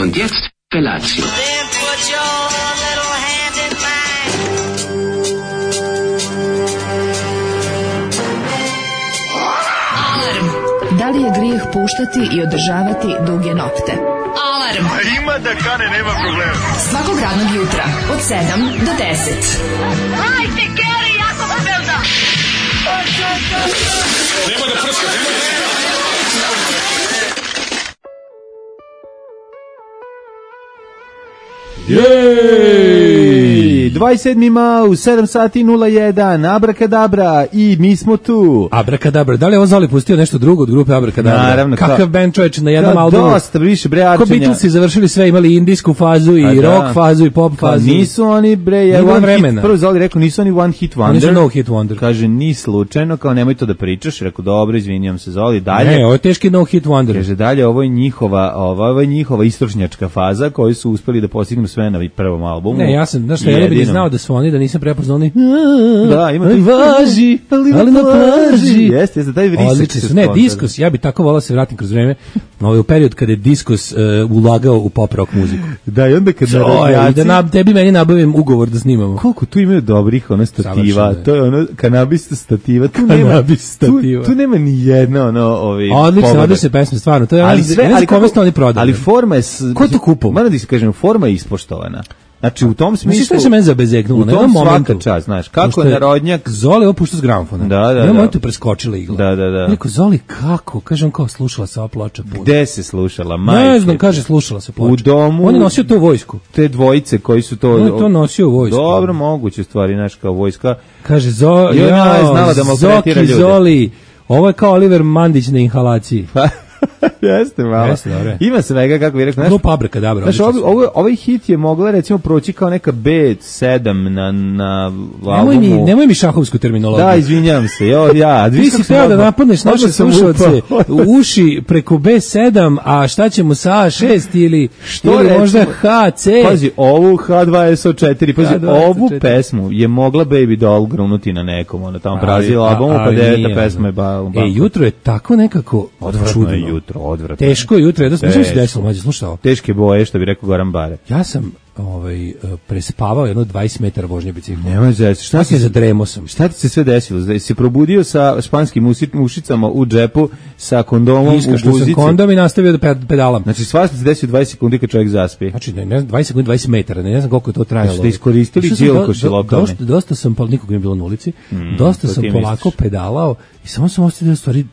Und jetzt Felatio. Then put your little hand in mine. Alarm. Da li je grijeh puštati i održavati duge nokte? Alarm. A ima da kane, nema problema. Svakog radnog jutra od 7 do 10. Hajde, Geri, jako se velda. Nema da prska, nema da prska. Jej! 27. mau, 7 sati 01, Abrakadabra i mi smo tu. Abrakadabra, da li je ovo Zoli pustio nešto drugo od grupe Abrakadabra? Naravno. Kakav band čovječ na jednom albumu? Dosta, više bre Ko arčenja. Beatlesi završili sve, imali indijsku fazu i rock fazu i pop fazu. Nisu oni bre, Nije bilo vremena. hit, prvo Zoli rekao, nisu oni one hit wonder. Oni su no hit wonder. Kaže, ni slučajno, kao nemoj to da pričaš. Rekao, dobro, izvinjam se Zoli, dalje. Ne, ovo je teški no hit wonder. Kaže, dalje, ovo je njihova istočnjačka faza koju su uspeli da postignu sve na prvom albumu. Ne, ja sam, znaš šta, ja ne bih znao da su oni, da nisam prepoznao oni. Da, ima ali važi, ali na plaži. Jeste, taj vrisak. Odlični su. Ne, Diskus, ja bih tako volao se vratim kroz vreme, u period kada je Diskus ulagao u pop rock muziku. Da, i onda kad tebi meni nabavim ugovor da snimamo. Koliko tu imaju dobrih stativa, to je ono kanabis stativa, tu nema ni jedna odlične pesme, stvarno, to je ali forma je, ko to kupo? Moram da se kažem, forma je ispoštovana. Znači u tom smislu. Misliš da se mene zabezeknulo na jednom momentu? Svaka čast, znaš, kako je narodnjak Zoli opušta s gramofona. Da. Na momentu preskočila igla. Da. Rekao, Zoli, kako? Kažem, kao slušala se ova ploča puno. Gde se slušala? Majke. Ne znam, kaže, slušala se ploča. U domu. On je nosio to u vojsku. Te dvojice koji su to. On je to nosio u vojsku. Dobro, moguće stvari, znaš, kao vojska. Kaže, Zoki, Zoli, ovo je kao Oliver Mandić na inhalaciji. Jeste malo. Ima svega, kako bih rekao. Grupa Abrakadabra. Znaš, ovaj hit je mogla recimo proći kao neka B7 na albumu. Nemoj mi šahovsku terminologiju. Da, izvinjam se. Ti si htio da napadneš naše slušalce u uši preko B7, a šta ćemo sa A6 ili možda HC. Pazi, ovu H2SO4, pazi, ovu pesmu je mogla Baby Doll grunuti na nekom, ona tamo prazila albumu, pa 9. pesma je jutro je tako nekako čudno. Odvratno. Teško jutro, jedno sam se desilo, mlađe, slušao. Teške boje, što bi rekao Goran Bare. Ja sam prespavao jedno 20 metara vožnje biciklom. Nemoj zesti. Šta se zadremo sam? Šta ti se sve desilo? Da si probudio sa španskim ušicama u džepu, sa kondomom u guzici? Sam kondom i nastavio da pedalam. Znači, svašta se desio 20 sekundi kad čovjek zaspi. Znači, ne znam, 20 sekundi, 20 metara, ne znam koliko je to trajalo. Znači, da iskoristili džilkoši lokalne. Dosta sam, nikog nije bilo na ulici, dosta sam polako pedalao i samo sam ostavio stvari.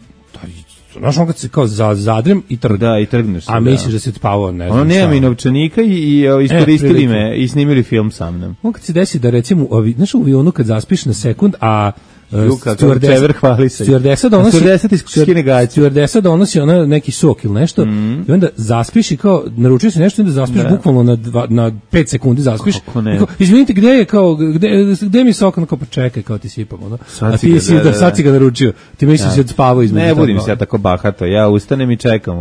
Znaš, on kad se kao zadrem i trgneš. Da, i trgneš se. A misliš da se spavao, ne znam. Ono nema i novčanika i iskoristili me i snimili film sa mnom. On kad se desi da recimo, znaš, u avionu kad zaspiš na sekund, a stewardesa donosi ona neki sok ili nešto i onda zaspiš i kao naručio se nešto i onda zaspiš bukvalno na 5 sekundi zaspiš. Izvinite, gde je kao gde mi sok, kao pa čekaj, kao ti sipam ono. A ti si sad si ga naručio. Ti misliš da si spavao između. Ne budim se ja tako bahato. Ja ustanem i čekam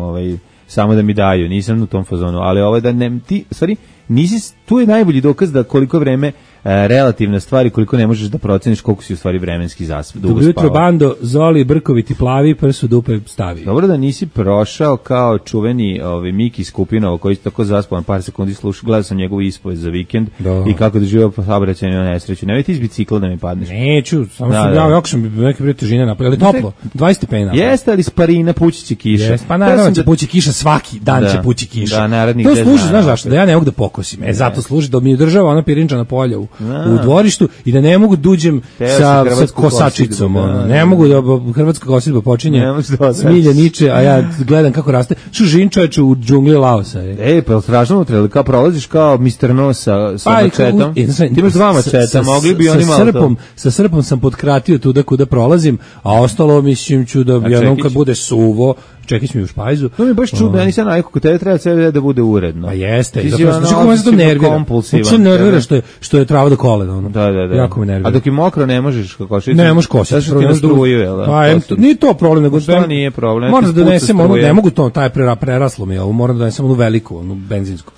samo da mi daju. Nisam u tom fazonu, ali da ne ti stvari nisi, tu je najbolji dokaz da koliko vreme relativne stvari, koliko ne možeš da proceniš koliko si u stvari vremenski dugo spavao. Dobro jutro, bando, Zoli, brkoviti plavi, prsu dupe stavi. Dobro da nisi prošao kao čuveni Miki Skupinov, koji je tako zaspao na par sekundi, gledao sam njegovu ispoved za vikend i kako doživio saobraćajnu nesreću. Nemoj ti iz bicikla da mi padneš. Neću, samo sam jako sam neke prije težine napravio, ali toplo, 20 stepeni napravio. Jeste, ali sparina pući će kiša. Jeste, pa naravno će pući kiša, svaki dan će pući kiša. Da, narednih 10 dana. To služi, znaš zašto, da ja ne mogu da pokosim. Zato služi da mi održava ona pirinčana polja u dvorištu i da ne mogu duđem sa kosačicom. Ne mogu da hrvatska kosidba počinje smilje niče, a ja gledam kako raste. Žin čoveče u džungli Laosa. Pa je strašno unutra, kao prolaziš kao Mr. No sa mačetom. Ti imaš 2 mačeta, mogli bi oni malo to. Sa srpom sam potkratio tuda kuda prolazim, a ostalo mislim ću da jednom kad bude suvo, čekić mi u špajzu. To mi je baš čudno, ja nisam najko, kod tebe treba sve da bude uredno. A jeste, zapravo se to nervira. To nervira što je trava do kolena. Da. Jako me nervira. A dok je mokro ne možeš košiti? Ne možeš košiti. Zašto ti na struju, jel da? Pa nije to problem, nego što nije problem. Moram da donesem ono, ne mogu to, taj preraslo mi je ovo, moram da donesem onu veliku, onu benzinsku.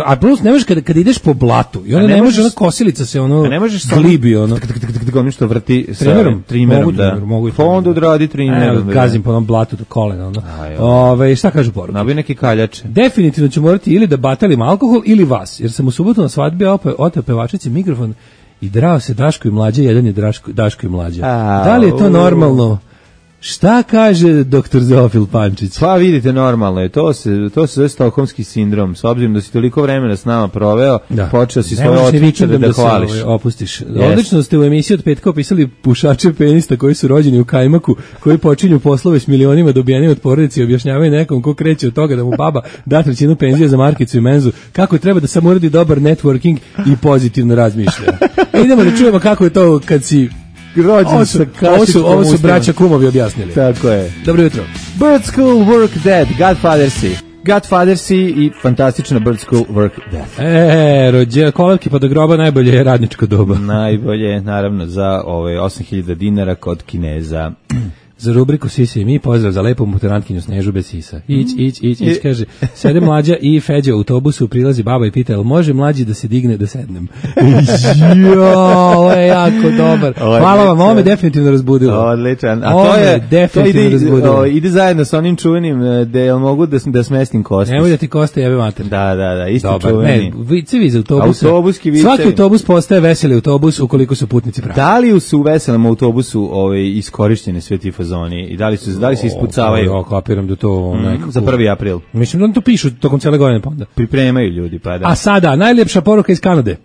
A plus ne možeš kada ideš po blatu i onda ne može ona kosilica se ono glibi ono ono što vrti sa trimerom, mogu pa onda odradi trimerom. Gazim po onom blatu do kolena šta kažu poruke? Nabi neki kaljače. Definitivno ću morati ili da batalim alkohol ili vas, jer sam u subotu na svadbi oteo pevačici mikrofon i drao se Daško i Mlađa, jedan je Daško i Mlađa. Da li je to normalno? Šta kaže doktor Zofil Pančić? Pa vidite, normalno je, to se zove stokholmski sindrom, s obzirom da si toliko vremena s nama proveo, počeo si svoje otvičare da hvališ. Opustiš. Odlično ste u emisiji od petka opisali pušače penista koji su rođeni u Kajmaku, koji počinju poslove s milionima dobijenim od porodice i objašnjavaju nekom ko kreće od toga da mu baba da trećinu penzije za markicu i menzu, kako treba da samo uradi dobar networking i pozitivno razmišlja. Idemo da čujemo kako je to kad si ovo su braća kumovi objasnili. Tako je. Dobro jutro. Bird School Work Dead, Godfathersi i fantastična Bird School Work Dead. Kolevki pa do groba najbolje je radničko doba. Najbolje, naravno, za 8.000 dinara kod Kineza. Za rubriku Sisi i mi, pozdrav za lepu muterantkinju Snežu bez sisa. Ić, kaže, sede Mlađa i Feđa u autobusu, prilazi baba i pita, jel može Mlađi da se digne da sednem? Ovo je jako dobar. Hvala vam, ovo me definitivno razbudilo. Odličan. A to ide zajedno sa onim čuvenim, da jel mogu da smestim Kostis. Nemoj da ti Kosta jebe mater. Da, isti čuveni. Ne, vicevi za autobusa. Svaki autobus postaje veseli autobus ukoliko su putnici pravi. Da li su u veselom autobusu iskorišćene sve ti fazoni i da li se ispucavaju? Kapiram da to nekako... Za 1. april. Mislim da to pišu tokom cele godine pa onda. Pripremaju ljudi, pa da. A sada, najljepša poruka iz Kanade.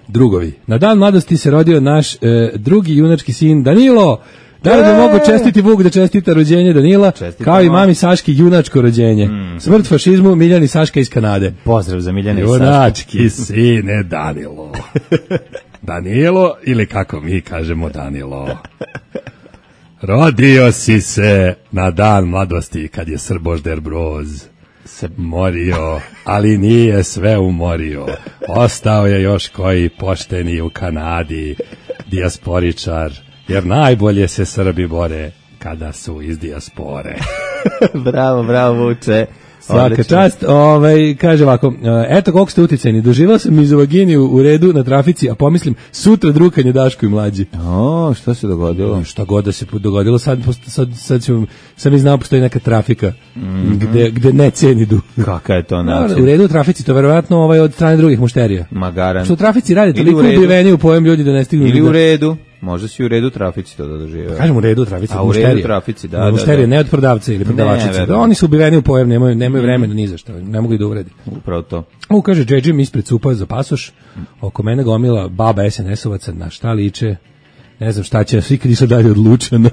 Drugovi. Na dan mladosti se rodio naš drugi junački sin Danilo. Da li bi mogu čestiti Vuk da čestita rođenje Danila, kao i mami Saški junačko rođenje. Smrt fašizmu, Miljani Saška iz Kanade. Pozdrav za Miljani i Saška. Junački sine Danilo. Danilo, ili kako mi kažemo Danilo. Rodio si se na dan mladosti kad je Srbožder Broz se morio, ali nije sve umorio. Ostao je još koji pošteni u Kanadi, dijasporičar, jer najbolje se Srbi bore kada su iz dijaspore. Bravo, Vuče. Svaka čast, kaže ovako, eto koliko ste uticajni, doživao sam mizovaginiju u redu na trafici, a pomislim, sutra drukanje Daško i Mlađi. Šta se dogodilo? Šta god da se dogodilo, sad sam i znao, postoji neka trafika, gde ne cenidu. Kaka je to način? U redu u trafici, to verovatno od strane drugih mušterija. Magaran. Što u trafici radi, toliko ubiveni u pojem ljudi da ne stignu. Ili u redu. Možda si u redu trafici to da doživio. Kažem u redu trafici, a u redu trafici, da. Mušterije, ne od prodavca ili prodavačice. Oni su ubiveni u pojem, nemaju vremena ni za što, ne mogu i da uvredi. Upravo to. Kaže, džedžim ispred cupa za pasoš, oko mene gomila baba SNS-ovaca, na šta liče, ne znam šta će, svi kad išli dalje odlučeno.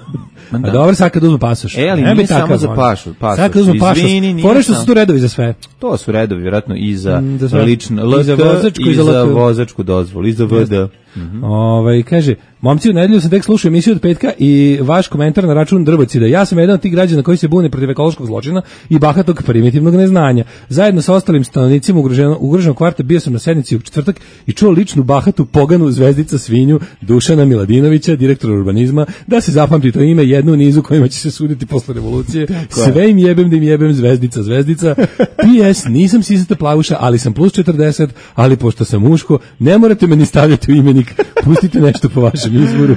A dobro, sad kad uzmu pasoš. Ali nije samo za pasoš. Sad kad uzmu pasoš, fore što su tu redovi za sve. To su redovi, vjerojatno, i za lično LK, i za vozačku dozvolu, i za VD. Kaže, momci, u nedelju sam tek slušao emisiju od petka i vaš komentar na račun Drbocida. Ja sam jedan od tih građana koji se bune protiv ekološkog zločina i bahatog primitivnog neznanja. Zajedno sa ostalim stanovnicima ugroženog kvarta bio sam na sednici u četvrtak i čuo ličnu bahatu poganu zvezdica svinju Dušana Miladinovića, direktora urbanizma, da se zapamti to ime, jednu u nizu kojima će se suditi posle revolucije. Sve im jebem da im jebem zvezdica. PS, nisam sisata plavuša, ali sam plus 40, ali pošto sam muško, ne morate me ni stavljati u imenik. Pustite nešto po vašem izboru.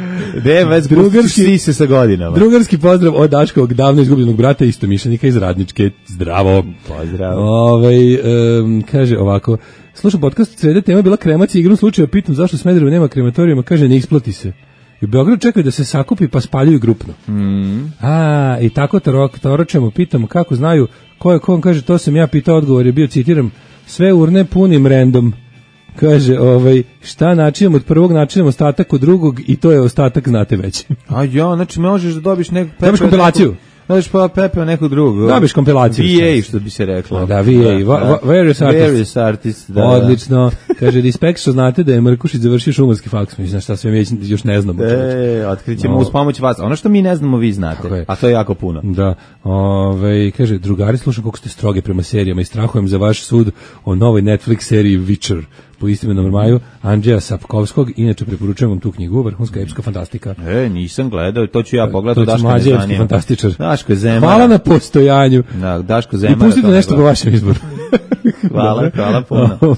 Se sa godinama. Drugarski pozdrav od Daškovog davno izgubljenog brata i istomišljenika iz Radničke. Zdravo. Pozdrav. Kaže ovako, slušam podcast, sreda tema bila kremacija, igrom slučaja pitam zašto Smederevo nema krematorijuma, kaže ne isplati se. I u Beogradu čekaju da se sakupi pa spaljuju grupno. I tako toročemo, pitamo kako znaju ko je ko, on kaže to sam ja pitao, odgovor je bio, citiram, sve urne punim random. Kaže, šta načinam od prvog, načinam ostatak od drugog i to je ostatak, znate već. Znači možeš da dobiš neku... Dobiš kompilaciju. Dobiš pepeo nekog drugog. Dobiš kompilaciju. VA, što bi se reklo. Da, VA. Various artist. Da. Odlično. Kaže, respekt što znate da je Mrkušić završio šumarski faks. Mislim, šta sve mi još ne znamo. Otkrićemo uz pomoć vas. Ono što mi ne znamo, vi znate. A to je jako puno. Da. Kaže, drugari, slušam koliko ste stroge prema serijama i strahujem za vaš sud o novoj Netflix seriji Witcher. po istimenom romanu Andrzeja Sapkowskog. Inače preporučujem vam tu knjigu, vrhunska epska fantastika. Nisam gledao, to ću ja pogledati. Daško je zanima. Fantastičar. Daško je Zemara. Hvala na postojanju. Da, Daško Zemara. I pustite nešto po vašem izboru. Hvala puno.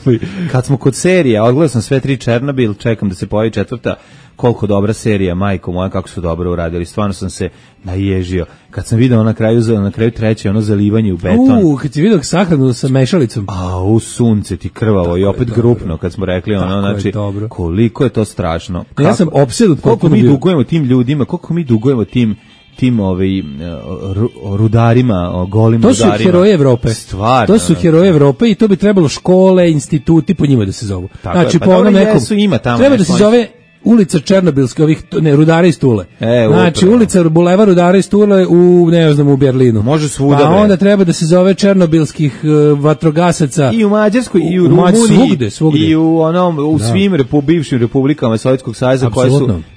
Kad smo kod serija, odgledao sam sve 3 Černobil, čekam da se pojavi 4. Koliko dobra serija, majko moja, kako su dobro uradili. Stvarno sam se naježio. Kad sam video na kraju 3. ono zalivanje u beton. Kad si video sahranu sa mešalicom. U sunce ti krvavo tako i opet grupno, kad smo rekli ono, znači, koliko je to strašno. Ja sam opsedut koliko mi dugujemo tim ljudima, koliko mi dugujemo tim rudarima, golim rudarima. To su heroji Evrope. Stvarno. To su heroji Evrope i to bi trebalo škole, instituti po njima da se zovu. Tako znači, pa po onom nekom, treba da se zove ulica Černobilske, Rudara iz Tule. Znači, ulica Buleva Rudara iz Tule u Berlinu. Može svuda. Pa onda treba da se zove Černobilskih vatrogasaca. I u Mađarskoj, i u Rumuniji, svugde. I u svim bivšim republikama Sovjetskog saveza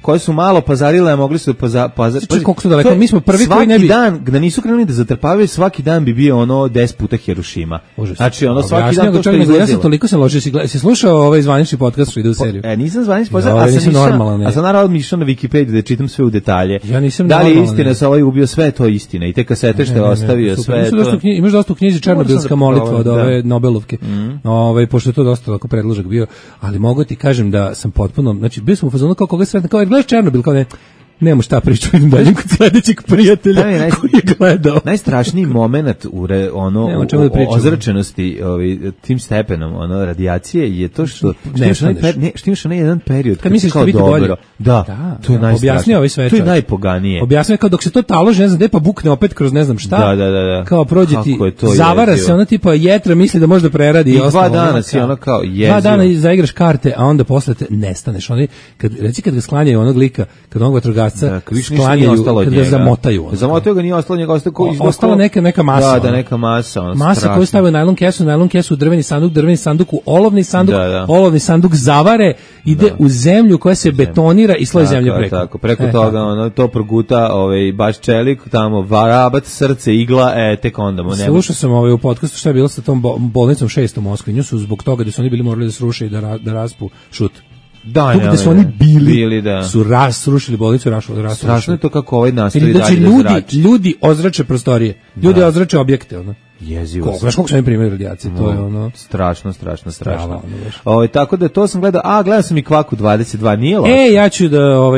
koje su malo pazarile, a mogli su Znači, koliko su daleko, mi smo prvi koji ne bi... Svaki dan, da nisu krenuli da zatrpavaju, svaki dan bi bio 10 puta Hirošima. Znači, svaki dan to što izlazilo. Ja sam toliko sam ložio, si slušao ovaj zvanični podcast što ide u seriju? Nisam zvanični podcast, normalno. A sam naravno išao na Wikipediju da čitam sve u detalje. Ja nisam da li je istina sa ovaj ubio, sve to istina i te kasete što je ostavio, sve to. Imaš dosta u knjizi Černobilska molitva od ove Nobelovke. Pošto je to dosta lako predložak bio, ali mogu ti kažem da sam potpuno, znači bio sam u fazonu kao koga sretna, kao gledaš Černobil, kao ne, nemamo šta pričati, idem dalje kod sledećeg prijatelja koji je gledao. Najstrašniji moment u ozračenosti tim stepenom radijacije je to što imaš onaj jedan period kad misliš da biti dobro. Da, to je najstrašnije. To je najpoganije. Objasnio kao dok se to taloži, ne znam, pa bukne opet kroz ne znam šta. Da. Kao prođe ti, zavara se ona tipa jetra, misli da može da preradi i ostalo. 2 dana si ono kao jezivo. 2 dana zaigraš karte, a onda posle te nestaneš. Kad ga sklanjaju onog lika, kad onog vatrogasca sklanjaju, kad ga zamotaju. Zamotaju ga, nije ostalo njega, ostala neka masa. Da, neka masa. Masa koju stavaju najlon kesu, drveni sanduk u olovni sanduk zavare, ide u zemlju koja se betonira i sloj zemlje preko. Tako, preko toga to proguta baš čelik, tamo varabac, srce, igla, tek onda mu nema. Slušao sam u podcastu šta je bilo sa tom bolnicom 6 u Moskvi, nju su zbog toga da su oni bili morali da sruše i da raspu šut. Da su oni bili su srušili bolnicu, strašno je to kako ovaj nastavi dalje da zrači. Ljudi ozrače prostorije, ljudi ozrače objekte, jezivo. Znaš koliko su oni primjeri radijacije, to je strašno. Tako da to sam gledao sam i Kvaku 22, nije loše. Ja ću da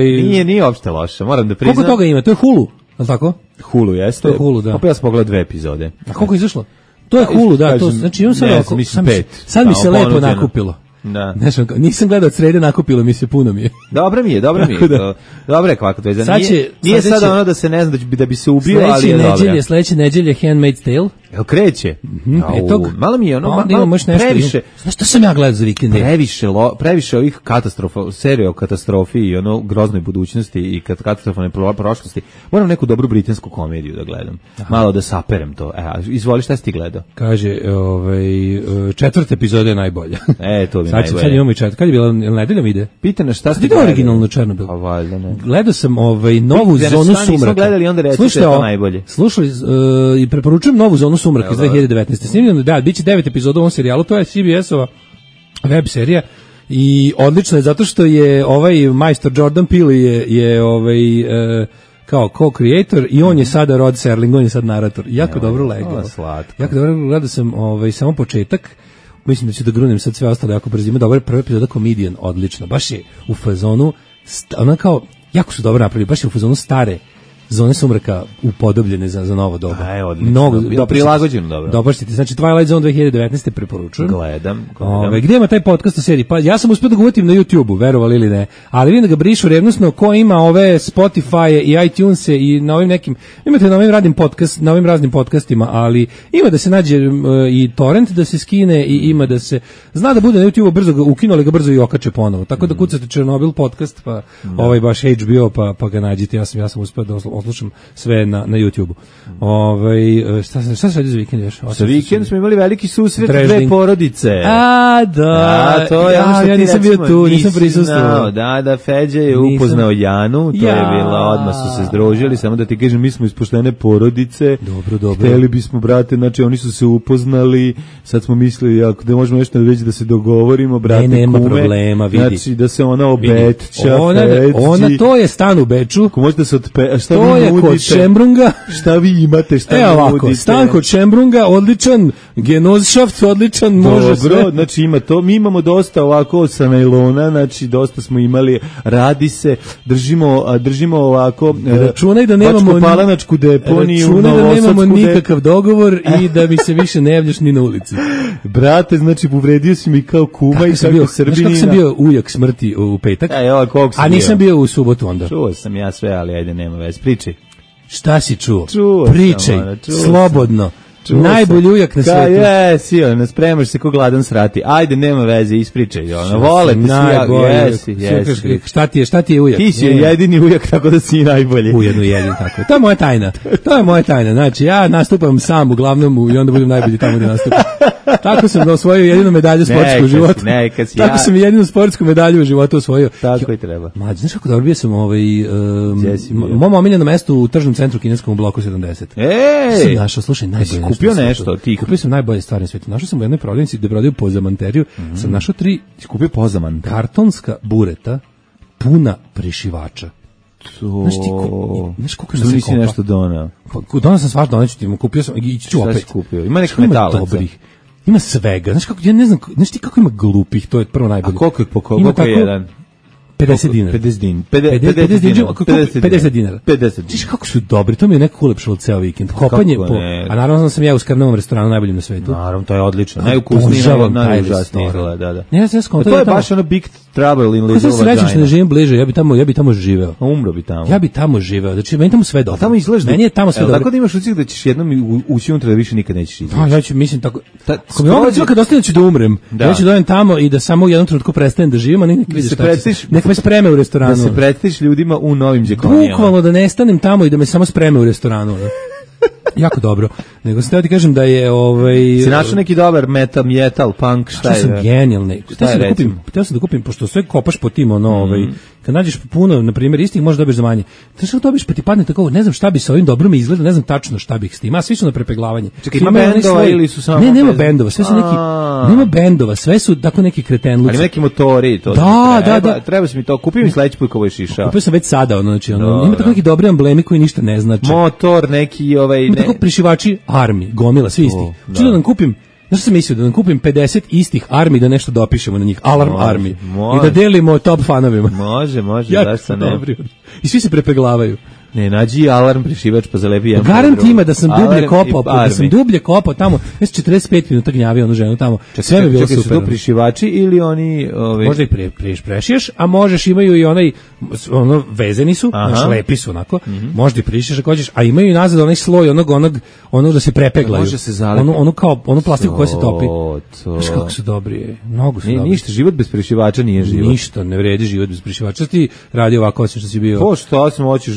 nije uopšte loše, moram da priznam. Koliko toga ima? To je Hulu, al tako? Hulu jeste. To je Hulu, da. Pa ja sam pogledao 2 epizode. A koliko je izašlo? To je Hulu, da, to znači imam sad mi se lepo nakupilo. Da. Nisam gledao od srede, nakupilo mi se, puno mi je. Dobro mi je. Dobro je kako to je. Nije sada ono da se ne zna da bi se ubio, ali je dobro. Sledeće nedelje Handmaid's Tale. Evo kreće. Malo mi je previše. Znaš što sam ja gledao za vikend? Previše ovih katastrofa, serija o katastrofi i groznoj budućnosti i katastrofalne prošlosti. Moram neku dobru britansku komediju da gledam. Malo da saperem to. Izvoli, šta si ti gledao? Kaže, 4. epizoda je najbolja. To bi najbolje. Sad imamo i 4. Kad je bila, nedeljom ide? Pita nas šta ste gledali? Originalno Černobil. A valjda ne. Gledao sam novu zonu sumraka. Nismo gledali, onda recite to najbolje. Slušali i preporučujem novu zonu sumraka iz 2019. Snimljeno, biće 9 epizoda u ovom serijalu, to je CBS-ova web serija i odlično je zato što je ovaj majstor Jordan Peele je kao co-creator i on je sada Rod Serling, on je sad narator. Jako dobro legao. Jako dobro gledao sam samo početak. Mislim da ću da grunem sad sve ostalo jako brzo. Ima dobra prva epizoda Comedian, odlično. Baš je u fazonu, ona kao, jako su dobro napravili, baš je u fazonu stare zone sumraka upodobljene za novo doba. Mnogo prilagođeno dobro. Dobaštite. Znači Twilight Zone 2019 preporučujem. Gledam. Gdje ima taj podcast o seriji? Pa ja sam uspio da ga uvatim na YouTube-u, verovali ili ne. Ali vidim da ga brišu revnosno ko ima ove Spotify i iTunes i na ovim nekim, imate na ovim raznim podcastima, ali ima da se nađe i torrent da se skine i ima da se zna da bude na YouTube-u, brzo ga ukinuli, ga brzo i okače ponovo. Tako da kucate Černobil podcast, pa ovaj baš HBO pa ga nađite. Ja sam uspio da oslušam sve na YouTubeu. Šta se radi za vikend još? Za vikend smo imali veliki susret dve porodice. Da, to je ja nisam bio tu, nisam prisustvovao. Da, Feđa je upoznao Janu, to je bila, odmah su se združili, samo da ti kažem, mi smo ispoštene porodice. Dobro. Hteli bismo, brate, znači oni su se upoznali, sad smo mislili, ako da možemo nešto već da se dogovorimo, brate, nema kume, problema, vidi. Znači da se ona obetča, ona to je stan u Beču. Ko možete se šta to vi je nudite? Kod Šembrunga. Šta vi imate, šta vi ovako, nudite? Stan kod Šembrunga, odličan, Genoshaft, odličan, može sve. Dobro, znači ima to, mi imamo dosta ovako sa najlona, znači dosta smo imali, radi se, držimo ovako, računaj da nemamo palanačku deponiju, računaj da nemamo nikakav dogovor i da mi se više ne javljaš ni na ulici. Brate, znači povredio si mi kao kuma i kako Srbinina. Kako sam bio ujak smrti u petak, a nisam bio u subotu onda. Čuo sam ja sve, ali ajde, nema veze, pričaj. Šta si čuo? Pričaj, slobodno. Najbolji ujak na svetu. Jesi, ne spremaš se ko gladan srati. Ajde, nema veze, ispričaj. Vole te svi, jesi. Šta ti je ujak? Ti si jedini ujak, tako da si najbolji. Ujedno jedini, tako. To je moja tajna. Znači, ja nastupam sam uglavnom i onda budem najbolji tamo gde nastupam. Tako sam osvojio jedinu medalju sportskog života. Tako sam jedinu sportsku medalju u životu osvojio. Tako i treba. Mlađe, znaš kako dobro bio sam u mom omiljenom mestu u tržnom centru kineskom u bloku 70. Sam našao, slušaj, najbolje kupio nešto, ti kupio sam najbolje stvari na svetu. Našao sam u jednoj prodavnici gde prodaju pozamanteriju. Sam našao 3 kupio pozaman kartonska bureta puna prešivača. Znaš koliko nisi nešto doneo? Donao sam svašta, doneću ti, kupio sam i ću opet. Šta si kupio? Ima neki metalaca. Ima svega. Znaš kako, ja ne znam, znaš ti kako ima glupih, to je prvo najbolje. A koliko je jedan? 50 dinara. 50 dinara. Znaš kako su dobri, to mi je nekako ulepšalo ceo vikend. Kopanje po... A naravno sam ja u Skarnovom restoranu najboljim na svetu. Naravno, to je odlično. Najukusniji, najužasniji. To je baš ono Big Trouble in Little Vagina. Srećan što ne živim bliže, ja bi tamo živeo. Umro bi tamo. Ja bi tamo živeo. Znači, meni tamo sve dobro. Tamo izgledaš. Meni je tamo sve dobro. Tako da imaš ucik da ćeš jednom ući unutra da više nikad nećeš izaći. Ja ću, mislim, tako... Ako mi ovo kad ostane ću da umrem, ja ću dojem tamo i da samo u jednom trenutku prestanem da živim, a nek vidiš šta će. Nek me spreme u restoranu. Da se predstaviš ljudima u novim đekonijama. Bukvalno da nestanem tamo i da me samo spreme u restoranu. Jako dobro. Nego sam teo ti kažem da je si našao neki dobar metal, punk, šta je? Što sam genijalni. Htio sam da kupim, pošto sve kopaš po tim, kad nađeš puno, na primjer, istih možeš dobiješ za manje. Znaš što dobiš, pa ti padne tako, ne znam šta bi sa ovim dobro mi izgleda, ne znam tačno šta bih s tim, a svi su na prepeglavanje. Čekaj, ima bendova ili su samo... Ne, nema bendova, sve su neki, nema bendova, sve su tako neki kretenluci. Ali neki motori, to da. Treba si mi to, kupio mi sledeći put kao išao. Kupio sam već sada, znači, ima tako neki dobri emblemi koji ništa ne znače. Motor, neki ima tako prišivači Army, gomila, svi isti. Čudo da nam kupim, znaš što sam mislio, da nam kupim 50 istih Army da nešto dopišemo na njih, Alarm Army, i da delimo top fanovima. Može, zašto ne? I svi se prepeglavaju. Ne, nađi Alarm prišivač pa zalepi jedan. Garant ima da sam dublje kopao, tamo, ja sam 45 minuta gnjavio onu ženu tamo. Sve mi je bilo super. Su to prišivači ili oni... Možda ih prešiješ, a možeš, imaju i onaj, vezeni su, lepi su onako, možda ih prišiš ako hoćeš, a imaju i nazad onaj sloj onog da se prepeglaju. Može se zalepi. Onu plastiku koja se topi. Znaš kako su dobri, mnogo su dobri. Ništa, život bez prišivača nije život. Ništa, ne vredi život bez prišivača. Ti radi ovako, osim što si bio... Po što sam hoćeš,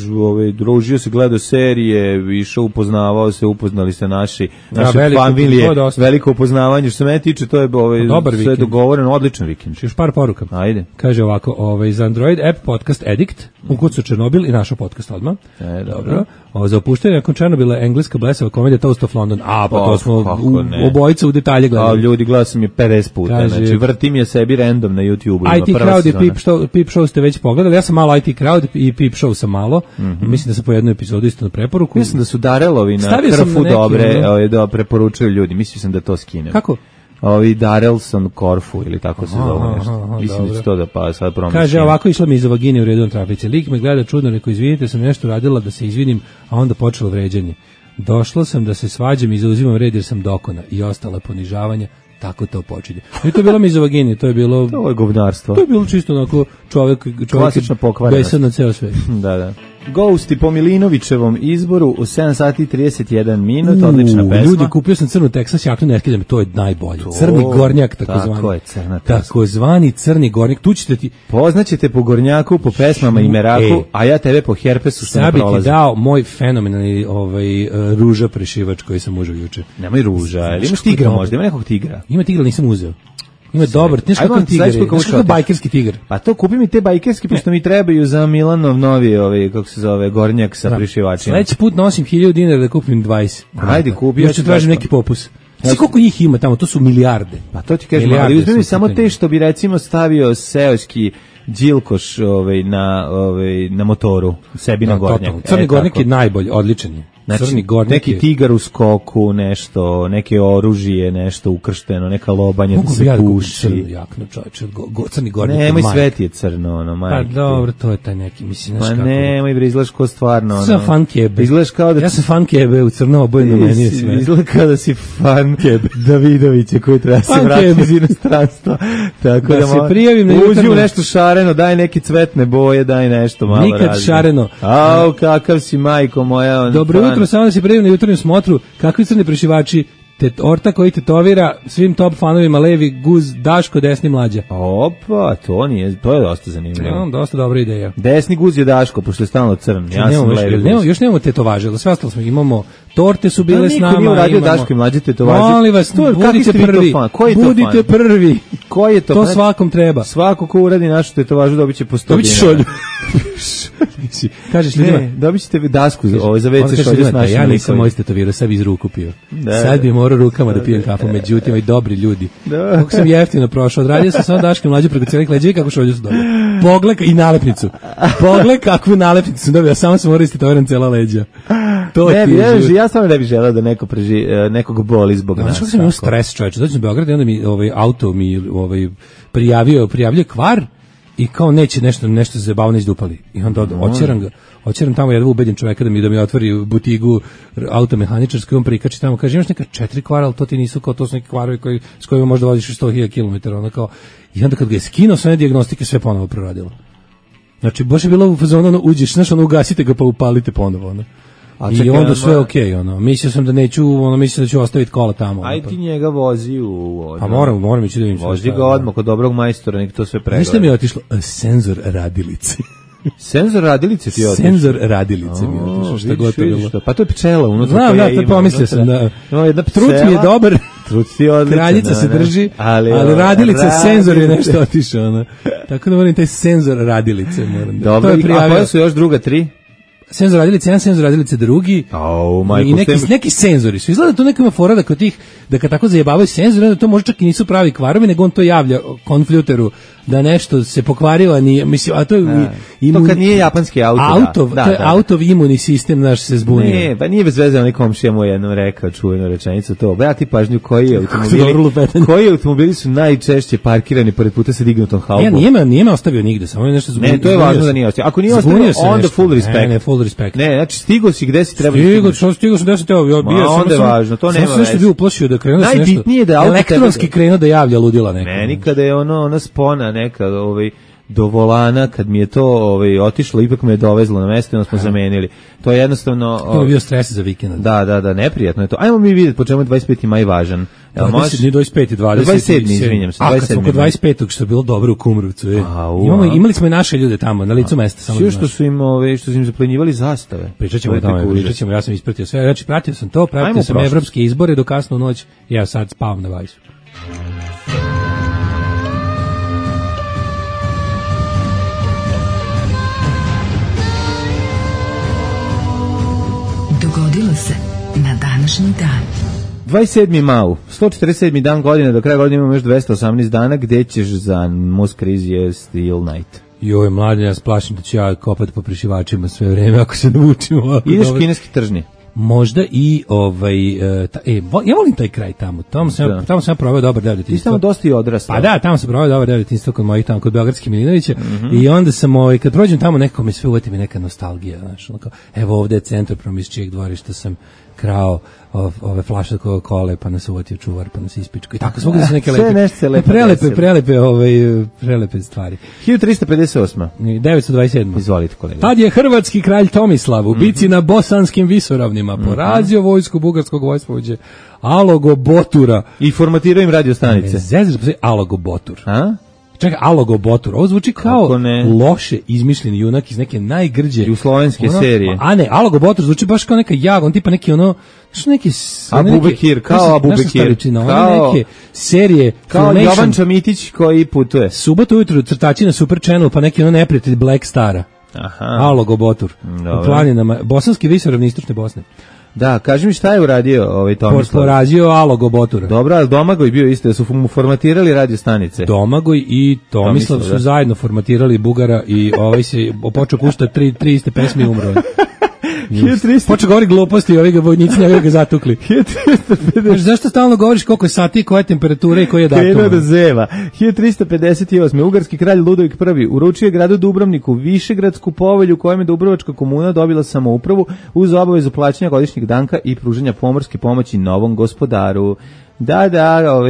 družio se, gledao serije, išao, upoznavao se, upoznali se naše familije, veliko upoznavanje. Što se mene tiče, to je sve dogovoreno, odličan vikend. Još par poruka. Ajde. Kaže ovako, za Android app podcast Addict, ukucao Černobil i našao podcast odmah. Dobro. Za opuštanje nakon Černobila engleska blesava komedija Toast of London. Pa to smo obojica u detalje gledali. Ljudi, gledao sam je 50 puta. Znači, vrtim je sebi random na YouTube-u. IT Crowd i Peep Show ste već pogledali. Ja sam malo IT Crowd i Peep Show sam malo. Mislim da sam po jednu epizodu isto na preporuku. Mislim da su Darelovi na Krfu dobre da preporučuju ljudi. Mislim sam da to skinem. Kako? Darelson Korfu ili tako se zove nešto. Mislim da će to da pa sad promišljam. Kaže ovako, išla mi iza vagine u redu na trafici. Lik me gleda čudno, rekao izvinite, sam nešto radila da se izvinim, a onda počelo vređanje. Došla sam da se svađam i zauzimam red jer sam dokona i ostala ponižavanja. Tako to počinje. I to je bilo mizovagini, to je bilo... To je govnarstvo. To je bilo čisto onako čovjek klasična pokvarenost. Besan na ceo svet. Da. Ghosti po Milinovićevom izboru u 7 sati i 31 minut, odlična pesma. Ljudi, kupio sam crnu Texas jaknu, ne skidam, to je najbolje. Crni gornjak, takozvani. Tako je, crna Texas. Takozvani crni gornjak, tu ćete ti... Poznaćete po gornjaku, po pesmama i meraku, a ja tebe po herpesu što ne prolazim. Sad bi ti dao moj fenomenalni ruža prešivač koji sam užao juče. Nemoj ruža, ili imaš tigra možda, ima nekog tigra? Ima tigra, nisam uzeo. Ima dobar, znaš kakav tigar je, znaš kakav bajkerski tigar. Pa to, kupi mi te bajkerski, pošto mi trebaju za Milanov novi, kako se zove, gornjak sa prišivačima. Sledeći put nosim 1000 dinara da kupim 20. Ajde, kupi. Ja ću tražiti neki popus. Znaš koliko njih ima tamo, to su milijarde. Pa to ti kažem, ali uzmi mi samo te što bi recimo stavio seoski Đilkoš na motoru, sebi na gornjak. Crni gornjak je najbolji, odličan je. Znači, neki tigar u skoku, nešto, neke oružje, nešto ukršteno, neka lobanja da se puši. Crnu jaknu, čovječe, crni gornjak. Nemoj, svet je crno, majke. Pa dobro, to je taj neki, mislim, znaš kako. Pa nemoj, bre, izgledaš kao stvarno. Sam fan kebe. Izgledaš kao da... Ja sam fan kebe, u crno obojeno meni je sve. Izgleda kao da si fan kebe Davidovića koji treba se vratiti iz inostranstva. Tako da se prijavim na uđi u nešto šareno, daj neke cvetne boje, daj nešto malo različno. Nikad šareno. Au, kakav si, majko moja. Dobro jutro, samo da se prijavim na jutarnjem smotru. Kakvi crni prešivači? Orta koji tetovira svim top fanovima levi guz, Daško, desni Mlađa. Opa, to je dosta zanimljivo. Ja, dosta dobra ideja. Desni guz je Daško, pošto je stalno crn. Ja sam levi guz. Još nemamo tetovaže, ali sve ostalo smo. Imamo torte su bile s nama. Niko nije uradio Daško i Mlađe tetovaže. Molim vas, budite prvi. Budite prvi. Ko je to? To svakom treba. Svako ko uradi našu tetovažu dobit će po 100 dinara. Dobit će šolju. Kažeš ljudima, dobit ćete dasku za WC šolju s našim. Ja nisam moj tetovirao, sad bi iz ruku pio. Sad bi morao rukama da pijem kafu, međutim, i dobri ljudi. Kako sam jeftino prošao, odradio sam samo Daške Mlađe preko cijelih leđa i kako šolju su dobio. Pogled i nalepnicu. Pogled kakvu nalepnicu sam dobio, samo sam morao istetoviran cijela leđa. Ja stvarno ne bih želeo da nekog boli zbog nas. Znaš kako sam imao stres, čovječe, dođem u Beograd i onda mi auto mi prijavljuje kvar i kao neće nešto zabavno izdupali. I onda oćeram tamo jedva ubedim čoveka da mi otvori butigu automehaničarsku i on prikači tamo, kaže imaš neka 4 kvara, ali to ti nisu kao, to su neki kvarovi s kojima možda voziš 100.000 km. Ono kao, i onda kad ga je skinuo sve dijagnostike, sve ponovo proradilo. Znači, baš je bilo u fazonu, uđeš, znaš, ugasite ga pa upalite ponovo, ono. I onda sve okej, ono. Mislio sam da neću, mislio da ću ostaviti kola tamo. Aj ti njega vozi u... Pa moram ići da vidim. Vozi ga odmah kod dobrog majstora, nek to sve pregleda. Ništa mi je otišlo, senzor radilice. Senzor radilice ti je otišlo? Senzor radilice mi je otišlo, šta god to bilo. Pa to je pčela unutra. Znam, da, to pomislio sam da... Trut mi je dobar, kraljica se drži, ali radilica, senzor je nešto otišao. Tako da moram taj senzor radilice. Dobro, a koje su još druga 3? Senzor radilice, jedan senzor radilice drugi. I neki senzori su. Izgleda to neka ima fora da kod tih, da kad tako zajebavaju senzori, onda to možda čak i nisu pravi kvarovi, nego on to javlja konfljuteru da nešto se pokvarilo, nije, mislim, a to je to kad nije japanski auto. To je autov imunni sistem naš se zbunio. Ne, pa nije bez veze, onaj komšija mu jednom rekao čuvenu rečenicu to. Brati pažnju koji automobili su najčešće parkirani pored puta sa dignutom haubom. Ja nije me ostavio nigde, samo nešto zbunio. Ne, to je važno da nije ostavio. Ako nije ostavio, onda full respect. Ne, full respect. Ne, znači stigo si gde si treba. Stigo sam gde si trebao, bio sam. Onda je važno, to nema veze. Sam se bio uplašio da krenuo nešto. Najbitnije da auto elektronski krenuo da javlja ludila neka. Meni kada je ona spona neka, do volana, kad mi je to otišlo, ipak me je dovezlo na mesto i onda smo zamenili. To je jednostavno... To je bio stres za vikend. Da, neprijatno je to. Ajmo mi vidjeti po čemu je 25. maj važan. Nije 25. 27. izvinjam se. A kad smo kod 25. što je bilo dobro u Kumrovcu. Imali smo i naše ljude tamo, na licu mesta. Sve što su im zaplenjivali zastave. Pričat ćemo o tome, ja sam ispratio sve. Znači, pratio sam evropske izbore do kasnu noć, ja sad spavam na vajsu. Dogodilo se na današnji dan. 27. mau, 147. dan godine, do kraja godine imamo još 218 dana, gde ćeš za Most Crazy Steel Night? Joj, mladen, ja splašim da ću ja kopati po prišivačima sve vreme, ako se naučimo. Ideš kineski tržni? Možda i ja volim taj kraj tamo. Tamo sam proveo dobar deo detinjstva. Ti tamo dosta i odrastao. Pa da, tamo sam proveo dobar deo detinjstva kod mojih tamo, kod Beogradskih Milinovića. I onda sam, kad prođem tamo, nekako me sve uvati mi neka nostalgija. Znaš, evo ovde je centar, iz čijeg dvorišta sam krao ove flaše Coca-Cola, pa nas uvotio čuvar, pa nas ispičko i tako svugdje su neke prelepe stvari. 1358. 927. Izvolite, kolega. Tad je hrvatski kralj Tomislav u bici na Bosanskim visoravnima porazio vojsku bugarskog vojskovođe Alogo Botura i formatirao im radio stanice. Alogo Botur. A? Čekaj, Alogo Botur. Ovo zvuči kao loše izmišljeni junak iz neke najgrđe jugoslovenske serije. A ne, Alogo Botur zvuči baš kao neka on tipa neki neki Abu Bekir, kao Abu Bekir, kao neke serije, kao Jovan Čamitić koji putuje. Subotu ujutru crtači na Super Channel, pa neki neprijatelj Black Stara. Aha. Alogo Botur. U planinama, Bosanski visoravni istočne Bosne. Da, kaži mi šta je uradio Tomislav? Porazio Alogo Botura. Dobro, ali Domagoj bio isto, da su mu formatirali radio stanice. Domagoj i Tomislav su zajedno formatirali Bugara i se počeo puštati tri iste pesme i umro. Počeo govori gluposti i ovi ga vojnici njega ga zatukli. Zašto stalno govoriš koliko je sati, koja je temperatura i koji je datum? Krenuo da zeva. 1358. Ugarski kralj Ludovik I uručio gradu Dubrovniku Višegradsku povelju kojom je Dubrovačka komuna dobila samoupravu uz obavezu plaćanja godišnjeg danka i pružanja pomorske pomoći novom gospodaru. Da,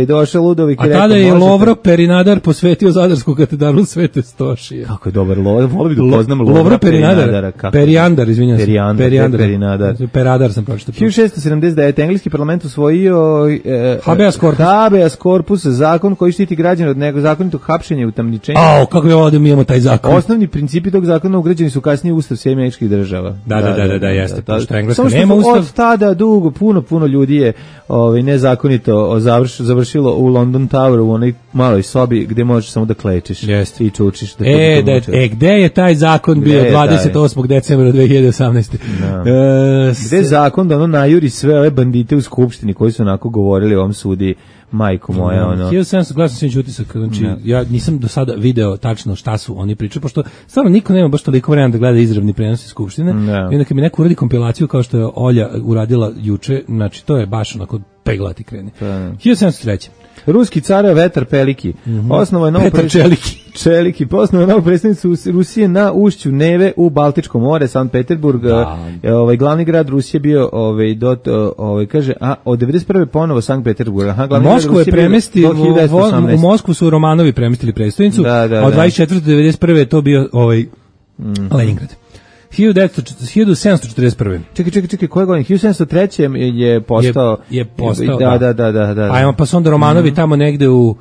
došao Ludovik i rekao... A tada je Lovro Perinadar posvetio Zadarsku katedralu Svete Stošije. Kako je dobar Lovro, volio bih da poznam Lovro Perinadara. Perijandar, izvinjam se. Perinadar. Peradar sam pročitao. 1679. Engleski parlament usvojio habeas corpus, zakon koji štiti građane od nezakonitog hapšenja i utamničenja. Kako je ovo da mi imamo taj zakon? Osnovni principi tog zakona ugrađeni su kasnije u Ustav Sjedinjenih Američkih Država. Da, jeste. Pošto Engleska nema Ustav. Od tada dugo, puno ljudi je nezakonito završilo u London Tower u onoj maloj sobi gde možeš samo da klečeš i čučiš. Gde je taj zakon bio 28. decembra 2018. Gde je zakon da najuri sve ove bandite u skupštini koji su onako govorili o ovom sudi, majko moja. 1700 glasno sam utisak, znači ja nisam do sada video tačno šta su oni pričali, pošto stvarno niko nema baš toliko vremena da gleda izravni prenos iz skupštine. I onda kad mi neko uradi kompilaciju kao što je Olja uradila juče, znači to je baš onako peglati krene. 1703. Ruski car Vetar Peliki. Osnovao je novu predstavnicu Rusije na ušću Neve u Baltičkom more, Sankt Peterburg. Glavni grad Rusije bio kaže, od 91. ponovo Sankt Peterburg. Moskvu je premestio u Moskvu su Romanovi premestili predstavnicu, a od 24. do 91. je to bio Leningrad. 1741. Čekaj, koje godine? 1703. je postao... Da. Pa su onda Romanovi tamo negde u...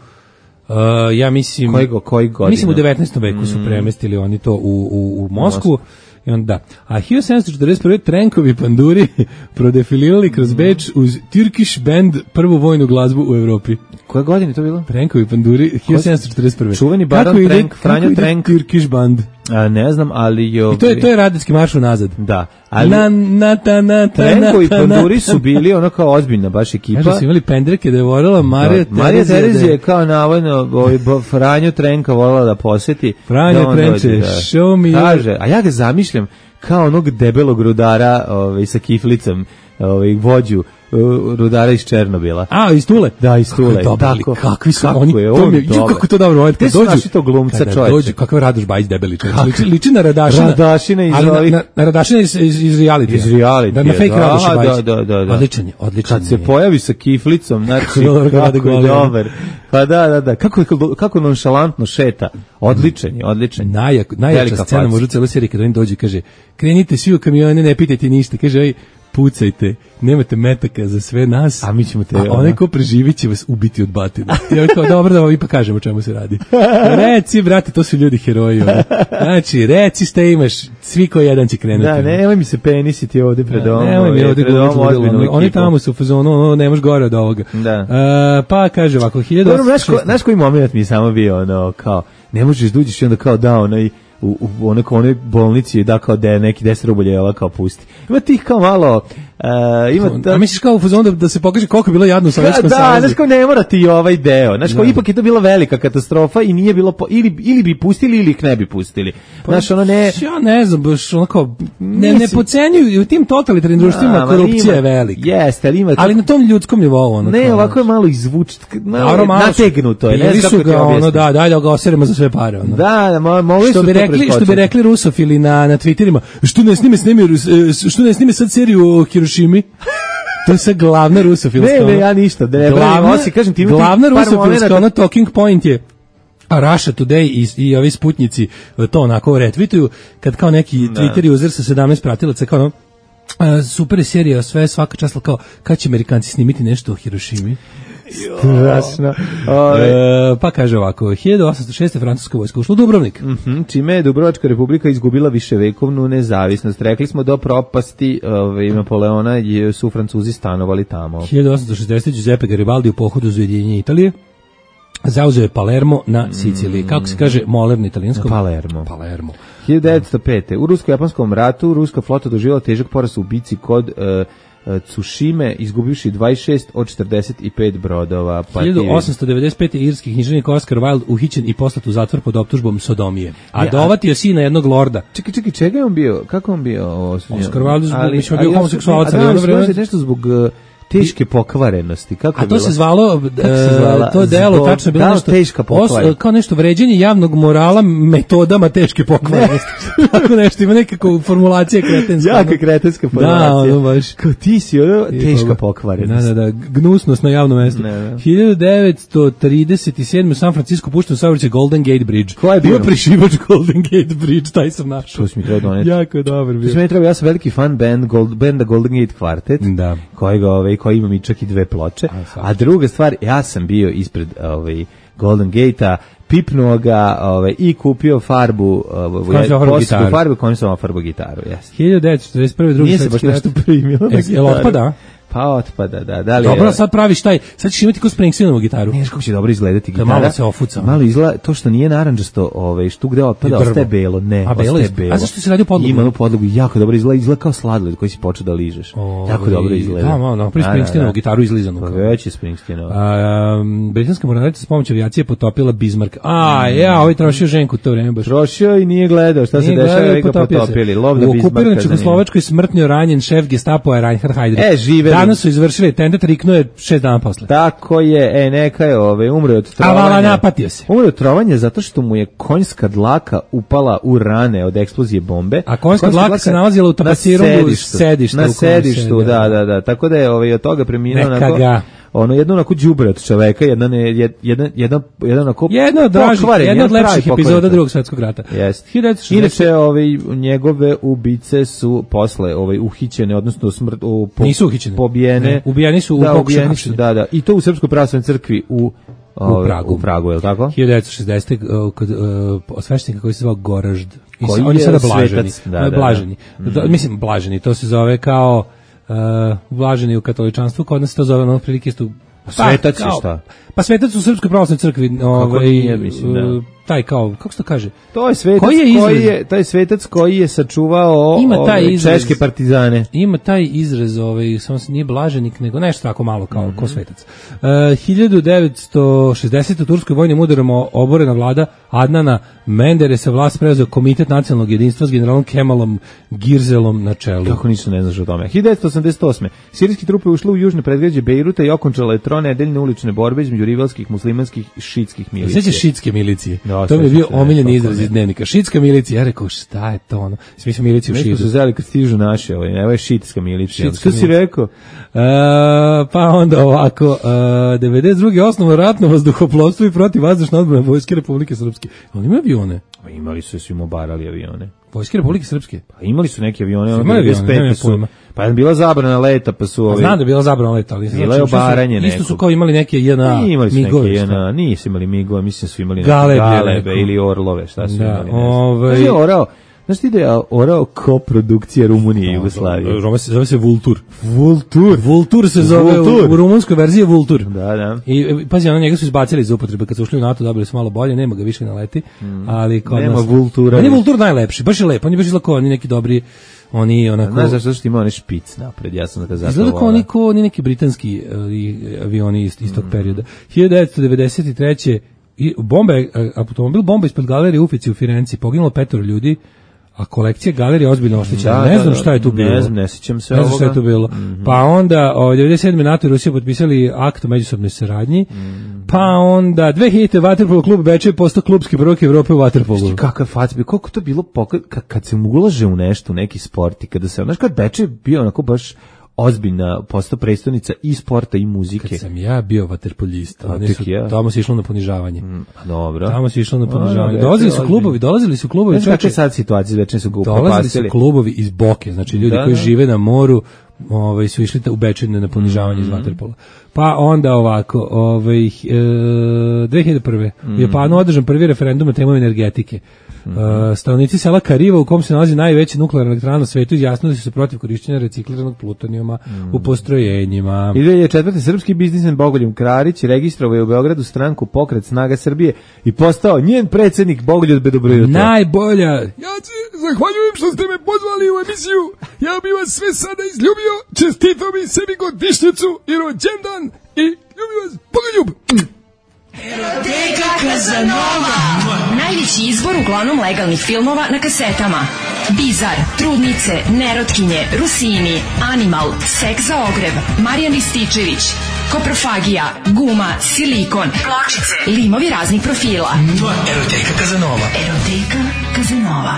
ja mislim... Koji godina? Mislim u 19. veku su premestili oni to u Moskvu. I onda, a 1741. Trenkovi panduri prodefilirali kroz Beč uz Turkish band, prvu vojnu glazbu u Evropi. Koje godine to bilo? Trenkovi panduri 1741. Čuveni Baron Trenk, Franjo Trenk. Turkish band. Ne znam, ali... I to je radetski marš unazad. Da. Ali Trenkovi panduri su bili ono kao ozbiljna baš ekipa. Kažu su imali pendreke da je volila Marija Terezija je kao navodno Franjo Trenka volila da poseti. Franjo Trenče, show me. Kaže, a ja ga zamišljam kao onog debelog rudara sa kiflicom, vođu rudara iz Černobila. Iz Tule? Da, iz Tule. Kakvi su oni? Kako to dobro. Te su naši to glumca čovječe. Kakav Radoš Bajić debeli čovječe. Liči na Radašina. Na Radašina iz reality. Iz reality. Na fake Radoš Bajić. Da. Odličan je. Kad se pojavi sa kiflicom, znači, kako je dobar. Pa da. Kako nonšalantno šeta. Odličan je. Najjača scena možda celo serije kada on dođe i kaže, krenite svi u kamione, ne pitajte ništa. Kaže, pucajte, nemate metaka za sve nas, a mi ćemo te... A onaj ko preživit će vas ubiti od batine. Ja kao, dobro da vam ipak kažem o čemu se radi. Reci, brate, to su ljudi heroji. Znači, reci šta imaš, svi ko jedan će krenuti. Da, nemoj mi se penisiti ovde pred domom. Nemoj mi ovde govoriti. Oni tamo su u fazonu, ne možeš gore od ovoga. Da. Pa kaže ovako, 1806. Znaš koji moment mi samo bio, kao, ne možeš da uđeš i onda kao da u onoj bolnici da kao da je neki 10 rublja kao pusti. Ima tih kao malo a misliš kao u fazonu da se pokaže koliko je bilo jadno u Sovjetskom savezu? Da, znaš kao ne mora ti ovaj deo. Znaš kao ipak je to bila velika katastrofa i nije bilo ili bi pustili ili ih ne bi pustili. Znaš ono ne... Ja ne znam, baš ono kao ne pocenjuju u tim totalitarnim društvima korupcija je velika. Jeste, ali na tom ljudskom nivou ono. Ne, ovako je malo izvučeno, nategnuto je. Ne znam kako ti objasniti. Daj da ga oseremo za sve pare. Da, mogli su to preskočiti. Što bi rekli rusofili na Twitterima, što ne snime sad seriju o Hirošimi? To je sad glavna rusofilska. Ne, ja ništa, da ne pravim osi, kažem ti. Glavna rusofilska, ono talking point je a Russia Today i ovi sputnici to onako retvituju, kad kao neki Twitter user sa 17 pratilaca, kao ono, super je serija, sve svaka čast, kao kad će Amerikanci snimiti nešto o Hirošimi. Strašno. Pa kaže ovako, 1806. francuska vojska ušla u Dubrovnik. Čime je Dubrovačka republika izgubila viševekovnu nezavisnost. Rekli smo do propasti Napoleona su Francuzi stanovali tamo. 1860. Giuseppe Garibaldi u pohodu za ujedinjenje Italije zauzeo je Palermo na Siciliji. Kako se kaže Moler na italijanskom? Palermo. 1905. U rusko-japanskom ratu ruska flota doživjela težak poraz u bici kod Tsushime, izgubivši 26 od 45 brodova. 1895. irski književnik Oscar Wilde uhićen i poslat u zatvor pod optužbom sodomije. A dovatio sina jednog lorda. Čekaj, čega je on bio? Kako on bio? Oscar Wilde je bio homoseksualac. Nešto zbog teške pokvarenosti. A to se zvalo, to delo tačno bilo nešto teška pokvarenost. Kao nešto vređenje javnog morala metodama teške pokvarenosti. Tako nešto, ima nekako formulacija kretenska. Jaka kretenska formulacija. Da, ono baš. Kao ti si teška pokvarenost. Da, gnusnost na javnom mestu. 1937. u San Francisco pušten saobraćaj Golden Gate Bridge. Ko je bio prišivač Golden Gate Bridge, taj sam našao. To si mi trebao doneti. Jako je dobar bio. To si mi trebao, ja sam veliki fan benda Golden Gate Quartet. Da. Koji ima mi čak i 2 ploče. A druga stvar, ja sam bio ispred Golden Gate-a, pipnuo ga i kupio farbu, kojom sam farbu gitaru. 1941. drugi nije se baš nešto primilo. Jel otpada? Pa otpada, da. Dobro, sad praviš taj, sad ćeš imati ko Springsteenovu gitaru. Ne, kako će dobro izgledati gitara. Malo se ofuca. Malo izgleda, to što nije narandžasto, što gde otpada, ostaje belo. Ne, ostaje belo. A zašto si radio podlogu? Ima podlogu, jako dobro izgleda kao sladoled koji si počeo da ližeš. Jako dobro izgleda. Da, malo, prvi Springsteenovu gitaru izlizanu. Pa već je Springsteenova. Britanska mornarica s pomoću avijacije potopila Bismarck. Ovaj trošio ženku to vreme baš. Trošio i nije gledao šta se dešava, ga potopili. Lov na Bismarcka. U okupiranoj Čehoslovačkoj smrtno ranjen šef Gestapoa Reinhard Heydrich. Danas su izvršili tentat, riknuo je 6 dana posle. Tako je, neka je umro od trovanja. A vala napatio se. Umro od trovanja zato što mu je konjska dlaka upala u rane od eksplozije bombe. A konjska dlaka se nalazila u tapacirungu sedišta. Na sedištu, da. Tako da je od toga preminuo jedno onako đubre od čoveka, jedna od lepših epizoda Drugog svjetskog rata. Inače, njegove ubice su posle uhićene, odnosno nisu uhićene. Pobijene. Ubijeni su u pokušaju hapšenja. Da. I to u Srpskoj pravoslavnoj crkvi u Pragu, je li tako? 1960. kod sveštenika koji se zvao Goražd. On je sada blaženi. Mislim, blaženi, to se zove kao blaženi u katoličanstvu, kod nas se to zove ono prilike isto. Svetac je šta? Pa svetac u Srpskoj pravoslavnoj crkvi, taj kao, kako se to kaže? To je svetac koji je sačuvao češke partizane. Ima taj izraz, samo se nije blaženik, nego nešto tako malo kao ko svetac. 1960. u Turskoj vojnim udarom oborena vlada Adnana Menderes'a vlast preuzeo Komitet nacionalnog jedinstva s generalom Kemalom Girzelom na čelu. Kako nisu ne znaš o tome. 1988. Sirijski trupe ušle u južne predgrađe Bejruta i okončale tronedeljne ulične borbe između rivalskih muslimanskih i šitskih milicija. Sveće šitske milicije. To mi je bio omiljeni izraz iz dnevnika. Šitska milicija. Ja rekao, šta je to ono? Mi smo miliciju u Šidu. Neko su zeli kad stižu naše, evo je šitska milicija. Što si rekao? Pa onda ovako, 92. osnovno ratno vazduhoplovstvo i protivvazdušna odbrana Vojske Republike Srpske. Oni imaju avione? Imali su svim obarali avione. Vojske Republike Srpske? Pa imali su neke avione. Pa je bila zabrana leta, pa su Znam da je bila zabrana leta, ali bila je obaranje neko. Isto su kao imali neke migove. Nisu imali migove, mislim su imali galebe ili orlove, šta su imali. Znaš ti da je orao koprodukcija Rumunije i Jugoslavije? Zove se Vultur. Vultur se zove, u rumunskoj verziji je Vultur. Da. I pazi, njega su izbacili iz upotrebe, kad su ušli u NATO dobili su malo bolje, nema ga više na leti, ali kod nema nas... Vultura. On je Vultur najlepši, baš je lep, on je baš izlako, oni neki dobri, oni onako... Znaš zašto što ima onaj špic napred, ja sam da izgleda kao oni neki britanski avioni iz tog perioda. 1993. Automobil bomba ispod galerije Uffizi u Firenci, poginulo 5 ljudi, a kolekcija galerije ozbiljno oštećena. Ne znam šta je tu bilo. Ne sjećam se ovoga. Ne znam šta je tu bilo. Pa onda, 97. NATO i Rusija potpisali akt o međusobnoj saradnji, pa onda 2000. Vaterpolo klub Bečej postao klubski prvak Evrope u vaterpolu. Kakav fac bi, koliko to bilo kad se ulaže u nešto, u neki sport i kada se, znaš kad Bečej bio onako baš ozbiljna postao prestonica i sporta i muzike. Kad sam ja bio vaterpoljista, tamo se išlo na ponižavanje. Dobro. Tamo se išlo na ponižavanje. Dolazili su klubovi. Znači, kakve sad situacije, večne su dolazili su klubovi iz Boke, znači ljudi koji žive na moru, su išli u Bečejne na ponižavanje iz vaterpola. Pa onda ovako, 2001. U Japanu održan prvi referendum na temu energetike. Stanovnici sela Kariva, u kom se nalazi najveća nuklearna elektrana na svetu, izjasnili su se protiv korišćenja recikliranog plutonijuma u postrojenjima. I 2004. srpski biznismen Bogoljub Krarić registrovao je u Beogradu stranku Pokret Snaga Srbije i postao njen predsjednik. Bogoljub Bedobrojuto. Najbolja. Ja zahvaljujem što ste me pozvali u emisiju. Ja bih vas sve sada izljubio. Čestitao mi sebi godišnjicu i rođendan i ljubio vas. Bogoljub. Eroteka Kazanova. Najveći izbor uglavnom legalnih filmova na kasetama. Bizar, Trudnice, Nerotkinje, Rusini, Animal, Seks za ogreb, Marijan Rističević, Koprofagija, Guma, Silikon, Pločice, limovi raznih profila. Eroteka Kazanova. Eroteka Kazanova.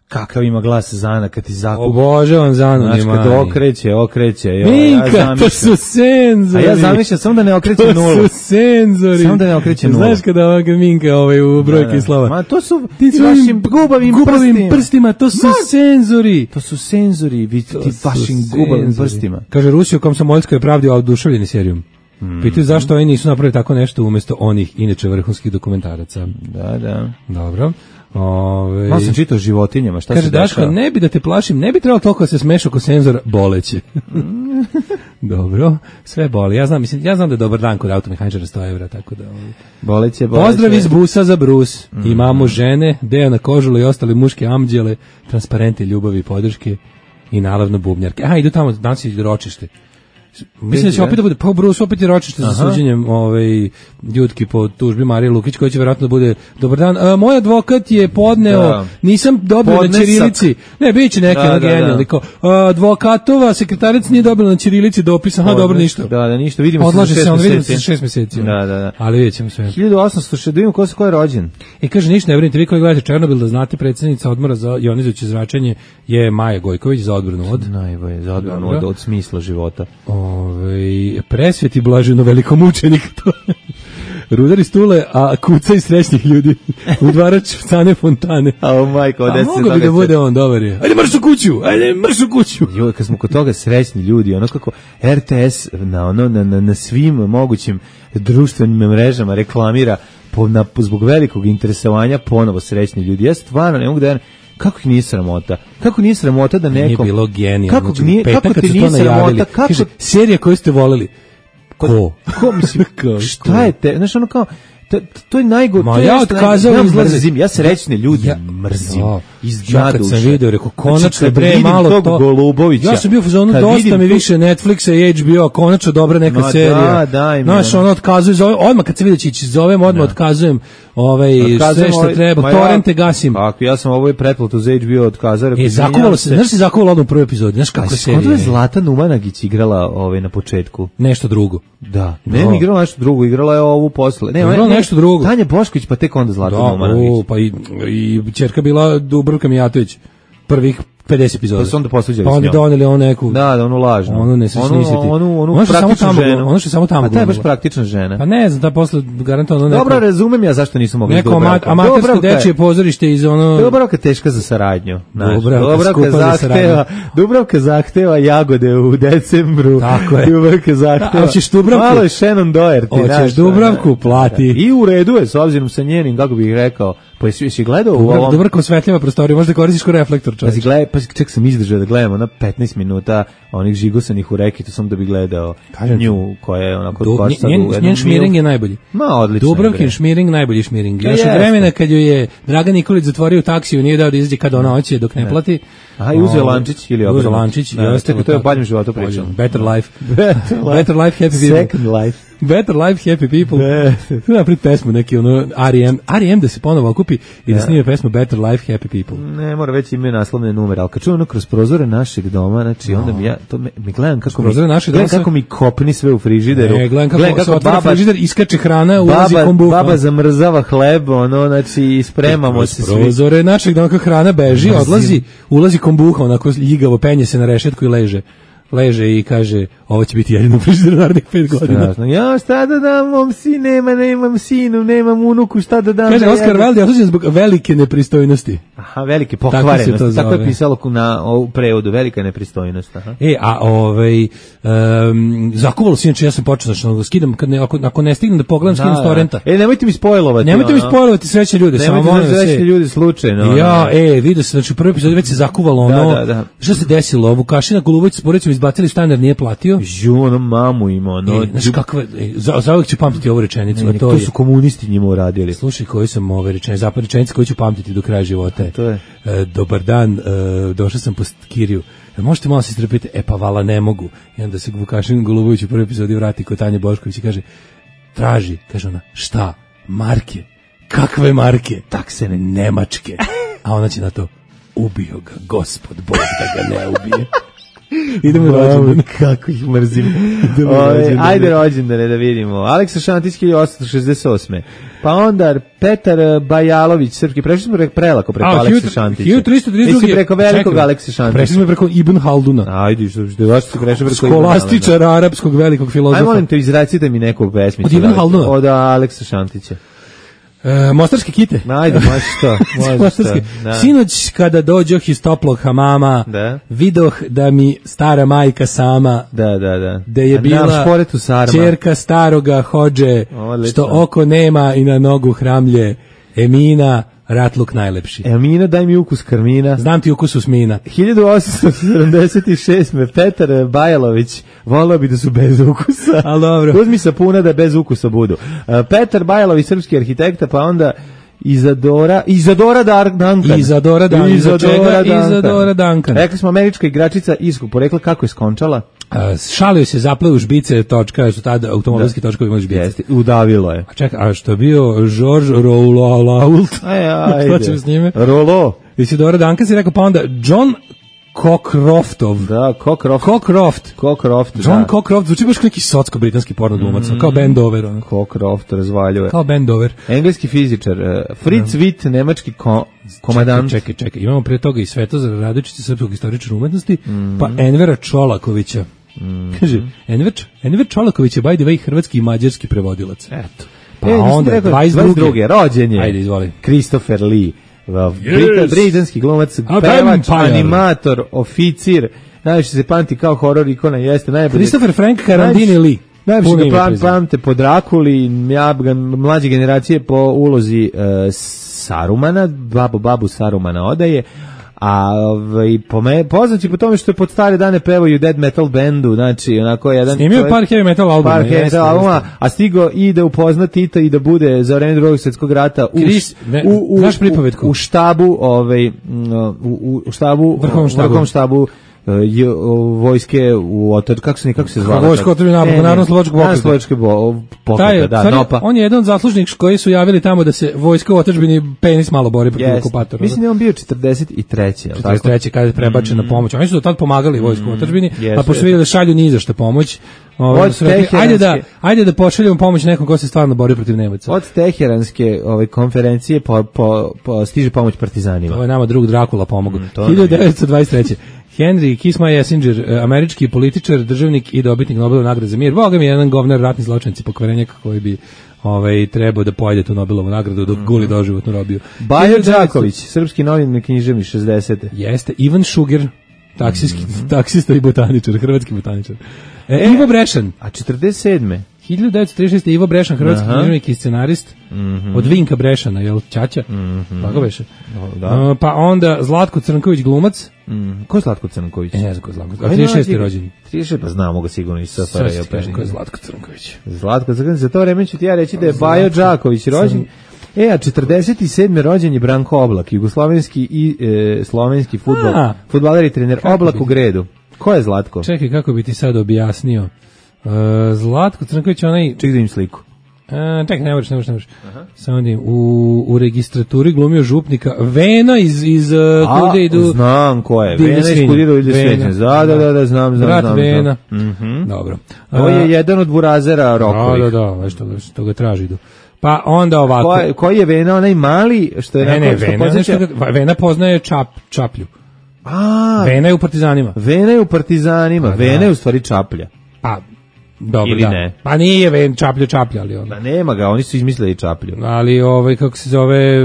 Kakav ima glas Zana kad ti zakupi. Obožavam Zanu. Znaš, kad okreće. Minka, to su senzori. A ja zamišljam samo da ne okreće nulu. To su senzori. Samo da ne okreće nulu. Znaš kada ovaka Minka u brojke i slova. Ma to su ti vašim gubavim prstima. To su senzori. To su senzori, ti vašim gubavim prstima. Kaže Rusiju kom Samoljsko je pravdio oduševljeni serijom. Pitaju zašto oni nisu napravili tako nešto umjesto onih inače vrhunskih dokumentaraca. Da. Dobro. Malo sam čitao o životinjama, šta kaže, se dešava? Daško, ne bi da te plašim, ne bi trebalo toliko da se smeš oko senzora boleće. Dobro, sve boli. Ja znam da je dobar dan kod automehaničara 100 evra, tako da... Boleće. Pozdrav iz busa za brus. Imamo žene, Dejana Kožula i ostale muške amđele, transparente ljubavi i podrške i naravno bubnjarke. Aha, idu tamo, danas je ročište. Mislim da će opet da bude, pa Bruce opet je ročište za suđenjem Jutki po tužbi Marije Lukić, koji će vjerojatno da bude dobar dan. Moj advokat je podneo, nisam dobio na ćirilici. Ne, bit će neke genijalni. Advokatova sekretarica nije dobila na ćirilici dopis, dobro, ništa. Da, ništa, vidimo se odlaže se, on vidimo se 6 meseci. Da. Ali vidjet ćemo sve. 1800, da vidimo ko je rođen. Kaže, ništa, ne brinite, vi koji gledate Černobil, da znate, predsjednica odmora za jonizujuće zračenje je Maja Gojković za odbranu od... Najbolje, za odbranu od smisla života. Presveti blaženo velikomučenik to. Rudari stule, a kuca i srećnih ljudi. Udvarač Cane Fontane. A majko, a mogo bi da bude on, dobar je. Ajde mrš u kuću. Jo, kad smo kod toga srećni ljudi, ono kako RTS na svim mogućim društvenim mrežama reklamira zbog velikog interesovanja ponovo srećni ljudi. Ja stvarno ne mogu da... Kako ih nije sramota? Kako nije sramota da nekom... Nije bilo genijalno. Kako ti nije sramota? Kaže, serija koju ste voleli. Ko mislim, šta je te? Znaš, ono kao... To je najgore. Ja otkazao izlazim, ja srećne ljudi mrzim. Ja kad sam vidio, rekao, konačno bre malo to. Golubovića, ja sam bio u fazonu, dosta mi više Netflixa i HBO, konačno dobra neka serija. Znaš, ono otkazuje, odmah kad se vidio će ići, zovem, odmah otkazujem sve što treba, torrente gasim. Ako ja sam ovo pretplatu za HBO otkazao. Zakuvalo se, znaš si zakuvalo odmah u prvoj epizodi, znaš kako serija. Kako je Zlata Numanagić igrala na početku? Nešto drugo. Da, ne igrala nešto drugo, igrala je ovu posle. Ne, nešto drugo. Tanja Bošković, pa tek onda Zlata Numanović. Pa i ćerka bila Dubravka Mijatović. Prvih 50 epizoda. Pa su onda posluđali s njom. Pa onda doneli onu neku... Da, onu lažnu. Onu ne se snisiti. Onu praktičnu ženu. Ono što je samo tamo. A ta je baš praktična žena. Pa ne znam, ta posle garantovano neko... Dobro, razumem ja zašto nisu mogli Dubravka. Neko amatersko dečije pozorište iz ono... Dubravka teška za saradnju. Dubravka Dubravka zahteva jagode u decembru. Tako je. Dubravka zahteva... Hoćeš Dubravku? Malo je Shannon Doherty. Hoćeš Dubravku, plati. I u redu je, s obzirom sa njenim, kako bih rekao, pa jesi gledao u ovom... Dubravka osvetljava prostoriju, možda koristiš ko reflektor, čovječ. Pa ček sam izdržao da gledamo na 15 minuta onih žigosanih u rekitu, sam da bi gledao nju koja je onako... Njen šmiring je najbolji. Odlično. Dubravkin šmiring, najbolji šmiring. Još od vremena kad joj je Dragan Nikolić zatvorio taksiju, nije dao da izađe kada ona hoće dok ne plati. Aha, i uzeo lančić ili obrnuto. Uzeo lančić. To je o boljem životu pričam. Better life. Better life, happy people. Second life. Better life, happy people. Napred pesmu neki R.E.M. da se ponovo okupi i da snime pesmu Better life, happy people. Ne, mora već imaju naslovne numere, ali kad čujem kroz prozore našeg doma, znači onda mi gledam kako mi kopni sve u frižideru. Gledam kako se otvara frižider, iskače hrana, ulazi kombuha. Baba zamrzava hleb, znači ispremamo se svi. Prozore našeg doma kako hrana beži, odlazi, ulazi kombuha, onako ljigavo penje se na rešetku i leže i kaže, ovo će biti jedino frižider narednih 5 godina. Strašno. Ja, šta da dam, mom nemam sinu, nemam unuku, šta da dam. Kaže, Oskar Wilde je osuđen zbog velike nepristojnosti. Aha, velike pokvarenosti. Tako je pisalo na prevodu, velika nepristojnost. Aha. Zakuvalo se, inače ja sam počeo, znači, skidam, ako ne stignem da pogledam, skidam s torrenta. Nemojte mi spojlovati. Nemojte mi spojlovati sreće ljude. Nemojte sreće ljudi slučajno. Vidio se, znači, u prvoj epizodi već se zakuvalo ono. Šta se desilo? Vukašina Golubović s porodicom izbacili stan jer nije platio. Ono mamu ima, ono. Znaš kakve, za uvijek ću pamtiti ovu rečenicu. To su komunisti njima uradili. Slušaj, koji sam ove rečenice, zapravo rečenice koju ću pamtiti do kraja života. To je. Dobar dan, došao sam po Kiriju. Možete malo se istrpiti? Pa vala ne mogu. I onda se Vukašin Golubović u prvoj epizodi vrati kod Tanje Bošković i kaže, traži, kaže ona, šta? Marke. Kakve marke? Taksene, nemačke. A ona će na to, ubio ga gospod Bog da ga ne ubije. Idemo rođendan. Kako ih mrzim. Ajde rođendane da vidimo. Aleksa Šantić 1868. Pa onda Petar Bajalović, srpski, prešli smo prelako preko Aleksa Šantića. 1332. Nisi preko velikog Aleksa Šantića. Prešli smo preko Ibn Halduna. Ajde, što je vaš se prešli preko Ibn Halduna. Skolastičara arapskog velikog filozofa. Aj molim te, izracite mi neku pesmicu. Od Ibn Halduna? Od Aleksa Šantića. Mostarske kite. Ajde, može što. Sinoć kada dođoh iz toplog hamama, vidoh da mi stara majka sama, da je bila ćerka staroga hođe, što oko nema i na nogu hramlje, Emina, ratluk najlepši. Mina, daj mi ukus karmina. Znam ti ukus usmina. 1876. Petar Bajalović voleo bi da su bez ukusa. Ali dobro. Uzmi sapuna da bez ukusa budu. Petar Bajalović, srpski arhitekta, pa onda Izadora Duncan. Izadora Duncan. Rekli smo američka igračica iskog porekla, kako je skončala? Šalio se, zapleo u žbice, točka, su tada automobilski točkovi imali žbice. Jeste, udavilo je. A čekaj, a što je bio George Roulault? Ajde. S njime? Rolo. Isidora Duncan si rekao, pa onda John Cockcroftov. Da, Cockcroft. John Cockcroft, zvuči baš neki socko-britanski porno glumac, kao Ben Dover. Cockcroft razvaljuje. Kao Ben Dover. Engleski fizičar, Fritz Witt, nemački komadant. Čekaj, imamo pre toga i Svetozar Radojičića, srpskog istoričara umetnosti, pa Envera Čolakovića. Kaže, Enver Čolaković je, by the way, hrvatski i mađarski prevodilac. Eto. Pa onda, 22. rođen je. Ajde, izvoli. Christopher Lee. Britanski glumac, pevač, animator, oficir, najviše se pamti kao horor ikona, jeste najbolje. Christopher Frank Carandini Lee. Najviše ga pamte po Drakuli, mlađe generacije po ulozi Sarumana, babu Sarumana odaje, a poznaći po tome što je pod stare dane pevaju u dead metal bendu, znači onako jedan snimio par heavy metal albuma, a stigo i da upozna Tita i da bude za vreme Drugog svjetskog rata u štabu, vrhovnom štabu vojske u Otoč, kako se zvala? Vojsko Otočbine, Narodno-slovačkog pokreta, NOPA. On je jedan od zaslužnih koji su javili tamo da se vojsko u Otočbini penis malo bori protiv okupatora. Mislim da je on bio 43. 43. kada je prebačena pomoć. Oni su do tad pomagali vojsku u Otočbini, pa pošto vidjeli da šalju ni za što pomoć, ajde da pošaljemo pomoć nekom ko se stvarno bori protiv Nemaca. Od Teheranske konferencije stiže pomoć partizanima. Ovo je nama drug Drakula pomogao. 1923. Henry Kissinger, američki političar, državnik i dobitnik Nobelove nagrade za mir. Boga mi je jedan govnar, ratni zločinci, pokvarenjak koji bi trebao da pojede tu Nobelovu nagradu dok guli doživotnu robiju. Bajo Đaković, srpski novinar, književnik 60. Jeste, Ivan Šuger, taksista i botaničar, hrvatski botaničar. Ivo Brešan. A 47. 1936. Ivo Brešan, hrvatski književnik i scenarist, od Vinka Brešana, jel, Ćaća? Tako beše. Da. Pa onda Zlatko Crnković, glumac. Ko je Zlatko Crnković? Ne znam ko je Zlatko Crnković. 36. rođeni. 36, pa znamo ga sigurno iz SFRJ. Ko je Zlatko Crnković? Zlatko Crnković, za to vreme ću ti ja reći da je Bajo Đaković rođen. A 47. rođen je Branko Oblak, jugoslovenski i slovenski fudbaler i trener. Oblak u Gredu. Ko je Zlatko? Čekaj, kako bi ti sad objasnio. Zlatko Crnković, onaj... Ček da im sliku. Čekaj, ne možeš. Samo da im, u registraturi glumio župnika. Vena iz kude idu... Znam ko je. Vena iz kude idu Svećan. Da, znam. Brat Vena. Dobro. To je jedan od burazera rokovih. Da, što ga traži idu. Pa onda ovako... Koji je Vena, onaj mali, što je... Vena poznaje Čaplju. Vena je u Partizanima. Vena je u stvari Čaplja. Pa, dobro, ili ne? Pa nije Čaplja, ali ono. Da nema ga, oni su izmislili Čaplju. Ali kako se zove...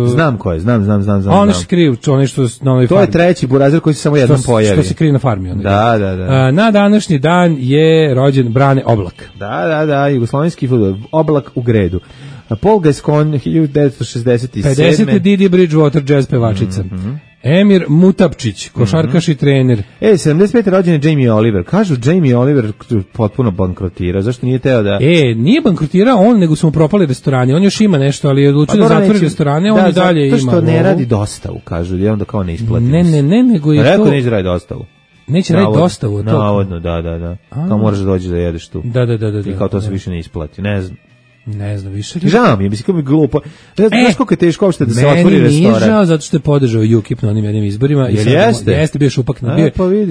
Znam ko je, znam. Ono se kriju, ono što na ovoj farmi. To je treći burazer koji se samo jednom pojavi. Što se krije na farmi. Da. Na današnji dan je rođen Brane Oblak. Da, jugoslovenski fudbal, Oblak u Gredu. Paul Gascoigne, 1967. 50. Didi Bridgewater, jazz pevačica. Emir Mutapčić, košarkaš i trener. 75. rođen je Jamie Oliver. Kažu Jamie Oliver potpuno bankrotirao. Zašto nije teo da... Nije bankrotirao on, nego su mu propali restorani. On još ima nešto, ali je odlučio da zatvori restorane, on i dalje ima. To što ne radi dostavu, kažu, jer onda kao ne isplati. Ne, nego je to... Rekao neće raditi dostavu. Neće raditi dostavu. Navodno, da. Kao moraš da dođeš da jedeš tu. Da. I kao to se više ne isplati, ne znam više. Žao mi je, mislim kako mi glupo. Znaš koliko je teško uopšte da se otvori restoran. Meni nije žao zato što je podržao UKIP na onim jednim izborima. Jeste, bio šupak.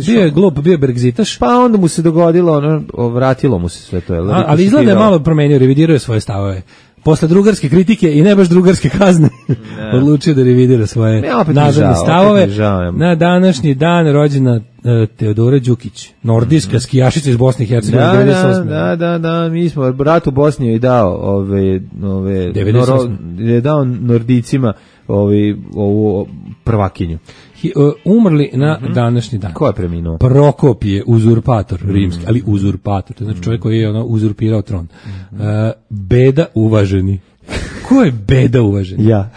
Bio je glup, bio je Brexitaš. Pa onda mu se dogodilo, vratilo mu se sve to. Ali izgleda je malo promenio, revidirao je svoje stavove. Posle drugarske kritike i ne baš drugarske kazne odlučio da revidira svoje nazadne stavove. Na današnji dan rođena Teodora Đukić, nordijska skijašica iz Bosne i Hercegovine. Da, mi smo brat u Bosni je dao dao Nordicima ovu prvakinju. Umrli na današnji dan. Ko je preminuo? Prokopije, uzurpator rimski, ali uzurpator, to znači čovjek koji je uzurpirao tron. Beda uvaženi. Ko je Beda uvaženi? Ja.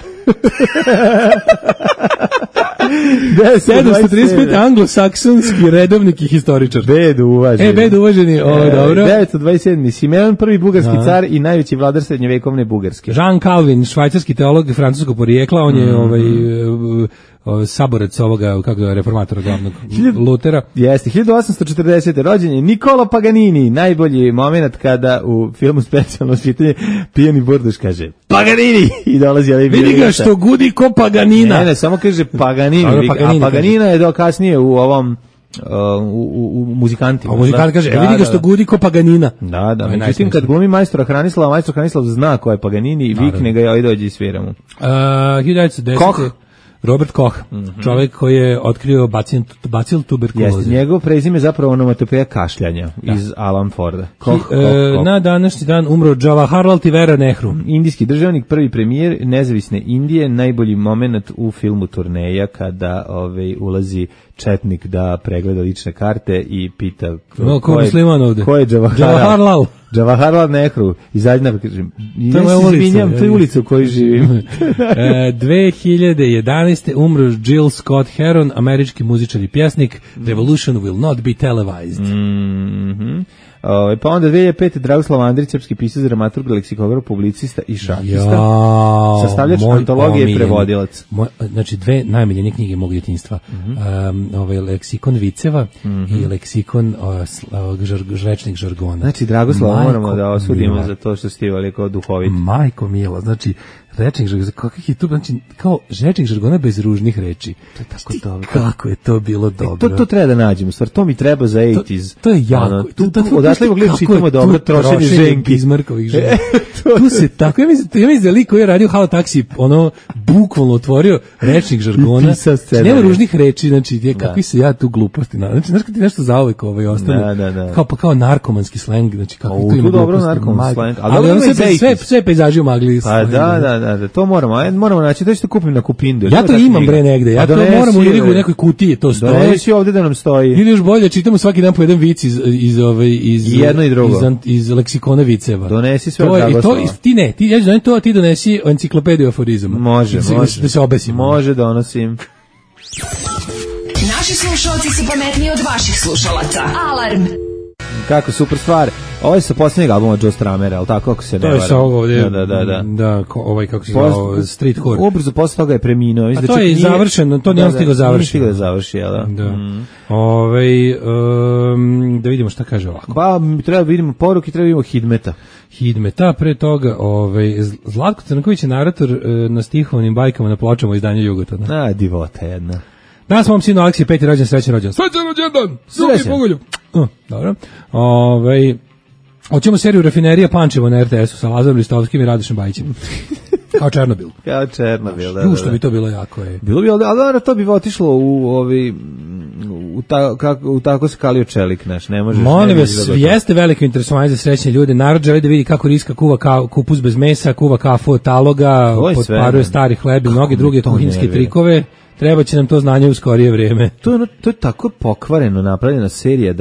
735 anglosaksonski redovnik i historičar. Bedu uvaženi. Bedu uvaženi, dobro. 927. Simeon I bugarski car i najveći vladar srednjevekovne Bugarske. Jean Calvin, švajcarski teolog francuskog porijekla, on je saborac ovoga, kako je, reformatora glavnog Lutera. Jeste, 1840. rođen je Nicola Paganini, najbolji moment kada u filmu Specijalno čitanje pijani burduš kaže Paganini i dolazi ovaj vidi ga što gudi ko Paganina. Ne, samo kaže Paganini, a Paganina je do kasnije u ovom u muzikantima. A muzikant kaže, vidi ga što gudi ko Paganina. Da, međutim kad glumi majstora Hranislava, majstor Hranislav zna ko je Paganini i vikne ga, aj dođi i sviramo. 1910. Koch. Robert Koch, čovjek koji je otkrio bacil tuberkuloze. Jeste, njegov prezime zapravo onomatopeja kašljanja iz Alan Forda. Koch. Na današnji dan umro Jawaharlal Tivera Nehru. Indijski državnik, prvi premijer nezavisne Indije, najbolji moment u filmu Turneja kada ulazi četnik da pregleda lične karte i pita ko je Jawaharlal. Jawaharlal Nehru. Izađi kažem, to je ulica u kojoj živim. 2011. umro Jill Scott Heron, američki muzičar i pjesnik. Revolution will not be televised. Pa onda 2005. Dragoslav Andrić, srpski pisac, dramaturg, leksikograf, publicista i šahista. Sastavljač antologije i prevodilac. Znači, dve najmiljenije knjige mog djetinjstva. Leksikon viceva i leksikon rečnih žargona. Znači, Dragoslava moramo da osudimo za to što ste ivali kao duhovit. Majko mila, znači, rečnih žargona, kakvih je tu, znači, kao rečnih žargona bez ružnih reči. To je tako dobro. Kako je to bilo dobro. To treba da nađemo, stvar, to mi treba za 80s. To je jako. Odašli mogli čitamo dobro, trošenje ženki. Bizmarkovih žena. Tu se tako, ja mislim da lik koji je radio Halo Taksi, bukvalno otvorio rečnih žargona. Nema ružnih reči, znači, kakvi se ja tu gluposti. Znači, znaš kad ti nešto zauvek ostane, kao narkomanski sleng, znači, kako tu ima dobro narkomanski sleng. Ali ono sve pejzaži u magli. Pa da, to moramo naći, da ćete kupim na Kupindu. Ja to imam bre negde, ja to moram u Irigu u nekoj kutiji, to stoji. Donesi ovde da nam stoji. Ili još bolje, čitamo svaki dan po jedan vic iz jedno i drugo. Iz leksikona viceva. Donesi sve od Dragoslava. Ti donesi enciklopediju aforizama. Može. Da se obesimo. Može, donosim. Naši slušalci su pametniji od vaših slušalaca. Alarm! Kako super stvar. Ovo je sa posljednjeg albuma Joe Stramera, ali tako ako se ne varam. To je sa ovog ovdje. Da, ovaj kako se zvao, Street Whore. Ubrzo posle toga je preminuo. A to je završeno, to nije stiglo završiti. Nije stiglo da završi, jel da? Da vidimo šta kaže ovako. Pa, treba vidimo poruke, treba vidimo Hidmeta, pre toga, Zlatko Crnković je narator na stihovnim bajkama na pločama u izdanju Jugotona. Divota jedna. Danas mom sinu Aleksiju 5. rođen, srećan rođen. Srećan rođendan! Suki pogulju! Dobro. Hoćemo seriju Rafinerija Pančevo na RTS-u sa Lazarom Listovskim i Radošem Bajićem. Kao Černobil. Kao Černobil, da. Što bi to bilo jako je. Bilo bi, ali to bi otišlo u tako skalio čelik naš, ne možeš. Molim vas, jeste veliko interesovanje za srećne ljude. Narod želi da vidi kako Riska kuva kupus bez mesa, kuva kafu od taloga, potparuje stari hleb i mnoge druge kuhinjske trikove. Treba će nam to znanje u skorije vrijeme. To je tako pokvareno napravljena serija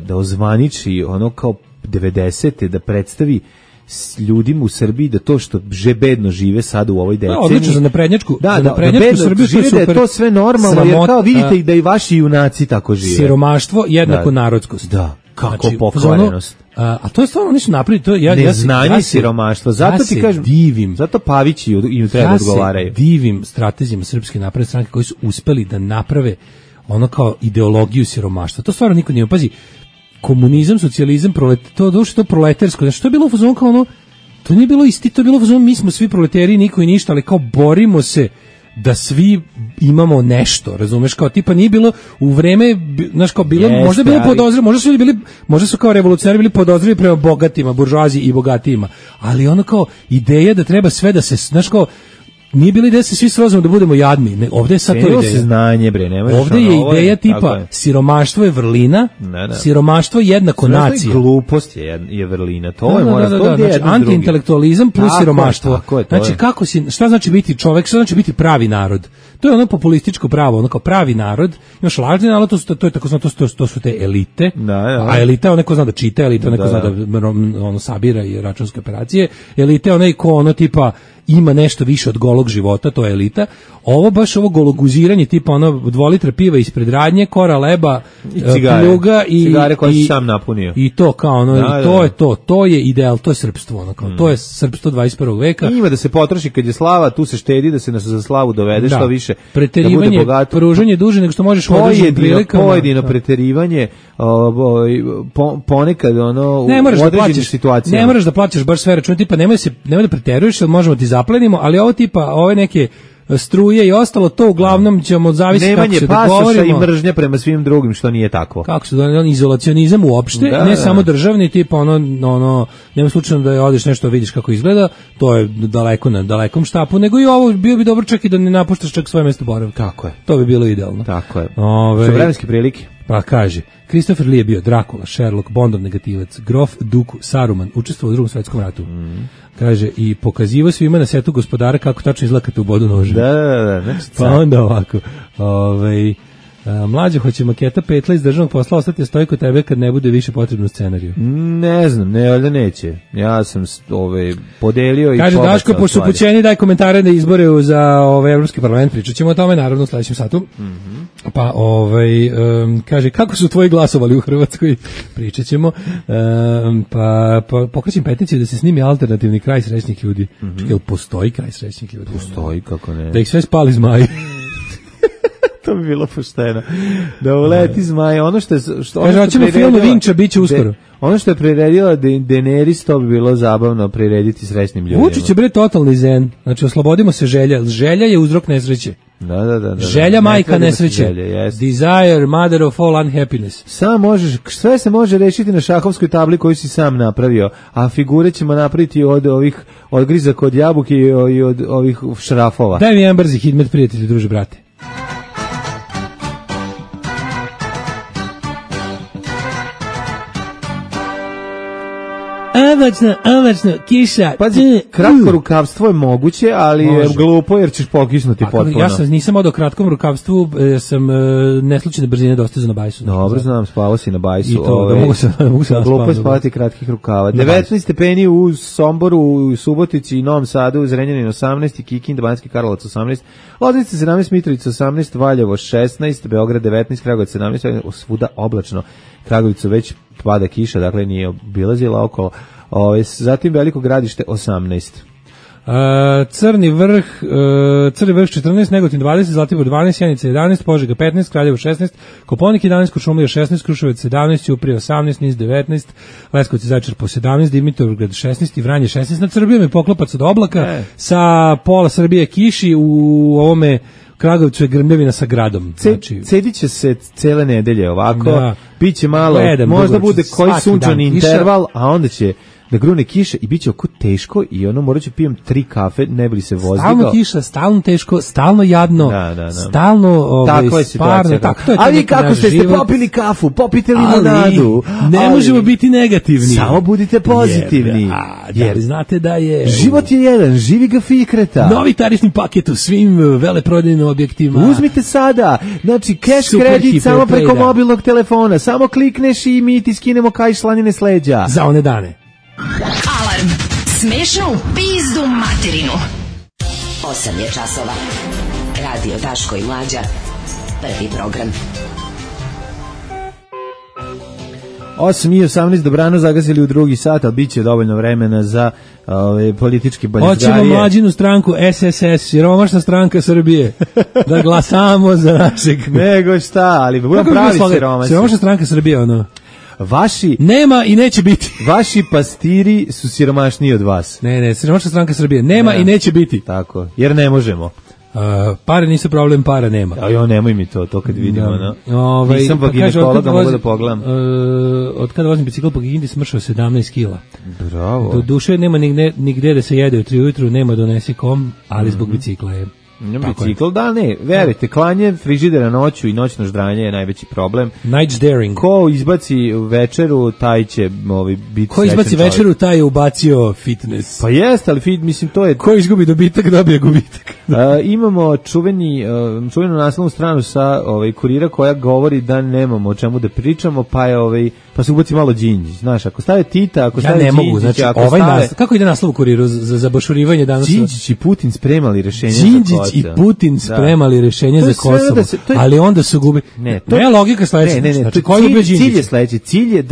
da ozvaniči ono kao 90-te, da predstavi s ljudima u Srbiji da to što bedno žive sada u ovoj deceniji. Odlično, za naprednjačku Srbiju žive, da je to sve normalno, jer kao vidite i da i vaši junaci tako žive. Siromaštvo jednako narodskost. Da, kako pokvarenost. A to je stvarno nisu napravili, to neznanje i siromaštvo. Zato ti kažem, zato Pavići im treba da odgovaraju. Ja se divim stratezijama Srpske napredne stranke koji su uspeli da naprave ono kao ideologiju siromaštva. To stvarno niko nije. Pazi, komunizam, socijalizam, to proletarsko, znači to je bilo u fazonu kao ono, to nije bilo isti, to je bilo u fazonu, mi smo svi proletari, niko i ništa, ali kao borimo se da svi imamo nešto, razumeš, kao tipa nije bilo u vreme, znaš, kao bilo, možda je bilo podozrivo, možda su kao revolucionari bili podozrivi prema bogatima, buržoaziji i bogatijima, ali ono kao ideja da treba sve da se, znaš, kao nije bila ideja da se svi srozimo da budemo jadni. Ovdje je sad to ideja. Znanje, bre, ovdje je ideja tipa siromaštvo je vrlina, siromaštvo je jednako nacija. Glupost je vrlina. To je mora to znači, antiintelektualizam plus siromaštvo. Znači kako šta znači biti čovjek, šta znači biti pravi narod? To je ono populističko pravo, ono kao pravi narod. Imaš lažni narod, to je tako to su te elite. A elita je onaj ko zna da čita, elita je onaj ko zna da ono sabira i računske operacije. Elita je onaj ko ono tipa ima nešto više od golog života, to je elita. Ovo baš ovo gologuziranje tipa ono 2 litra piva ispred radnje, kora leba, pljuga i cigare koje si sam napunio. I to kao ono, i to je to je ideal, to je srpstvo, ono kao, to je srpstvo 21. veka. Ima da se potroši kad je slava, tu se štedi da se nas za slavu dovede što više. Preterivanje, da bude bogato. Pružanje duže nego što možeš u određenim prilikama. Pojedino preterivanje, ponekad ono u određenim situacijama. Ne moraš da plaćaš baš sve račune, tipa nemoj da preteruješ, jer možemo ti zaplenimo, ali ovo tipa, ove neke struje i ostalo, to uglavnom ćemo zavisiti kako se dogovorimo. Nemanje pasoša i mržnja prema svim drugim, što nije takvo. Kako se dogovorimo, izolacionizam uopšte, ne samo državni, tipa ono, nema slučajno da odeš nešto vidiš kako izgleda, to je daleko na dalekom štapu, nego i ovo bio bi dobro čak i da ne napuštaš čak svoje mesto boravka. Tako je. To bi bilo idealno. Tako je. Što vremenske prilike? Pa kaže, Christopher Lee je bio Drakula, Sherlock, Bondov negativac, Grof Duku, Saruman, učestvovao u Drugom svetskom ratu. Kaže, i pokazivo svima na setu Gospodara kako tačno izlakate u bodu noža. Da. Pa onda ovako, mlađe, hoće maketa petla iz državnog posla ostati stoji kod tebe kad ne bude više potrebno scenariju? Ne znam, valjda neće. Ja sam podelio i kaže Daško, pošto su pućeni, daj komentare na izbore za Evropski parlament, pričat ćemo o tome naravno u sledećem satu. Pa kaže, kako su tvoji glasovali u Hrvatskoj? Pričat ćemo. Pa pokrećem peticiju da se snimi alternativni kraj srećnih ljudi. Čekaj, jel postoji kraj srećnih ljudi? Postoji, kako ne. Da ih sve spali zmaji. To bi bilo pošteno. Da uleti zmaj, ono što je hoćemo film Vinča biće uskoro. Ono što je priredila Daenerys, to bi bilo zabavno prirediti srećnim ljudima. Vučić je bre totalni zen. Znači oslobodimo se želja. Želja je uzrok nesreće. Da. Želja majka nesreće. Desire, mother of all unhappiness. Sve se može rešiti na šahovskoj tabli koju si sam napravio, a figure ćemo napraviti od ovih odgrizaka od jabuke i od ovih šrafova. Daj mi jedan brzi hidmet, prijatelji, druže, brate. Oblačno, kiša. Pazi, kratko rukavstvo je moguće, ali je glupo jer ćeš pokisnuti potpuno. Ja nisam odao kratkom rukavstvu, sam neslučajne brzine dostizao na bajsu. Dobro, znam, spavao si na bajsu. I to, da mogu se glupo je spavati kratkih rukava. 19 stepeni u Somboru, u Subotici i Novom Sadu, Zrenjanin 18, Kikinda, Banjski Karlovac 18, Loznica 17, Mitrovica 18, Valjevo 16, Beograd 19, Kragujevac 17, svuda oblačno. Kragujevicu već pada kiša, dakle nije obilazila okolo. Zatim Veliko Gradište 18. Crni vrh 14, Negotin 20, Zlatibor 12, Sjenica 11, Požega 15, Kraljevo 16, Koponik 11, Kuršumlija 16, Kruševac 17, Ćuprija 18, Niš 19, Leskovac i Zaječar po 17, Dimitrovgrad 16 i Vranje 16. Nad Srbijom je poklopac od oblaka, sa pola Srbije kiši, u ovome Kragovicu je grmljavina sa gradom. Cedit će se cele nedelje ovako, biće malo, možda bude koji sunčani interval, a onda će da grune kiša i bit će oko teško i ono morat ću pijem 3 kafe, ne bi li se vozdigao. Stalno kiša, stalno teško, stalno jadno, stalno sparno. A vi kako ste popili kafu, popite limonadu. Ne možemo biti negativni. Samo budite pozitivni. Jer znate da je... Život je jedan, živi ga Fikreta. Novi tarifni paket u svim veleprodajnim objektima. Uzmite sada, znači cash kredit samo preko mobilnog telefona, samo klikneš i mi ti skinemo kaj slanine s leđa. Za one dane. Alarm. Smešno u pizdu materinu. 8 je časova. Radio Daško i Mlađa. Prvi program. 8:18 dobrano zagasili u drugi sat, ali bit će dovoljno vremena za politički baljezgarije. Hoćemo Mlađinu stranku SSS, siromašna stranka Srbije, da glasamo za našeg... Nego šta, ali budem pravi siromašni. Siromašna stranka Srbije, ono... Vaši nema i neće biti. Vaši pastiri su siromašniji od vas. Ne, siromašna stranka Srbije nema i neće biti. Tako, jer ne možemo. Pare nisu problem, para nema. A nemoj mi to kad vidimo. Nisam vaginekologa, mogu da pogledam. Od kada vozim bicikl po Kikindi smršao 17 kila. Bravo. Do duše nema nigde da se jede u 3 ujutru, nema donesi kom, ali zbog bicikla je. Bicikl, da, ne, verujte, klanje frižidera noću i noćno ždranje je najveći problem. Night daring. Ko izbaci večeru, taj će biti ko izbaci večeru, taj je ubacio fitness. Pa jeste, ali mislim, to je... Ko izgubi dobitak, dobije gubitak. Imamo čuvenu naslovnu stranu sa Kurira koja govori da nemamo o čemu da pričamo, pa se ubaci malo Đinđić. Znaš, ako stave Tita, ako stave Đinđića, znači, ako stave... Kako ide naslov u Kuriru za bašurivanje danas? Đinđić i Putin spremali rešenje za Kosovo. Đinđić i Putin spremali rešenje za Kosovo, ali onda su gubili... Ne, logika sledeća. Znači, cilj je sledeći. Cilj je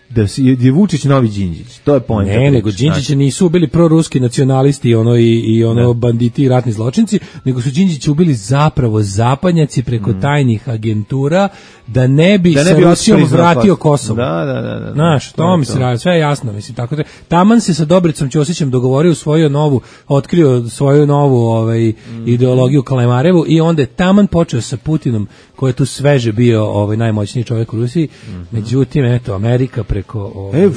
da je Vučić novi Đinđić. To je poenta. Ne, nego Đinđića nisu ubili proruski nacionalisti i banditi i ratni zločinci, nego su Đinđića ubili zapravo zapadnjaci preko tajnih agentura da ne bi sa Rusijom vratio Kosovo. Da. Znaš, to mi se radi, sve je jasno, mislim, tako da. Taman se sa Dobricom Ćosićem dogovorio otkrio svoju novu ideologiju Kalemarevu i onda je taman počeo sa Putinom, koji je tu sveže bio najmoćniji čovjek u Rusiji. Međutim, eto, Amerika preko...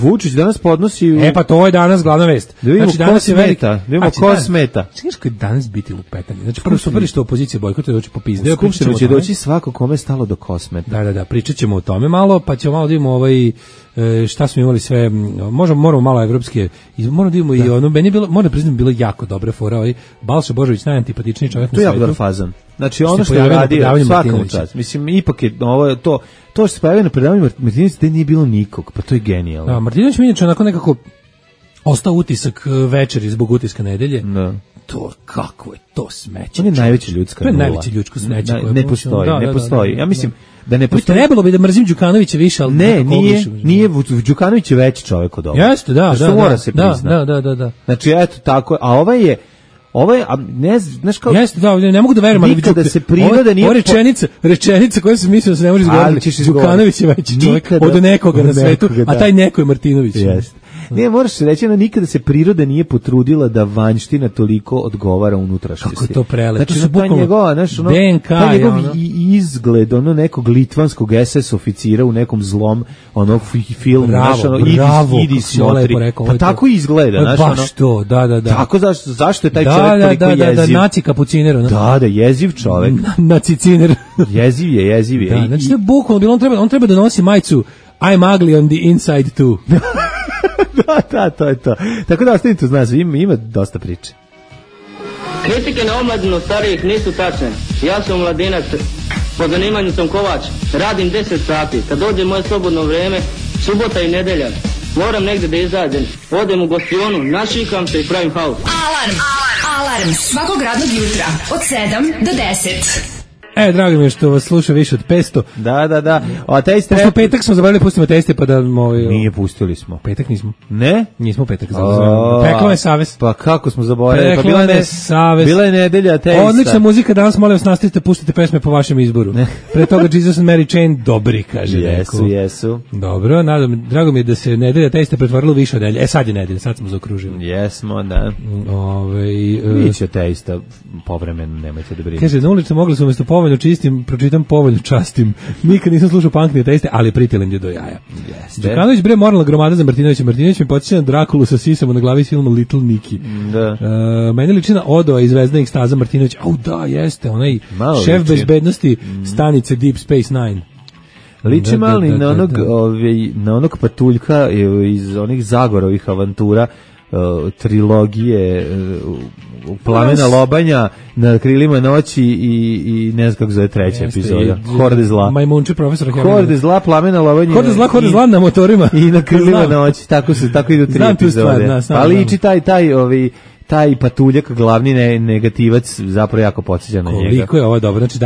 Vučić danas podnosi... pa to je danas glavna vest. Da vidimo ko smeta. Ko smeta. Čekaj, koji danas biti lupetanje. Znači, prvo super što opozicija bojkotuje doći popizde. U Skupštinu će doći svako kome je stalo do kosmeta. Da, pričat ćemo o tome malo, pa ćemo malo da vidimo šta smo imali sve, moramo malo evropske, moramo da vidimo i ono, meni je bilo, moram priznati, bilo jako dobra fora, Balša Božović, najantipatičniji čovjek na svijetu. To je dobar fazan. Znači, ono što je radio, svakom čast. Mislim, ipak je ovo, to što se pojavio na predavanju Martinovića, da nije bilo nikog, pa to je genijalno. Da, Martinović mi inače onako nekako ostao utisak večeri zbog utiska nedelje. Da. To, kako je to smeće. On je najveća ljudska nula. To je najveće ljudsko smeće. Ne postoji. Ja mislim da ne postoji. Trebalo bi da mrzim Đukanovića više, ali nije Đukanović je veći čovjek od ovoga. Jeste, da. Mora se priznati. Da. Znači, eto, tako, a ovaj, ne znaš kao... Jeste, da, ne mogu da verujem, ali nikada se priroda nije... Rečenica koja se mislio da se ne može izgovoriti, Đukanović je veći čovjek od nekoga na svetu, a taj neko je Martinović. Jeste. Ne, moraš se reći, nikada se priroda nije potrudila da vanjština toliko odgovara unutrašnjosti. Kako je to prelepo. Znači, taj njegova, taj njegov izgled, nekog litvanskog SS oficira u nekom zlom, filmu, idi smotri. Pa tako izgleda, baš to, da. Tako, zašto je taj čovjek toliko jeziv? Da, naci kapuciner. Da, jeziv čovjek. Naciciner. Jeziv je. Da, znači, to je bukvalno, on treba da nosi majicu I'm ugly on the inside too. Da, to je to. Tako da ostavite uz nas, ima dosta priče. Kritike na omladinu starijih nisu tačne. Ja sam mladinac, po zanimanju sam kovač, radim 10 sati. Kad dođe moje slobodno vrijeme, subota i nedelja, moram negdje da izađem. Odem u gostionu, našikam se i pravim haos. Alarm svakog radnog jutra od 7 do 10. Drago mi je što vas sluša više od 500. Da. A Taste Rap... petak smo zaboravili pustimo Taste pa da... Nije, pustili smo. Petak nismo. Ne? Nismo petak. Peklo me savest. Pa kako smo zaboravili? Peklo me savest. Bila je nedelja Taste. Odlična muzika, danas molim vas nastavite, pustite pesme po vašem izboru. Pre toga Jesus and Mary Chain, dobri, kaže neko. Jesu. Dobro, drago mi je da se nedelja Taste pretvorilo više od nedelje. Sad je nedelja, sad smo zaokružili. Jesmo, da. Biće Taste povremeno, nemojte da brinete. Kaže, na ulici mogli su umjesto povoljno čistim, pročitam povoljno častim. Nikad nisam slušao punk ni Taste, ali pritilim je do jaja. Đukanović bre moralna gromada za Martinovića. Martinović mi podsjeća na Drakulu sa sisama na glavi filma Little Nicky. Da. Meni liči na Odo iz Zvezdanih staza Martinović. Da, jeste, onaj šef bezbednosti stanice Deep Space Nine. Liči mali na onog patuljka iz onih Zagorovih avantura, trilogije Plamena lobanja, Na krilima noći i ne znam kako zove treća epizoda. Horde zla. Majmunči profesor Hemingway. Horde zla, Plamena lobanja. Horde zla na motorima. I Na krilima noći. Tako idu 3 epizode. Ali liči taj patuljak, glavni negativac, zapravo jako podsjeća na njega. Koliko je ovo dobro. Znači,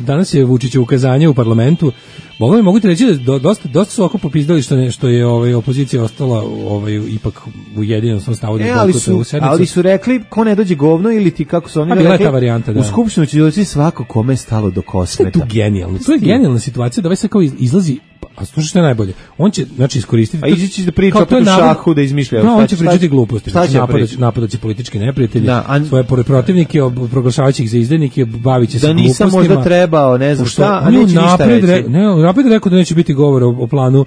danas je Vučićevo ukazanje u parlamentu. Mogu ti reći da dosta su oko popizdali što je opozicija ostala ipak ujedinjena u svom stavu. Ali su rekli, ko ne dođe govno ili ti kako su oni rekli, ta varijanta, u Skupštinu će doći svako kome je stalo do kosmeta. To je genijalno. To je genijalna situacija da ovaj sad kao izlazi a slušaj što je najbolje, on će, znači, iskoristiti... A izići da priča opet u šahu, da izmišlja. No, on će pričati gluposti. Znači, napadaće politički neprijatelji, svoje protivnike, proglašavajući ih za izdajnike, bavit će se glupostima. Da nisam možda trebao, ne znam šta, a neće ništa reći. Napred rekao da neće biti govora o planu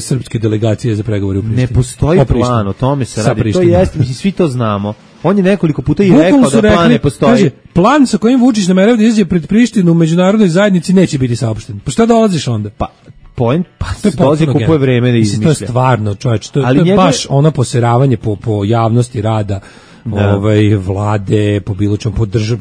srpske delegacije za pregovore u Prištini. Ne postoji plan, o tome se radi. To jeste, mislim, svi to znamo. On je nekoliko puta i rekao da plan ne postoji. Kaže, plan sa kojim Vučić namerava da izađe pred Prištinu u međunarodnoj zajednici neće biti saopšten. Pa šta dolaziš onda? Se dolazi kupuje vreme da izmišlja. To je stvarno, čovječ, to je baš ono poseravanje po javnosti rada vlade, po bilo čemu, po državu.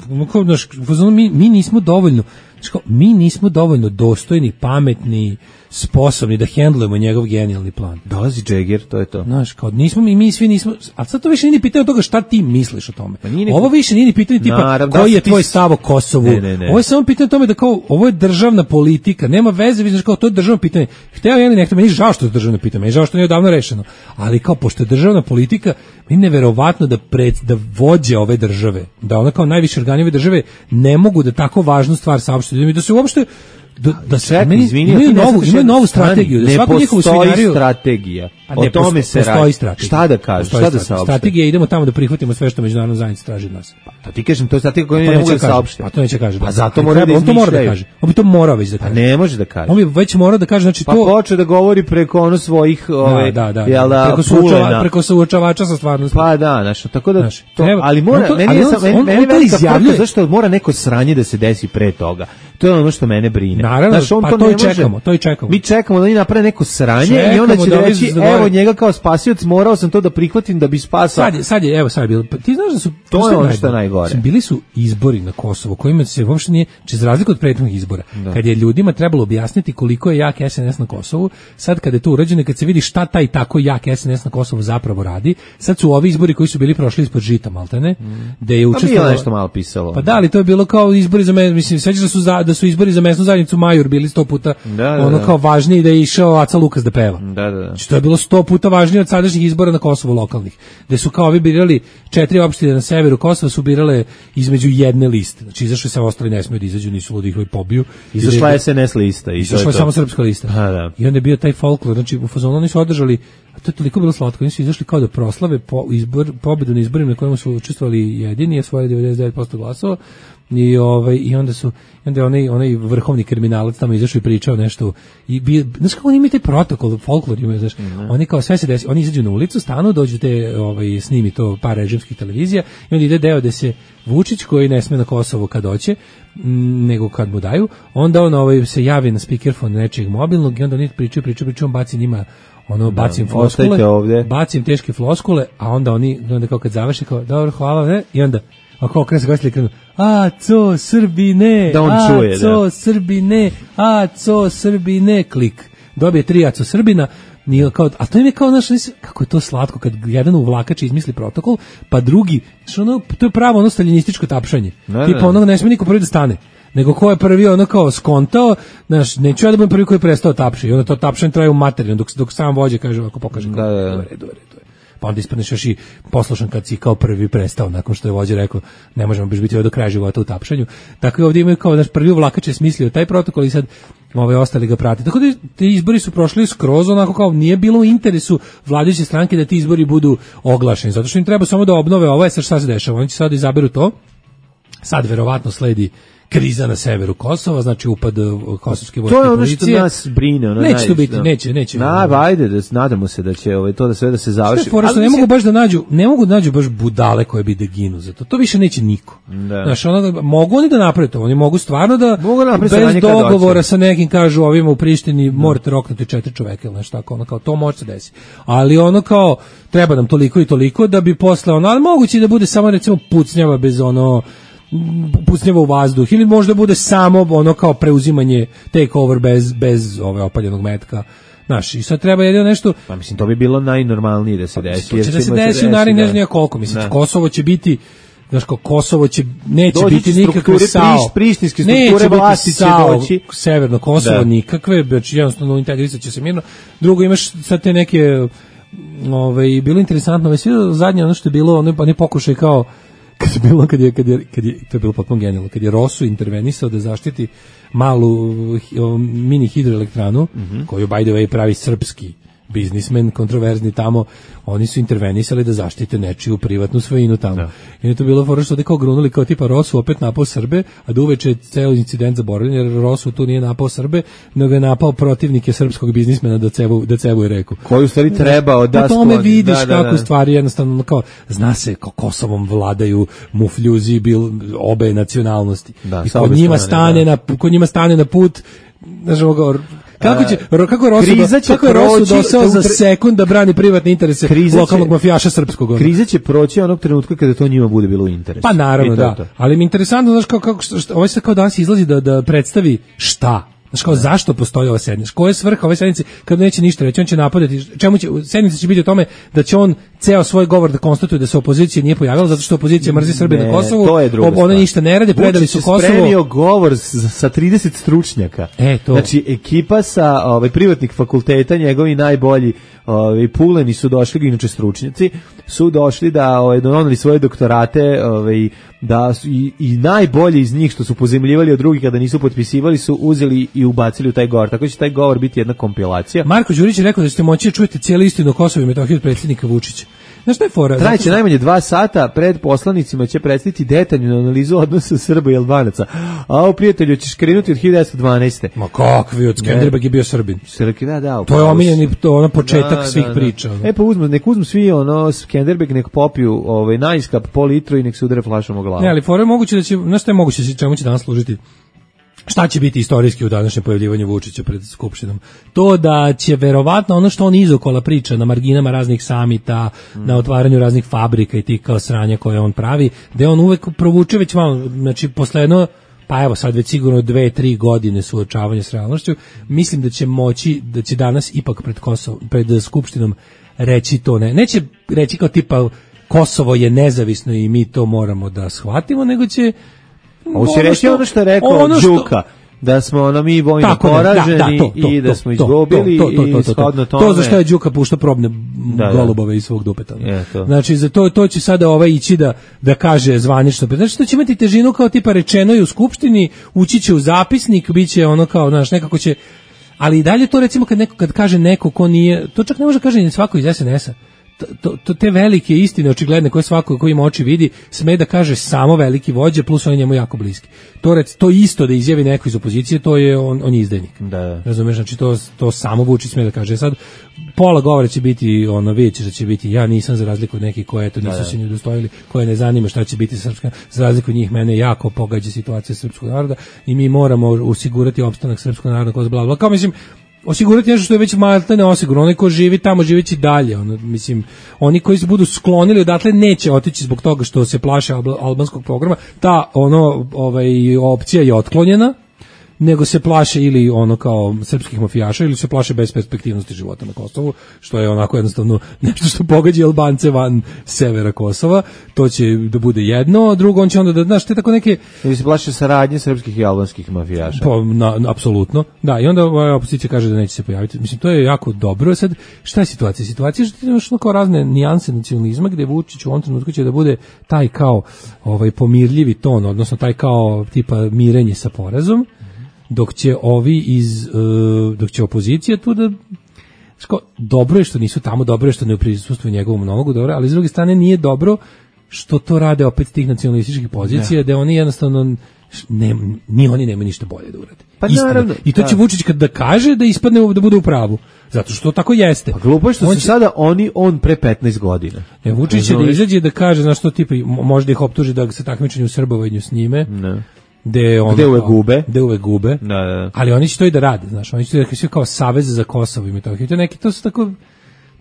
Mi nismo dovoljno dostojni, pametni, sposobni da hendlujemo njegov genijalni plan. Dolazi Džeger, to je to. Znaš, kao mi svi nismo, a sad to više nije ni pitanje toga šta ti misliš o tome. Ovo više nije ni pitanje tipa koji je tvoj stav o Kosovu. Ne. Ovo je samo pitanje o tome da kao, ovo je državna politika, nema veze, znaš, kao to je državno pitanje. Hteo ja ili nekto, meni žao što je državno pitanje, meni žao što nije odavno rešeno. Ali kao, pošto je državna politika, meni neverovatno da vođe ove države, da ona kao najviše organi ove države ne mogu da tako važnu stvar saopšte, da se uopšte imaju novu strategiju, da svaku njihovu scenariju strategija. O tome se radi. Šta da kažeš, šta da saopšte? Strategija, idemo tamo da prihvatimo sve što međunarodna zajednica traži od nas. Pa ti kažem, to je strategija koju ne mogu da saopšte. Pa to neće kaže. Pa zato mora da izmišljaju. On to mora da kaže. On bi to morao već da kaže. Ne može da kaže. On bi već mora da kaže, znači to... Pa počeo da govori preko svojih... Preko suočavača sa stvarnosti. Pa da, znači, tako da... Ali mora, meni velika zašto mora neko sranje da se desi pre toga. To je ono što mene brine. Naravno, pa to i čekamo. Mi čekamo da oni naprave neko sranje i onda će reći, evo njega kao spasioc, morao sam to da prihvatim da bi spasao. Sad je bilo. Ti znaš da su... To je ono što je najgore. Bili su izbori na Kosovu, kojima se uopšte nije, za razliku od prethodnih izbora, kad je ljudima trebalo objasniti koliko je jak SNS na Kosovu, sad kad je to urađeno, kad se vidi šta taj tako jak SNS na Kosovu zapravo radi, sad su ovi izbori koji su bili prošli ispod žita, maltene, da je učestvovalo... Pa nešto malo pisalo. Pa da, ali to je bilo kao izbori za mislim, sećaš da su izbori za mesnu zajednicu Majur bili 100 puta kao važniji, da je išao Aca Lukas da peva. Znači, to je bilo 100 puta važnije od sadašnjih izbora na Kosovu lokalnih, gde su kao ovi birali 4 opštine na severu Kosova, su birale između jedne liste. Znači, izašli se, ostali ne smiju da izađu, nisu ludi ih pobiju. Izašla je SNS lista. Izašla je samo srpska lista. I onda je bio taj folklor, znači u fazonu oni su održali, a to je toliko bilo slatko, oni su izašli kao da proslave pobedu na izborima na kojima su učestvovali jedini, svoje 99% glasova. I onda je onaj vrhovni kriminalac tamo izašao i pričao nešto znaš kako oni imaju taj protokol, folklor imaju, znaš, oni kao sve se desi, oni izađu na ulicu, stanu, dođu snimi to par režimskih televizija i onda ide deo da se Vučić, koji ne sme na Kosovo kad hoće, nego kad mu daju, onda on se javi na speakerfon nečijeg mobilnog i onda oni pričaju, on baci njima bacim floskule, bacim teške floskule, a onda kao kad završi kao, dobro, hvala, ne, i onda ako okreće se gledali krenu, co Srbine, da on čuje, co Srbine, co Srbine, klik. Dobije 3 co Srbina, a to im je kao, kako je to slatko kad jedan uvlakač izmisli protokol, pa drugi, to je pravo staljinističko tapšanje. Tipa ne smije niko prvi da stane, nego ko je prvi kao skontao, neću ja da budem prvi koji je prestao tapši, i onda to tapšanje traje u materinu, dok sam vođe kaže, ako pokaže, u redu. Pa onda ispadneš još i poslušan kad si kao prvi prestao, nakon što je vođa rekao ne možemo baš biti do kraja života u tapšanju. Tako i ovdje imaju kao prvi uvlakač je smislio taj protokol i sad ostali ga prati. Tako da ti izbori su prošli skroz onako kao nije bilo u interesu vladajuće stranke da ti izbori budu oglašeni, zato što im treba samo da obnove ovo, sad šta se dešava, oni će sad izaberu to, sad verovatno sledi kriza na severu Kosova, znači upad kosovske vojske policije. To je ono što nas brine. Neće to biti, neće. Ajde, nadamo se da će to da sve da se završi. Ali ne mogu da nađu baš budale koje bi da ginu za to. To više neće niko. Znači, mogu oni da naprave to, oni mogu stvarno da bez dogovora sa nekim kažu ovima u Prištini morate roknuti 4 čoveka ili nešto tako, kao to može se desiti. Ali kao treba nam toliko i toliko da bi posle ali moguće da bude samo recimo pucnjava bez pucnjava u vazduh, ili možda bude samo kao preuzimanje take over bez opaljenog metka. Znaš, i sad treba jedino nešto... Pa mislim, to bi bilo najnormalnije da se desi. To će da se desi u narednih ne znam koliko, mislim, Kosovo će biti... Znaš, Kosovo neće biti nikakve SAO. Prištinske strukture vlasti će doći. Severno Kosovo nikakve, znači jednostavno integrisat će se mirno. Drugo, imaš sad te neke... bilo interesantno, sve zadnje ono što je bilo, oni pokušaj kao kad je to je bilo potpuno genijalno, kad je Rosu intervenisao da zaštiti malu mini hidroelektranu, koju by the way pravi srpski biznismen, kontroverzni tamo, oni su intervenisali da zaštite nečiju privatnu svojinu tamo. Da. I je to bilo fora što ovde kao grunuli, kao tipa Rosu opet napao Srbe, a da uveče je ceo incident zaboravljen, jer Rosu tu nije napao Srbe, nego je napao protivnike srpskog biznismena da cevuje reku. Koju u stvari trebao da skloni. Po tome vidiš kako stvari jednostavno, kao, zna se kao Kosovom vladaju mufljuzi obe nacionalnosti. Da, i kod njima stane na put, znaš ovo kako je Rosu dosao za sekund da brani privatne interese lokalnog mafijaša srpskog. Kriza će proći onog trenutka kada to njima bude bilo u interesu. Pa naravno, da. Ali mi je interesantno, znaš, ovo se kao danas izlazi da predstavi šta. Znaš, kao zašto postoji ova sednica? Koja je svrha ove sednice kada neće ništa reći? On će napadati. Sednica će biti o tome da će on ceo svoj govor da konstatuje da se opozicija nije pojavila zato što opozicija mrzi Srbe na Kosovu. Ona ništa ne rade, predali su Kosovo. Spremio govor sa 30 stručnjaka. Znači, ekipa sa privatnih fakulteta, njegovi najbolji puleni su došli, inače stručnjaci, su došli da donali svoje doktorate, da su i najbolji iz njih što su pozemljivali od drugih kada nisu potpisivali su uzeli i ubacili u taj govor. Tako će taj govor biti jedna kompilacija. Marko Đurić je rekao da ćete moći čujete cijelu istinu o Kosovu i Metohiji od predsjednika Vučića. Znaš šta je fora? Trajaće najmanje 2 sata, pred poslanicima će predstaviti detaljnu analizu odnosa Srba i Albanaca. A prijatelju, ćeš krenuti od 1912. Ma kakvi, od Skenderbeg je bio Srbin. Da, to je omiljeni, početak svih priča. Pa nek uzmu svi Skenderbeg, nek popiju najskap po litru i nek se udare flašom o glavu. Ne, ali fora je moguće da će, znaš šta je moguće, čemu će danas služiti? Šta će biti istorijski u današnjem pojavljivanju Vučića pred Skupštinom? To da će verovatno ono što on izokola priča na marginama raznih samita, na otvaranju raznih fabrika i tih kao sranja koje on pravi, da on uvek provuče već malo, znači posle jedno, pa evo sad već sigurno 2-3 godine suočavanja s realnošću, mislim da će moći, da će danas ipak pred Skupštinom reći to, neće reći kao tipa Kosovo je nezavisno i mi to moramo da shvatimo, nego će ovo će reći ono što je rekao Đuka, da smo mi vojno poraženi i da smo izgubili i shodno tome. To za što je Đuka puštao probne golubove iz svog dupeta. Znači, za to će sada ići da kaže zvanično. Znači, to će imati težinu kao tipa rečeno i u Skupštini, ući će u zapisnik, bit će ono kao, znaš, nekako će, ali i dalje to recimo kad kaže neko ko nije, to čak ne može kaže ni svako iz SNS-a. Te velike istine očigledne koje svako ko ima oči vidi sme da kaže samo veliki vođa plus on je njemu jako bliski. To isto da izjavi neko iz opozicije, to je on je izdajnik. Da. Razumeš, znači to samo Vučić sme da kaže. Sad pola govora će biti vidite da će biti ja nisam za razliku od nekih koje nisu se ni udostojili, koje ne zanima šta će biti srpska, za razliku od njih mene jako pogađa situacija srpskog naroda i mi moramo osigurati opstanak srpskog naroda kroz bla bla. Kao mislim osigurati nešto što je već maltene osigurno. Onaj ko živi tamo, živeći dalje. Mislim, oni koji se budu sklonili odatle neće otići zbog toga što se plaše albanskog programa. Ta opcija je otklonjena, nego se plaše ili kao srpskih mafijaša ili se plaše besperspektivnosti života na Kosovu, što je onako jednostavno nešto što pogađa Albance van severa Kosova. To će da bude jedno, a drugo on će onda znaš, te tako neke... Ili se plaše saradnje srpskih i albanskih mafijaša. Pa, apsolutno. Da, i onda opozicija kaže da neće se pojaviti. Mislim, to je jako dobro. Sad, šta je situacija? Situacija je što imaš kao razne nijanse nacionalizma, gde Vučić u ovom trenutku će da bude taj kao pomirljivi ton, odnosno taj kao tipa mirenje sa porazom, dok će dok će opozicija tu da dobro je što nisu tamo, dobro je što ne prisustvuju njegovom monologu, dobro, ali s druge strane nije dobro što to rade opet tih nacionalističkih pozicija, da oni jednostavno ni oni nemaju ništa bolje da urade. Pa naravno, i to će Vučić kad da kaže da ispadne da bude u pravu, zato što tako jeste. Pa glupo je što se sada on pre 15 godina. Vučić će da izađe da kaže, znaš što tipa, možda ih optuži da se takmičenju srbovanju s njime. Ne. Gde uvek gube. Da. Ali oni će to i da rade, znaš, oni će da kao Savez za Kosovo i Metohiju.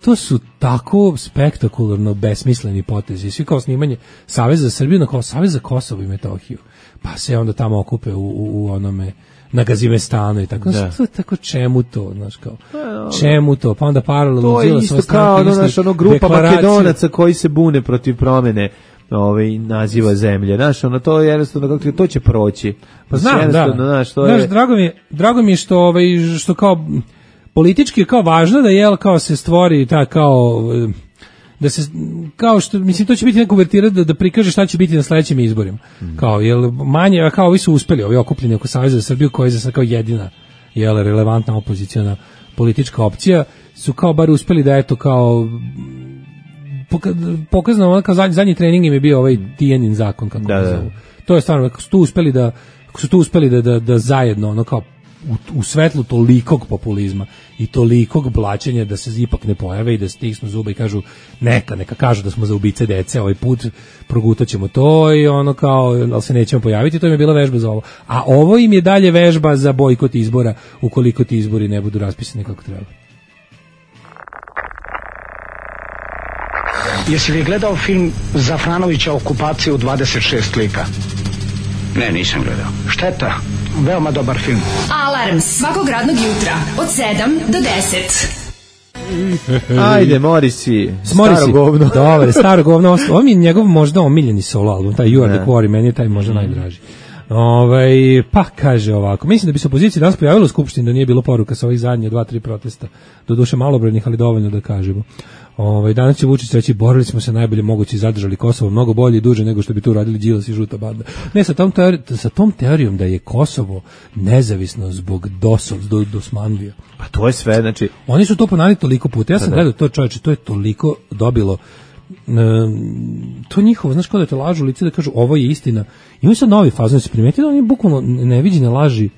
To su tako spektakularno besmisleni potezi. Svi kao snimanje Savez za Srbiju, kao Savez za Kosovo i Metohiju. Pa se onda tamo okupe u onome na Gazimestanu i tako. Tako čemu to, znaš, kao čemu to? Pa onda paralelno to je isto kao grupa Makedonaca koji se bune protiv promene naziva zemlje. Znaš, to je jednostavno, to će proći. Pa znam, drago mi je što kao politički je kao važno da kao se stvori ta kao da se kao što mislim to će biti neka uvertira da prikaže šta će biti na sledećim izborima. Kao jel manje kao ovi su uspeli, ovi okupljeni oko Saveza za Srbiju koji je za sad kao jedina jel relevantna opoziciona politička opcija su kao bar uspeli da eto kao pokazano kao zadnji trening im je bio ovaj Tijanin zakon kako ga zovu. To je stvarno kako su tu uspeli da zajedno ono kao u svetlu tolikog populizma i tolikog blaćenja da se ipak ne pojave i da stisnu zube i kažu neka kažu da smo za ubice dece ovaj put progutaćemo to i ono kao ali se nećemo pojaviti, to im je bila vežba za ovo, a ovo im je dalje vežba za bojkot izbora ukoliko ti izbori ne budu raspisani kako treba. Jesi li gledao film Zafranovića Okupacija u 26 lika? Ne, nisam gledao. Šteta, veoma dobar film. Alarm svakog radnog jutra od 7 do 10. Ajde, Morisi, staro govno. Dobar, staro govno. Ovo mi je njegov možda omiljeni solo album, taj You Are The Quarry, meni je taj možda najdraži. Pa kaže ovako, mislim da bi se opozicija danas pojavila u Skupštini da nije bilo poruka sa ovih zadnje 2-3 protesta, do duše malobrojnih, ali dovoljno da kažemo. Danas će Vučić reći borili smo se najbolje moguće i zadržali Kosovo mnogo bolje i duže nego što bi tu radili Đilas i žuta banda. Ne, sa tom teorijom da je Kosovo nezavisno zbog dosmanlija. Pa to je sve, znači oni su to ponavljali toliko puta. Ja sam gledao to, čoveče, to je toliko dobilo to njihovo, znaš, kao da te lažu lice da kažu ovo je istina. Imaju sad novi fazon, se primetili da oni bukvalno neviđene laži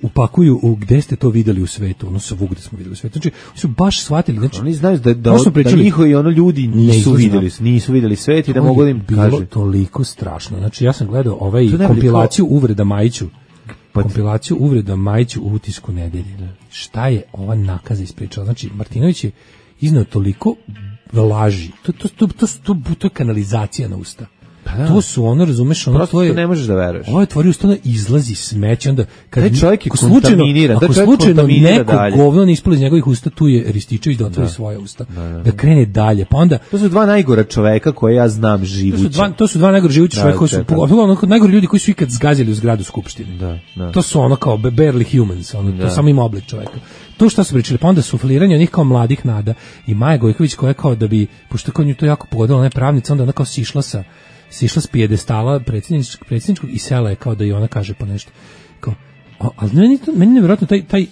upakuju u gde ste to videli u svetu, ono svugde smo videli u svetu. Znači, oni su baš shvatili, znači oni znaju da njihovi ono ljudi nisu videli svet i da mogu da im kaže. Bilo toliko strašno. Znači, ja sam gledao kompilaciju uvreda Majiću. Kompilaciju uvreda Majiću u Utisku nedelje. Šta je ova nakaza ispričala? Znači, Martinović je izneo toliko laži. To je kanalizacija na usta. To su ono, razumeš, ono prosto to je, ne možeš da veruješ. Ovo je tvori ustano izlazi smeće, onda kad čovjek je kontaminiran, ako slučajno neko govno ne ispali iz njegovih usta, tu je Rističević da otvori svoje usta, da krene dalje. Pa onda to su dva najgora čoveka koje ja znam živuća. To su dva najgora živuća čoveka koji su najgori ljudi koji su ikad zgazili u zgradu Skupštine. To su ono kao barely humans, ono to samo ima oblik čoveka. To što su pričali, pa onda sufliranje onih kao mladih nada i Maja Gojković koja je kao da bi, pošto kao nju to jako pogodila, ona je pravnica, onda ona kao sišla s pijedestala predsjedničkog i sela je kao da i ona kaže po nešto. Kao, ali meni nevjerojatno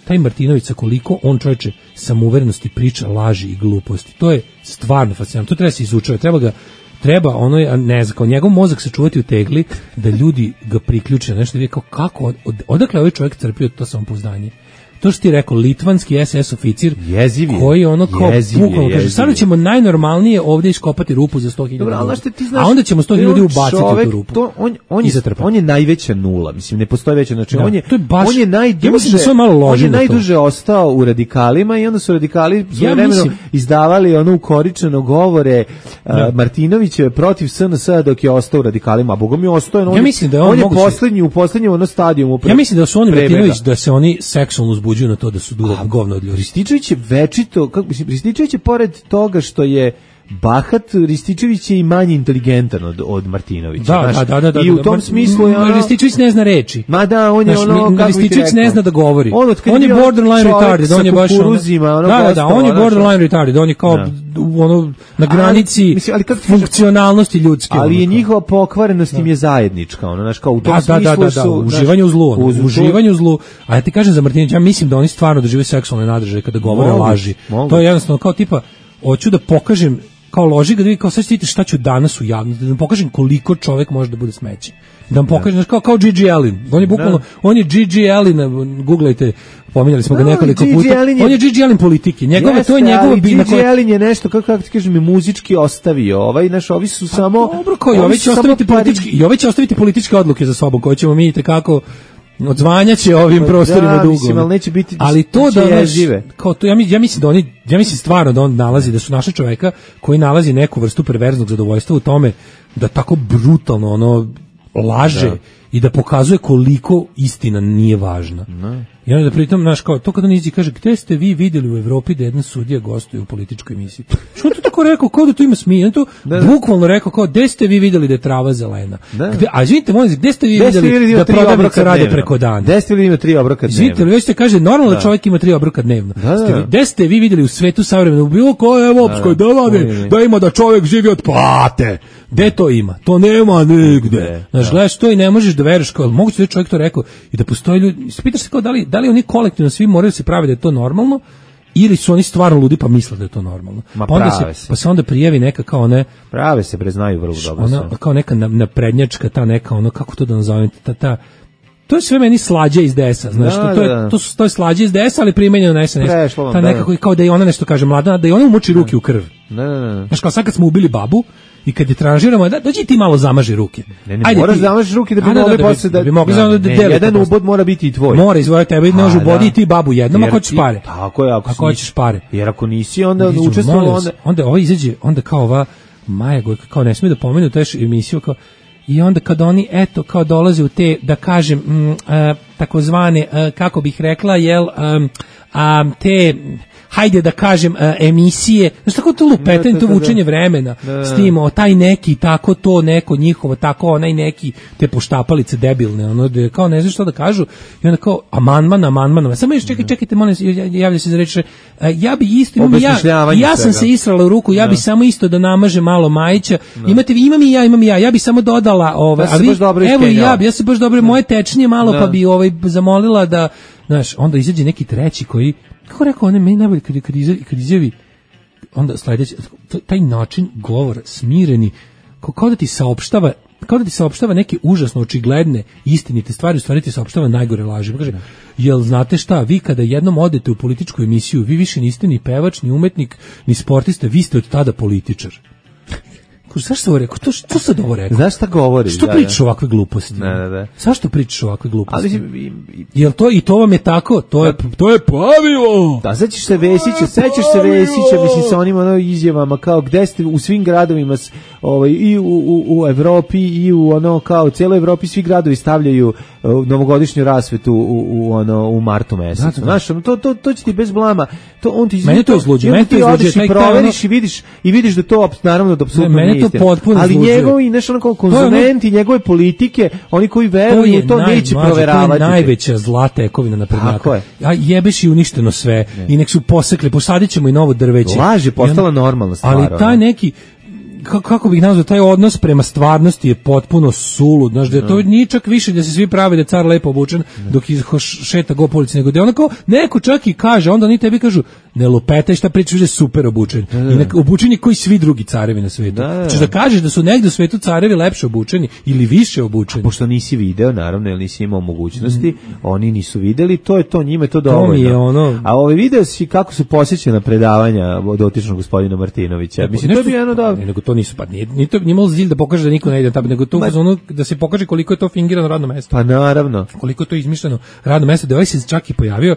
taj Martinović sa koliko on čovječe samouverenosti priča laži i gluposti. To je stvarno fascinantno. To treba se izučavati. Treba ono, ne znam, kao njegov mozak se čuvati u tegli da ljudi ga priključe na nešto i kao kako, odakle ovaj čovjek crpio to samopouzdanje. To što ti rekao, litvanski SS oficir koji ono kao bukvalno kaže, sada ćemo najnormalnije ovdje iskopati rupu za 100.000, a onda ćemo 100.000 ljudi ubaciti u tu rupu. On je najveća nula, mislim, ne postoji veća, znači on je najduže ostao u radikalima i onda su radikali svojevremeno izdavali ono ukoričeno govore Martinovićeve protiv SNS dok je ostao u radikalima, a Bogom je ostao, on je u poslednjem ono stadijumu. Ja mislim da su oni Martinović, da se oni seksualno buđuju na to da su govno od ljudi. Rističević je večito, Rističević je pored toga što je bahat, Rističević je i manje inteligentan od Martinovića. Da. I u tom smislu je ono... Rističević ne zna reči. Ma da, on je ono... Rističević ne zna da govori. On je borderline retarded. On je baš on je borderline retarded. On je kao ono na granici funkcionalnosti ljudske. Ali je njihova pokvarenost im je zajednička. Ono, znaš, kao u tom smislu su... Uživanje u zlu. A ja ti kažem za Martinovića, ja mislim da oni stvarno dožive seksualne nadržaje kada govore laži. To je jednostavno kao tipa hoću da pokažem kao loži ga da vi kao sad vidite šta ću danas u javnosti, da vam pokažem koliko čovjek može da bude smeće. Da vam pokažem, kao Gigi Allen. On je Gigi Allen, googlajte, pominjali smo ga nekoliko puta. On je Gigi Allen politike. To je njegova Gigi Allen je nešto, kako ti kažem, muzički ostavio. Ovi su samo... Dobro, koji, ovi će ostaviti političke odluke za sobom, koje ćemo mi kako odzvanjaće ovim prostorima dugo. Mislim, ali neće biti, ali to da žive. Kao to, ja mislim stvarno da on nalazi, da su naša čoveka koji nalazi neku vrstu perverznog zadovoljstva u tome da tako brutalno ono laže i da pokazuje koliko istina nije važna. I onda da pritom, znaš, kao, to kada nizi kaže, gde ste vi vidjeli u Evropi da jedna sudija gostuje u političkoj emisiji? Što on to tako rekao, kao da to ima smisla? On to bukvalno rekao, kao, gde ste vi vidjeli da je trava zelena? A izvinite, molim se, gde ste vi vidjeli da prodavnice rade preko dana? Gde ste vidjeli ima 3 obroka dnevno? Izvinite, već se kaže, normalno da čovjek ima 3 obroka dnevno. Gde ste vi vidjeli u svetu savremeno, u bilo kojoj evropskoj državi, da ima da čovjek živi od plate? Gde to ima? To nema nigde. Znaš, gledaš to i ne možeš da veruješ, kao, moguće da je čovjek to rekao i da postoji ljudi, pitaš se kao da li oni kolektivno svi moraju se pravi da je to normalno ili su oni stvarno ludi pa misle da je to normalno. Pa se onda prijavi neka kao ne prave se znaju vrlo dobro ona, kao neka naprednjačka ta neka ono kako to da nazovem ta to je sve meni slađe iz DS-a, znaš, to je slađe iz DS-a, ali primenjeno na SNS. Ta nekako kao da i ona nešto kaže mlada, da i ona umoči ruke u krv. Znaš, kao sad kad smo ubili babu i kad je tranžiramo, dođi ti malo zamaži ruke. Ajde, moraš zamažiš ruke da bi mogli posle da bi mogli da dele. Jedan ubod mora biti i tvoj. Mora izvojiti tebe, ne može ubodi ti babu jednom ako hoćeš pare. Tako je, ako hoćeš pare. Jer ako nisi onda učestvovao onda ovo izađe, onda kao ova Maja Gojka kao ne smije da pomenu tu emisiju kao i onda kad oni eto kao dolaze u te da kažem takozvane kako bih rekla te hajde da kažem emisije, znaš tako to lupetanje, to vučenje vremena s tim, taj neki tako to neko njihovo, tako onaj neki te poštapalice debilne, ono da kao ne znaš što da kažu i onda kao amandman, samo još čekajte, molim, javlja se za reč, ja bi isto, ja sam se israla u ruku, ja bi samo isto da namažem malo Majića, imam i ja bi samo dodala, a vi, evo i ja se baš dobro, moje tečnije malo, pa bi zamolila da, znaš, onda izađe neki treći koji kako rekao, on je meni najbolje kad izjavi onda sledeći, taj način govora, smireni, kao da ti saopštava neke užasno očigledne istinite stvari, u stvari ti saopštava najgore laži. Kaže, jel znate šta, vi kada jednom odete u političku emisiju, vi više niste ni pevač, ni umetnik, ni sportista, vi ste od tada političar. Zašto se ovo rekao? Što sad ovo rekao? Znaš šta govori? Što pričaš ovakve gluposti? Ne. Zašto pričaš ovakve gluposti? Jel to i to vam je tako? To je pravilo! Da, sećaš se Vesića, mislim, sa onim izjavama, kao gde ste u svim gradovima, i u Evropi, i u kao cijeloj Evropi, svi gradovi stavljaju novogodišnju rasvetu u martu mesecu. Znaš, to će ti bez blama. On ti mene to izluđuje. Mene to izluđuje. Ti proveriš i vidiš da to, naravno, da apsolutno nije istina. Ali njegovi, znaš, ono kao konzumenti, njegove politike, oni koji veruju, to neće proveravati. To je najveća zla tekovina naprednjaka. A jebeš i uništeno sve. I nek su posekli, posadit ćemo i novo drveće. Laž je postala normalna stvar. Ali taj neki, kako bih nazvao, taj odnos prema stvarnosti je potpuno sulud, znaš, da to nije čak više da se svi prave da je car lepo obučen dok šeta go po ulici, nego da je onako, neko čak i kaže, onda oni tebi kažu, ne lupetaj šta pričaš, je super obučen. I obučen je koji svi drugi carevi na svetu. Znači da kažeš da su negde u svetu carevi lepše obučeni ili više obučeni. Pošto nisi video, naravno, jer nisi imao mogućnosti, oni nisu videli, to je to, njima je to dovoljno. A video si kako su posjećena predavanja dotičnog gospodina Martinovića. Mislim, to je bilo jedno dobro. To nisu, pa nije imalo cilj da pokaže da niko ne ide tamo, nego to da se pokaže koliko je to fingirano radno mesto. Pa naravno. Koliko je to izmišljeno radno mesto, da ovaj se čak i pojavio,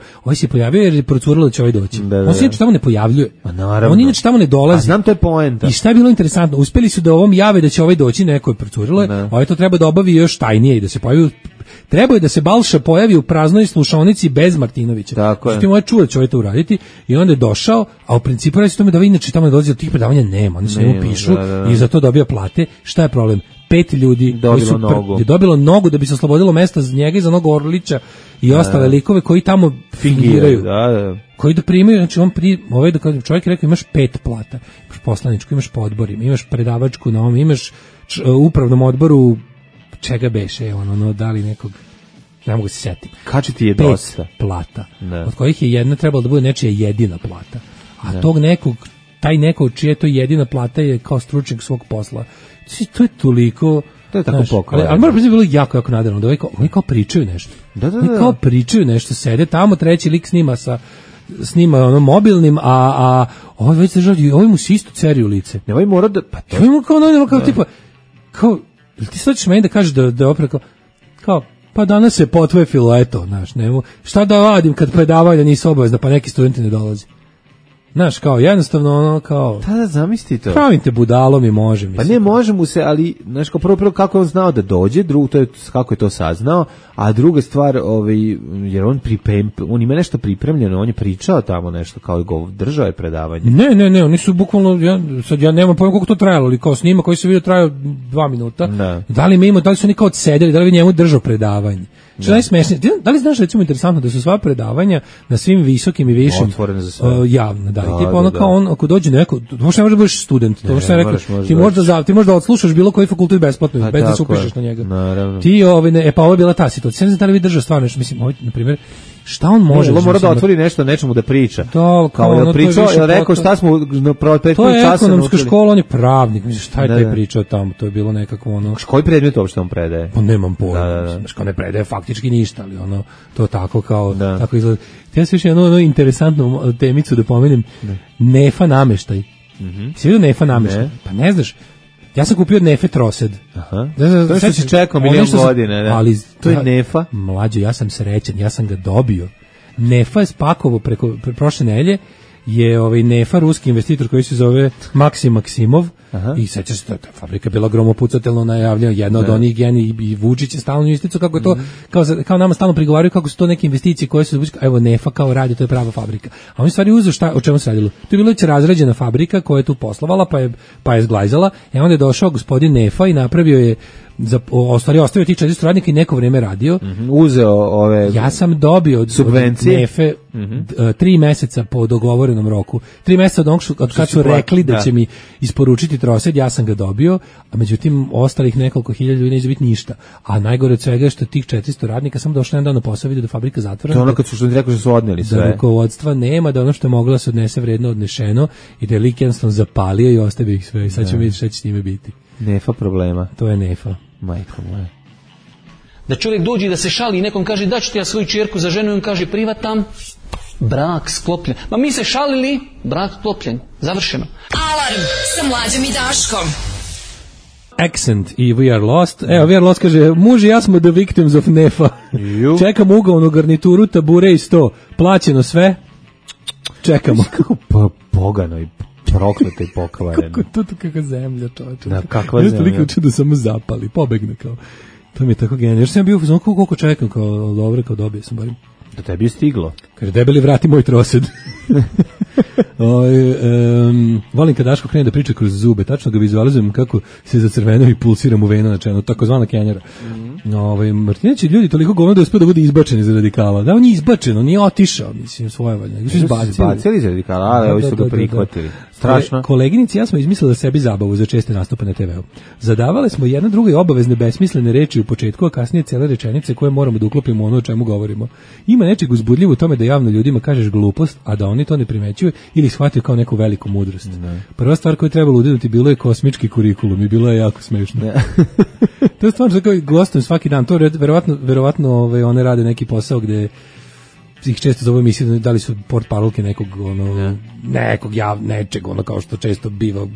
jer je procurilo da će ovaj doći. On se inače tamo ne pojavljuje. Pa naravno. On inače tamo ne dolazi. A znam, to je poenta. I šta je bilo interesantno, uspeli su da ovom jave da će ovaj doći, neko je procurilo, ovaj to treba da obavi još tajnije i da se pojavi. Treba je da se Balša pojavi u praznoj slušaonici bez Martinovića. Tako je. Što je čuo da će ovaj to uraditi i onda je došao, a u principu radi se tome da vi inače tamo ne dolazi, od tih predavanja nema, oni se njemu pišu i za to dobija plate. Šta je problem? 5 ljudi je dobilo nogu da bi se oslobodilo mesta za njega i za nogu Orlića i ostale likove koji tamo fingiraju. Koji da primaju, znači ovaj da čovjek je rekao imaš 5 plata, imaš poslaničku, imaš po odborima, imaš predavačku na ovom, imaš upravnom odboru čega beše, da li nekog, ne mogu se sjetiti. Kači ti je dosta. 5 plata, od kojih je jedna trebala da bude nečija jedina plata. A tog nekog, taj neko čija je to jedina plata je kao stručnjak svog posla. To je toliko... To je tako pokojno. Ali moram priznati, bilo jako nadarno, da oni kao pričaju nešto. Oni kao pričaju nešto, sede tamo, treći lik snima mobilnim, a ovaj već se žali, ovaj mu se isto ceri u lice. Ne, ovaj mora da... Pa to... Ovaj kao tipa, ti sad ćeš meni da kažeš da je opet kao, pa danas se potvefilo, eto, znaš, šta da vadim kad predavanja nisu obavezna, pa neki studenti ne dolazi. Znaš, kao jednostavno ono kao... Da, zamisli to. Pravim te budalom i može. Mislim. Pa ne, može mu se, ali, znaš, kao prvo kako je on znao da dođe, drugo, to je kako je to saznao, a druga stvar, jer on ima nešto pripremljeno, on je pričao tamo nešto, kao držao je predavanje. Ne, oni su bukvalno, ja nemam pojma koliko to trajalo, ali kao snima koji se vidio trajao 2 minuta. Da li su oni kao odsedeli, da li njemu držao predavanje? Što najsmešnije, da li znaš recimo interesantno da su sva predavanja na svim visokim i višim javno, da, i tipa ono kao on, ako dođe neko, to možda ne može da budeš student, to što ja rekao, ti možda odslušaš bilo koji fakultet besplatno, bez da se upišeš na njega. Ti, pa ovo je bila ta situacija, ne znam da li vi držao stvarno nešto, mislim, na primjer, šta on može? On mora da otvori nešto, nečemu da priča. Kao da pričao, je rekao šta smo na prethodnom času. To je ekonomska škola, on je pravnik, mislim, šta je taj pričao tamo, to je bilo nekako ono... Koji predmet uopšte on predaje? Pa nemam pojma, kao ne predaje faktički ništa, ali ono, to tako kao, tako izgleda. Ja se još jednu interesantnu temicu da pomenem, Nefa nameštaj. Si vidio Nefa nameštaj? Pa ne znaš, ja sam kupio Nefe trosed. To što si čekao milion godine. Ali to je Nefa. Mlađe, ja sam srećan, ja sam ga dobio. Nefa je spakovo preko prošle nedelje, je Nefa, ruski investitor koji se zove Maksim Maksimov. I sećaš se, ta fabrika bila gromopucatelno najavljena, jedna od onih geni i Vučić je stalno isticao kako je to, kao nama stalno prigovaraju kako su to neke investicije koje su, evo Nefa kao radi, to je prava fabrika. A on stvari uzeo o čemu se radilo. To je bila već razrađena fabrika koja je tu poslovala, pa je zglajzala, onda je došao gospodin Nefa i napravio je ostavio ti 400 radnika i neko vreme radio. Uzeo ove... Ja sam dobio subvencije od Nefe 3 meseca po dogovorenom roku. 3 meseca od kad su rekli da će mi isporučiti trosed, ja sam ga dobio, a međutim ostalih nekoliko hiljada ljudi neće biti ništa. A najgore od svega je što tih 400 radnika sam došao jedan dan na posao, vidio da fabrika zatvorena. To ono kad su rekli što su odneli sve. Da rukovodstva nema, da ono što je moglo da se odnese vredno odnešeno i da je lik jednostavno zapalio i ostavio ih sve. I sad ćemo vidjeti šta će s njime biti. Nefa problema. To je Nefa. Majko moja. Da čovjek dođe da se šali i nekom kaže da ću ti ja svoju čerku za ženu i on kaže privatam, brak sklopljen. Ma mi se šalili, brak sklopljen. Završeno. Alarm sa Mlađom i Daškom. Accent i We Are Lost. Evo, We Are Lost kaže, muž i ja smo the victims of Nefa. Čekamo ugovnu garnituru, tabure i 100. Plaćeno sve. Čekamo. Kako pogano i prokleto i pokvareno. Kakva zemlja, čovječe. Da, kakva zemlja. Nešto liče da samo zapali, pobegne kao. To mi je tako genijalno. Još sam bio u koliko čekam, kao dobro, kao dobio sam barim. Da tebi je stiglo. Kaže, debeli vrati moj trosed. Volim kad Daško krene da priča kroz zube, tačno ga vizualizujem kako se zacrvenao i pulsira mu vena na čelu, takozvana kenjera. Martinović ljudi toliko govno da uspio da bude izbačen iz radikala. Da, on je izbačen, on nije otišao, mislim, svojevoljno. Izbacili iz radikala, ali ovi su ga prihvatili. Strašno. Koleginici ja smo izmislili sebi zabavu za česte nastupe na TV-u. Zadavale smo jedna drugoj obavezne besmislene reči u početku, a kasnije cele rečenice koje moramo da uklopimo ono o čemu govorimo. Ima nečeg uzbudljivo u tome da javno ljudima kažeš glupost, a da oni to ne primećuju ili shvataju kao neku veliku mudrost. Prva stvar koju treba udinuti bilo je kosmički kurikulum i bilo je jako smešno. To je stvarno tako gostujem svaki dan. To verovatno one rade neki posao gde ih često zove emisije da li su portparolke nekog nečeg kao što često biva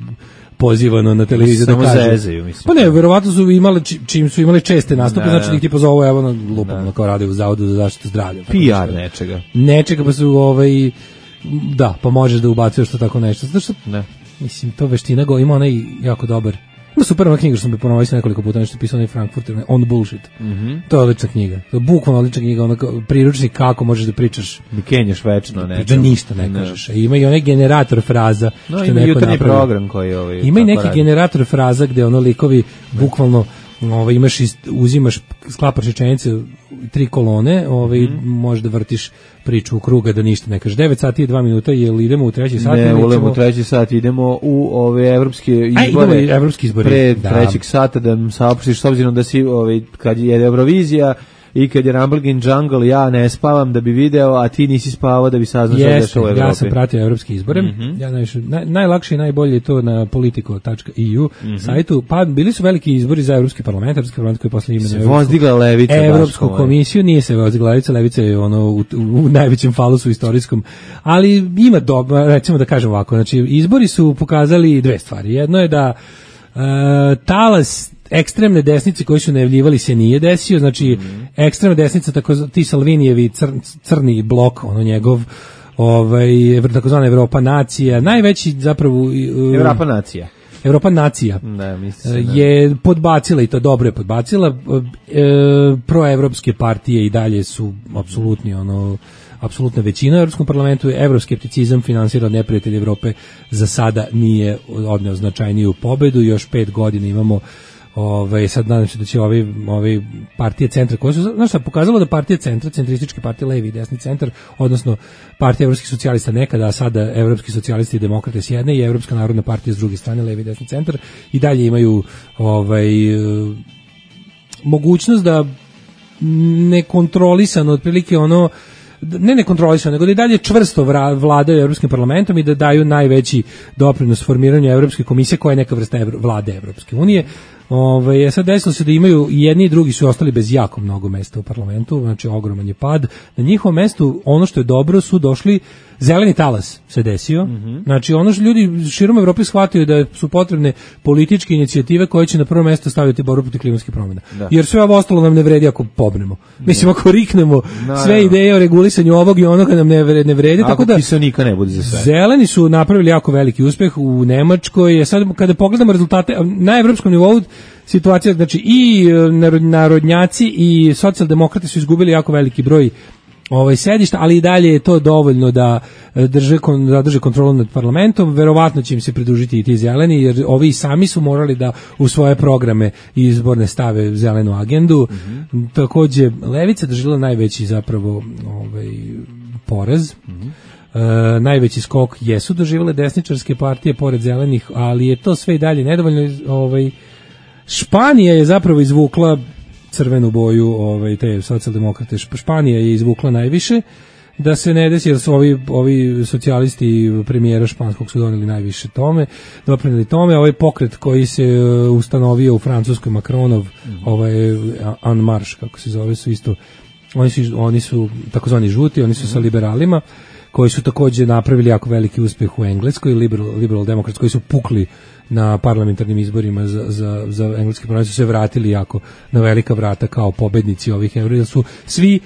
pozivano na televiziji da kaže. Zezaju, mislim. Pa ne, verovatno su imali čim su imali česte nastupe, znači da ih tipa zovu evo na lupom, kao rade u Zavodu za zaštitu zdravlja. PR nečega. Nečega pa su da, pa možeš da ubacuješ to tako nešto. Zato što mislim to veština ima onaj jako dobar. Ima super ona knjiga što sam ponovio nekoliko puta, nešto pisao onaj Frankfurter, On Bullshit. To je odlična knjiga. To je bukvalno odlična knjiga, priručnik kako možeš da pričaš. Mi kenješ večno, ne. Da ništa ne kažeš. Ima i onaj generator fraza. No, ima jutarnji program koji ima i neki generator fraza gde likovi bukvalno uzimaš, sklapaš rečenice 3 kolone, možeš da vrtiš priču u kruga da ništa ne kažeš. 9 sati i 2 minuta, jel idemo u 3. sat? Ne, ulemo u 3. sat, idemo u ove evropske izbore. Evropski izbori. Pre 3. sata da nam saopštiš, s obzirom da si, kad je Eurovizija i kad je Rumble in Jungle, ja ne spavam da bi video, a ti nisi spavao da bi saznao što je dešao u Evropi. Ja sam pratio evropske izbore. Ja najlakše i najbolje je to na politico.eu sajtu. Pa bili su veliki izbori za Evropski parlament koji posle imenuje Evropsku komisiju. Nije se vozdigla levica, levica je u najvećem falusu istorijskom. Ali ima recimo da kažem ovako, znači izbori su pokazali dve stvari. Jedno je da talas ekstremne desnice koji su najavljivali se nije desio, znači ekstremna desnica, tako ti Salvinijevi crni blok, njegov takozvana Evropa nacija, najveći zapravo Evropa nacija. Evropa nacija je podbacila, i to dobro je podbacila, proevropske partije i dalje su apsolutna većina u Evropskom parlamentu. Evroskepticizam finansira od neprijatelja Evrope za sada nije odneo značajniju pobedu, još 5 godina imamo. Sad nadam se da će ovi partije centra koje su, znaš šta, pokazalo da partije centra, centrističke partije, levi i desni centar, odnosno partija evropskih socijalista nekada, a sada evropski socijalisti i demokrate s jedne i Evropska narodna partija s druge strane, levi i desni centar, i dalje imaju mogućnost da nekontrolisano, otprilike ne nekontrolisano, nego da i dalje čvrsto vladaju Evropskim parlamentom i da daju najveći doprinos formiranju Evropske komisije, koja je neka vrsta vlade Evropske unije. Sad desilo se da imaju i jedni i drugi su ostali bez jako mnogo mesta u parlamentu, znači ogroman je pad. Na njihovom mestu, ono što je dobro, su došli zeleni talas se desio. Znači ono što ljudi širom Evrope shvataju da su potrebne političke inicijative koje će na prvo mesto staviti borbu protiv klimatskih promjena. Jer sve ovo ostalo nam ne vredi ako pobnemo. Mislim, ako riknemo sve ideje o regulisanju ovog i onoga nam ne vredi. Ako kiselnika ne bude za sve. Zeleni su napravili jako veliki uspeh u Nemačkoj. Sad kada pogledamo rezultate na evropskom nivou, situacija, znači i narodnjaci i socijaldemokrati su izgubili jako veliki broj sedišta, ali i dalje je to dovoljno da drže kontrolu nad parlamentom. Verovatno će im se pridružiti i ti zeleni, jer ovi sami su morali da u svoje programe i izborne stave zelenu agendu. Takođe, levica doživjela najveći zapravo poraz. Najveći skok jesu doživjele desničarske partije pored zelenih, ali je to sve i dalje nedovoljno. Španija je zapravo izvukla crvenu boju, te socijaldemokrate. Španija je izvukla najviše, da se ne desi, jer su ovi socijalisti premijera španskog su doneli najviše doprineli tome. Ovaj pokret koji se ustanovio u Francuskoj, Macronov, En Marche, kako se zove, su isto, oni su takozvani žuti, oni su sa liberalima, koji su takođe napravili jako veliki uspeh u Engleskoj, liberal demokrats, koji su pukli na parlamentarnim izborima za engleski parlament, su se vratili jako na velika vrata kao pobednici ovih euro, jer su svi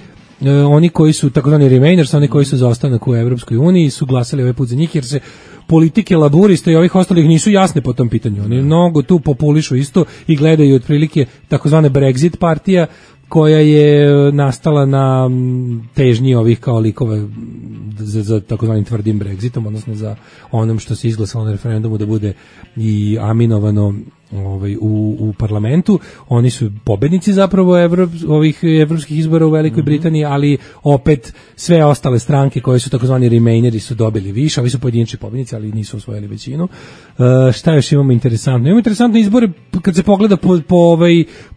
oni koji su takozvani remainers, oni koji su za ostanak u Evropskoj uniji, su glasali ovaj put za njih, jer se politike laburista i ovih ostalih nisu jasne po tom pitanju. Oni mnogo tu populišu isto i gledaju otprilike takozvane Brexit partija, koja je nastala na težnji ovih kao likova za takozvanim tvrdim Brexitom, odnosno za onom što se izglasalo na referendumu da bude i aminovano u parlamentu. Oni su pobednici zapravo ovih evropskih izbora u Velikoj Britaniji, ali opet sve ostale stranke koje su takozvani remaineri su dobili više. Ovi su pojedinačni pobednici, ali nisu osvojili većinu. Šta još imamo interesantno? Imamo interesantne izbore kad se pogleda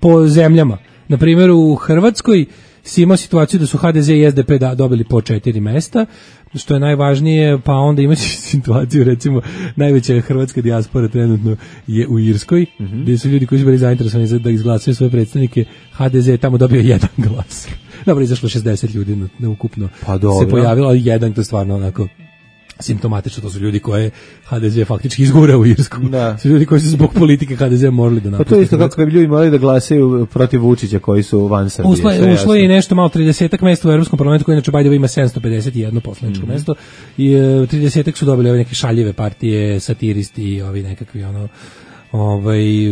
po zemljama. Na primjer, u Hrvatskoj si imao situaciju da su HDZ i SDP dobili po 4 mesta, što je najvažnije, pa onda imaš situaciju, recimo, najveća hrvatska dijaspora trenutno je u Irskoj, gdje su ljudi koji su bili zainteresovani da izglasaju svoje predstavnike, HDZ je tamo dobio 1 glas. Dobro, izašlo 60 ljudi ukupno se pojavilo, ali 1, to je stvarno onako simptomatično, to su ljudi koje HDZ faktički izgura u Irsku. Su ljudi koji su zbog politike HDZ morali da napuste. Pa to je isto kako bi ljudi morali da glasaju protiv Vučića koji su van Srbije. Ušlo je nešto malo 30-ak mesta u Evropskom parlamentu, koji inače Bajdova ima 751 poslaničko mesto, i 30-ak su dobili ove neke šaljive partije, satiristi i ovi nekakvi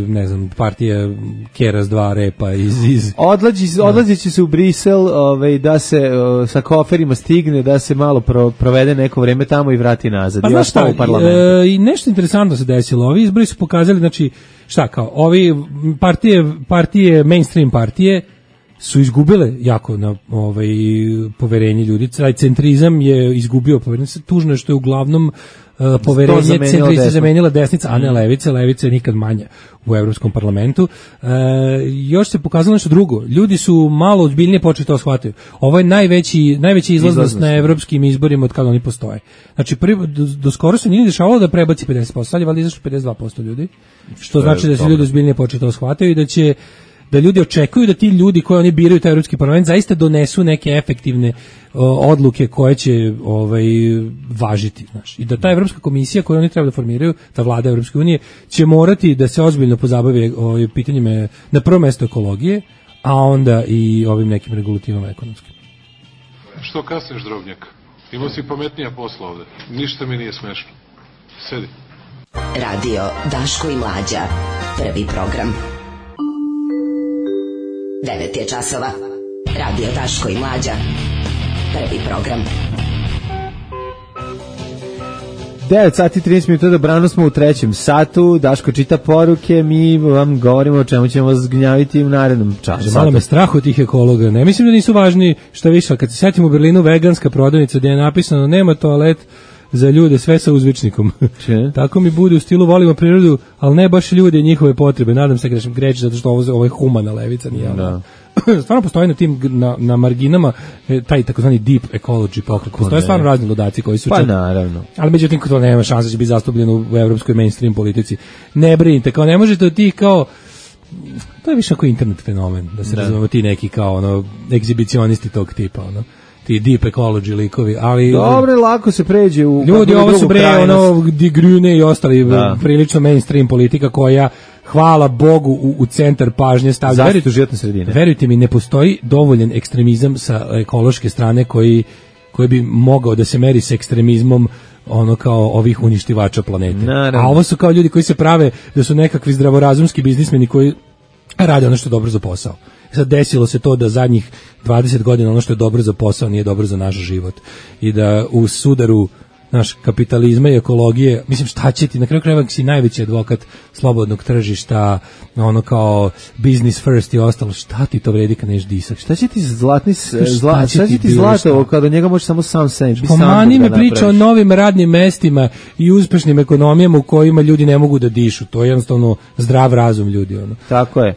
ne znam, partija Keras 2 repa iz... Odlazići se u Brisel, da se sa koferima stigne, da se malo provede neko vreme tamo i vrati nazad. Pa znaš šta, i nešto interesantno se desilo. Ovi izbori su pokazali, znači, šta kao, ovi partije, mainstream partije, su izgubile jako na poverenje ljudi. Taj centrizam je izgubio poverenje. Tužno je što je uglavnom poverenje centrista zamenila desnica, a ne levica. Levica je nikad manja u Evropskom parlamentu. Još se pokazalo nešto drugo. Ljudi su malo ozbiljnije počeli to shvatiti. Ovo je najveći izlaznost na evropskim izborima od kada oni postoje. Znači, do skoro se nije dešavalo da prebaci 50%. Sad je valjda izašlo 52% ljudi. Što znači da se ljudi ozbiljnije počeli to shvatiti i da ljudi očekuju da ti ljudi koji oni biraju taj Evropski parlament zaista donesu neke efektivne odluke koje će važiti, znaš. I da ta Evropska komisija koju oni treba da formiraju, ta vlada Evropske unije, će morati da se ozbiljno pozabave pitanjima, na prvo mesto ekologije, a onda i ovim nekim regulativama ekonomskim. Što kasniš, Drobnjak? Imao si pametnija posla ovde. Ništa mi nije smešno. Sedi. Radio Daško i Mlađa. Prvi program. 9 je časova. Radio Daško i Mlađa. Prvi program. 9 sati 30 minuta, dobrano smo u trećem satu, Daško čita poruke, mi vam govorimo o čemu ćemo vas gnjaviti u narednom času. Malo me strah od tih ekologa, ne mislim da nisu važni, šta više, kad se setim u Berlinu veganska prodavnica gdje je napisano nema toalet za ljude, sve sa uzvičnikom. Tako mi bude u stilu volimo prirodu, ali ne baš ljude i njihove potrebe, nadam se grešim greći zato što ovo je humana levica, nije ono. Stvarno postoji na tim na marginama taj takozvani deep ecology pokret. Postoje stvarno razni ludaci koji su pa naravno. Ali međutim to nema šanse da će biti zastupljeno u evropskoj mainstream politici. Ne brinite, kao ne možete od tih kao to je više kao internet fenomen, da se razumemo ti neki kao ono egzibicionisti tog tipa, ono ti deep ecology likovi, ali dobro, lako se pređe u ljudi, ovo su bre ono Die Grüne i ostali prilično mainstream politika koja hvala Bogu u centar pažnje stavlja. Zaštitu životne sredine. Verujte mi, ne postoji dovoljan ekstremizam sa ekološke strane koji bi mogao da se meri sa ekstremizmom ono kao ovih uništivača planete. Naravno. A ovo su kao ljudi koji se prave da su nekakvi zdravorazumski biznismeni koji rade ono što je dobro za posao. Sad desilo se to da zadnjih 20 godina ono što je dobro za posao nije dobro za naš život. I da u sudaru naš kapitalizma i ekologije, mislim šta će ti, na kraju krajeva si najveći advokat slobodnog tržišta, ono kao business first i ostalo, šta ti to vredi kad neš disak? Šta će ti zlato kada njega može samo sam seći? Pomani me priča o novim radnim mestima i uspešnim ekonomijama u kojima ljudi ne mogu da dišu, to je jednostavno zdrav razum ljudi. Ono. Tako je.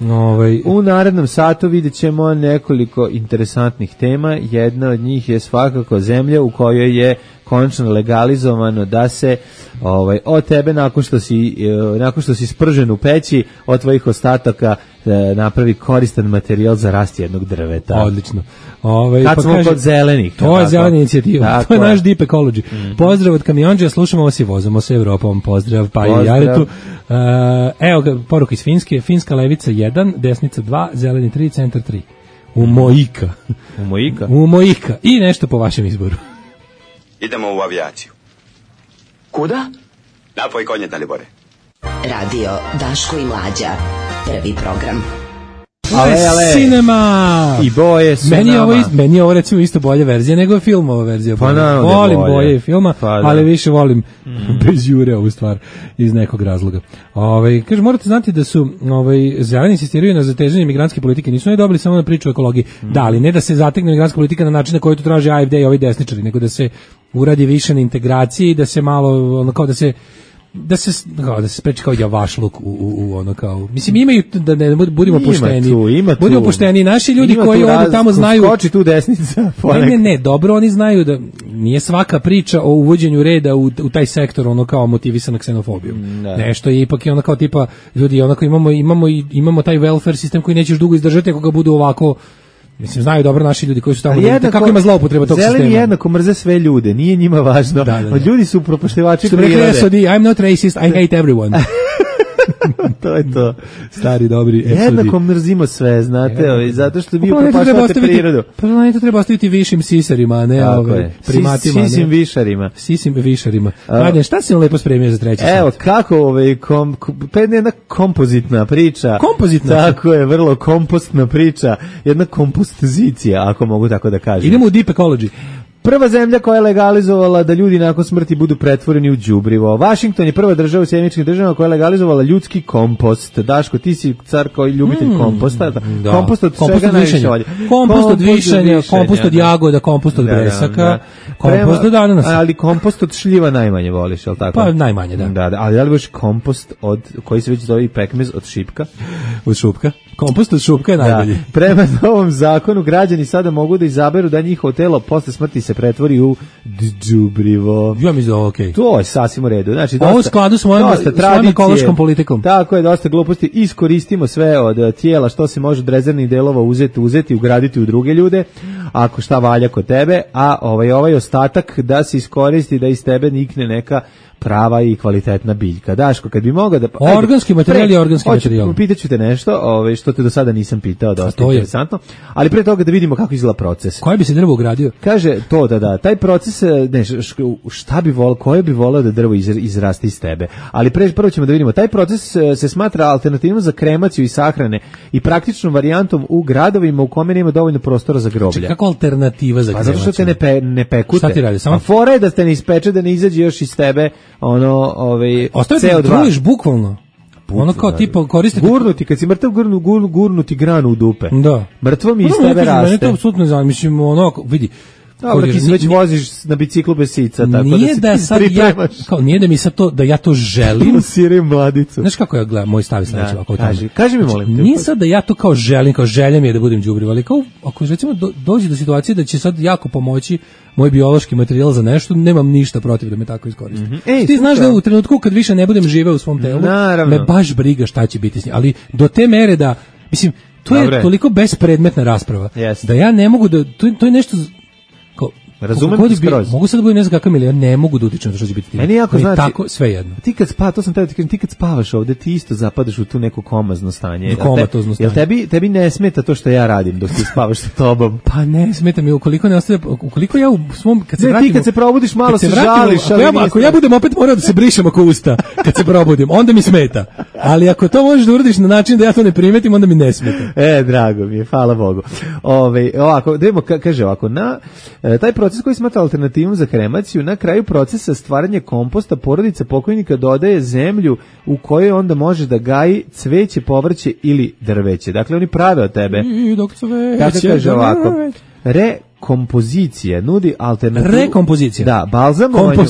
U narednom satu vidjet ćemo nekoliko interesantnih tema, jedna od njih je svakako zemlja u kojoj je konačno legalizovano da se od tebe nakon što si spržen u peći od tvojih ostataka napravi koristan materijal za rast jednog drveta. Odlično. Kad smo kod zelenih. To je zelena inicijativa. To je naš deep ecology. Pozdrav od kamionđija, slušamo vas i vozamo se Evropom. Pozdrav, pa i Jaretu. Evo ga, poruka iz Finske. Finska levica 1, desnica 2, zeleni 3, centar 3. U Mojika. I nešto po vašem izboru. Idemo u avijaciju. Kuda? Napoj konje, Dalibore. Radio Daško i Mlađa. Prvi program. Ale. Cinema! I boje su meni je ovo recimo isto bolja verzija nego je filmova verzija. Pa volim boje filma, ali više volim bez jure ovu stvar iz nekog razloga. Kaže, morate znati da su zeleni insistiraju na zatezanju migrantske politike, nisu oni dobili samo na priču o ekologiji. Da, ali ne da se zategne migrantska politika na način na koji to traži AfD i ovi desničari, nego da se uradi više na integraciji, da se malo, ono kao da se spreči kao javašluk u ono kao, mislim imaju da ne budemo pošteni. Budimo pošteni, naši ljudi koji odu tamo znaju. Skoči tu desnica. Ne, dobro, oni znaju da nije svaka priča o uvođenju reda u taj sektor ono kao motivisana ksenofobijom. Nešto je ipak ono kao tipa ljudi onako imamo taj welfare sistem koji nećeš dugo izdržati ako ga budu ovako. Mislim, znaju dobro naši ljudi koji su tamo, kako ima zloupotreba tog sistema. Zeleni jednako mrze sve ljude, nije njima važno. Ljudi su upropaštivači prirode. I'm not racist, I hate everyone. To je to. Stari, dobri. Jednako mrzimo sve, znate, zato što vi upropaštavate prirodu. Planetu treba ostaviti višim sisarima, a ne primatima. Sisim višarima. Mladen, šta si lepo spremio za treći sat? Evo, kako jedna kompozitna priča. Kompozitna? Tako je, vrlo kompostna priča. Jedna kompozicija, ako mogu tako da kažem. Idemo u deep ecology. Prva zemlja koja je legalizovala da ljudi nakon smrti budu pretvoreni u đubrivo. Washington je prva država u Sjedinjenim Državama koja je legalizovala ljudski kompost. Daško, ti si car koji ljubitelj komposta. Kompost od čega najviše volje? Kompost od višanja, kompost od jagoda, kompost od bresaka, kompost od ananasa. Ali kompost od šljiva najmanje voliš, je li tako? Pa najmanje, da. Ali da li voliš kompost od, koji se već zove pekmez, od šipka? Od šupka? Kompost od šupka je najbolji. Prema novom zakonu građani sada mogu da izaberu da njihovo telo posle smrti se pretvori u đubrivo. Ja mislim da je okej. To je sasvim u redu. Znači, ovo u skladu s mojom ekološkom politikom. Tako je, dosta gluposti. Iskoristimo sve od tijela što se može od rezervnih delova uzeti, ugraditi u druge ljude, ako šta valja kod tebe, a ovaj ostatak da se iskoristi da iz tebe nikne neka prava i kvalitetna biljka. Daško, kad bi mogao da... Organski materijal je organski materijal. Pitaću te nešto, što te do sada nisam pitao, dosta interesantno, ali pre toga da vidimo kako izgleda proces. Koje bi se drvo ugradio? Kaže to, da, taj proces, šta bi volao, koje bi volao da drvo izraste iz tebe. Ali prvo ćemo da vidimo, taj proces se smatra alternativnom za kremaciju i sahrane i praktičnom varijantom u gradovima u kome nema dovoljno prostora za groblje. Čekaj, kako alternativa za kremaciju? Pa zato što te ne pekute. Šta ti radi? A fora je da te ne ispeče, da ne izađe još iz tebe CO2. Ostavite da truliš bukvalno. Ono kao tipa koristiti... Gurnuti, kad si mrtav gurnuti granu u dupe. Da. Mrtvo mi iz tebe raste. Mene to apsolutno znam, mislim, vidi, dobro, ti se već voziš na biciklu bez sica, tako nije da se ti pripremaš. Nije da mi sad to, da ja to želim. Sirim mladicu. Znaš kako ja gledam, moj stav sledeći ovako. Kaži mi, molim te. Nije sad da ja to kao želim, kao želja mi je da budem đubriv, ali kao, ako recimo dođe do situacije da će sad jako pomoći moj biološki materijal za nešto, nemam ništa protiv da me tako iskoristi. Ti znaš da u trenutku kad više ne budem živeo u svom telu, me baš briga šta će biti s njim. Ali do te mere da, mislim, to je toliko bespredmetna rasprava, da ja ne mogu da, to je nešto... Razumem ti skroz. Mogu sad da budem ne znam kakav milion, ne mogu da utičem na to što će biti. Meni jako znači, tako sve jedno. Ti kad to sam teo ti kažem, ti kad spavaš ovde, ti isto zapadaš u tu neko komazno stanje. Komatozno stanje. Jel tebi ne smeta to što ja radim dok ti spavaš sa tobom? Pa ne smeta mi, ukoliko ja u svom kad se vratim. Ti kad se probudiš malo se žališ, ali ako ja budem opet morao da se brišem ako usta kad se probudim, onda mi smeta. Ali ako to možeš da uradiš na način da ja to ne primetim, onda mi ne smeta. Drago mi je, hvala Bogu. Ovako, kaže ovako, taj proces koji smatra alternativnom za kremaciju, na kraju procesa stvaranja komposta porodica pokojnika dodaje zemlju u kojoj onda može da gaji cveće, povrće ili drveće. Dakle, oni prave od tebe. Kako kaže ovako, rekompozicija nudi alternativu. Rekompozicija. Da, balzamovanju,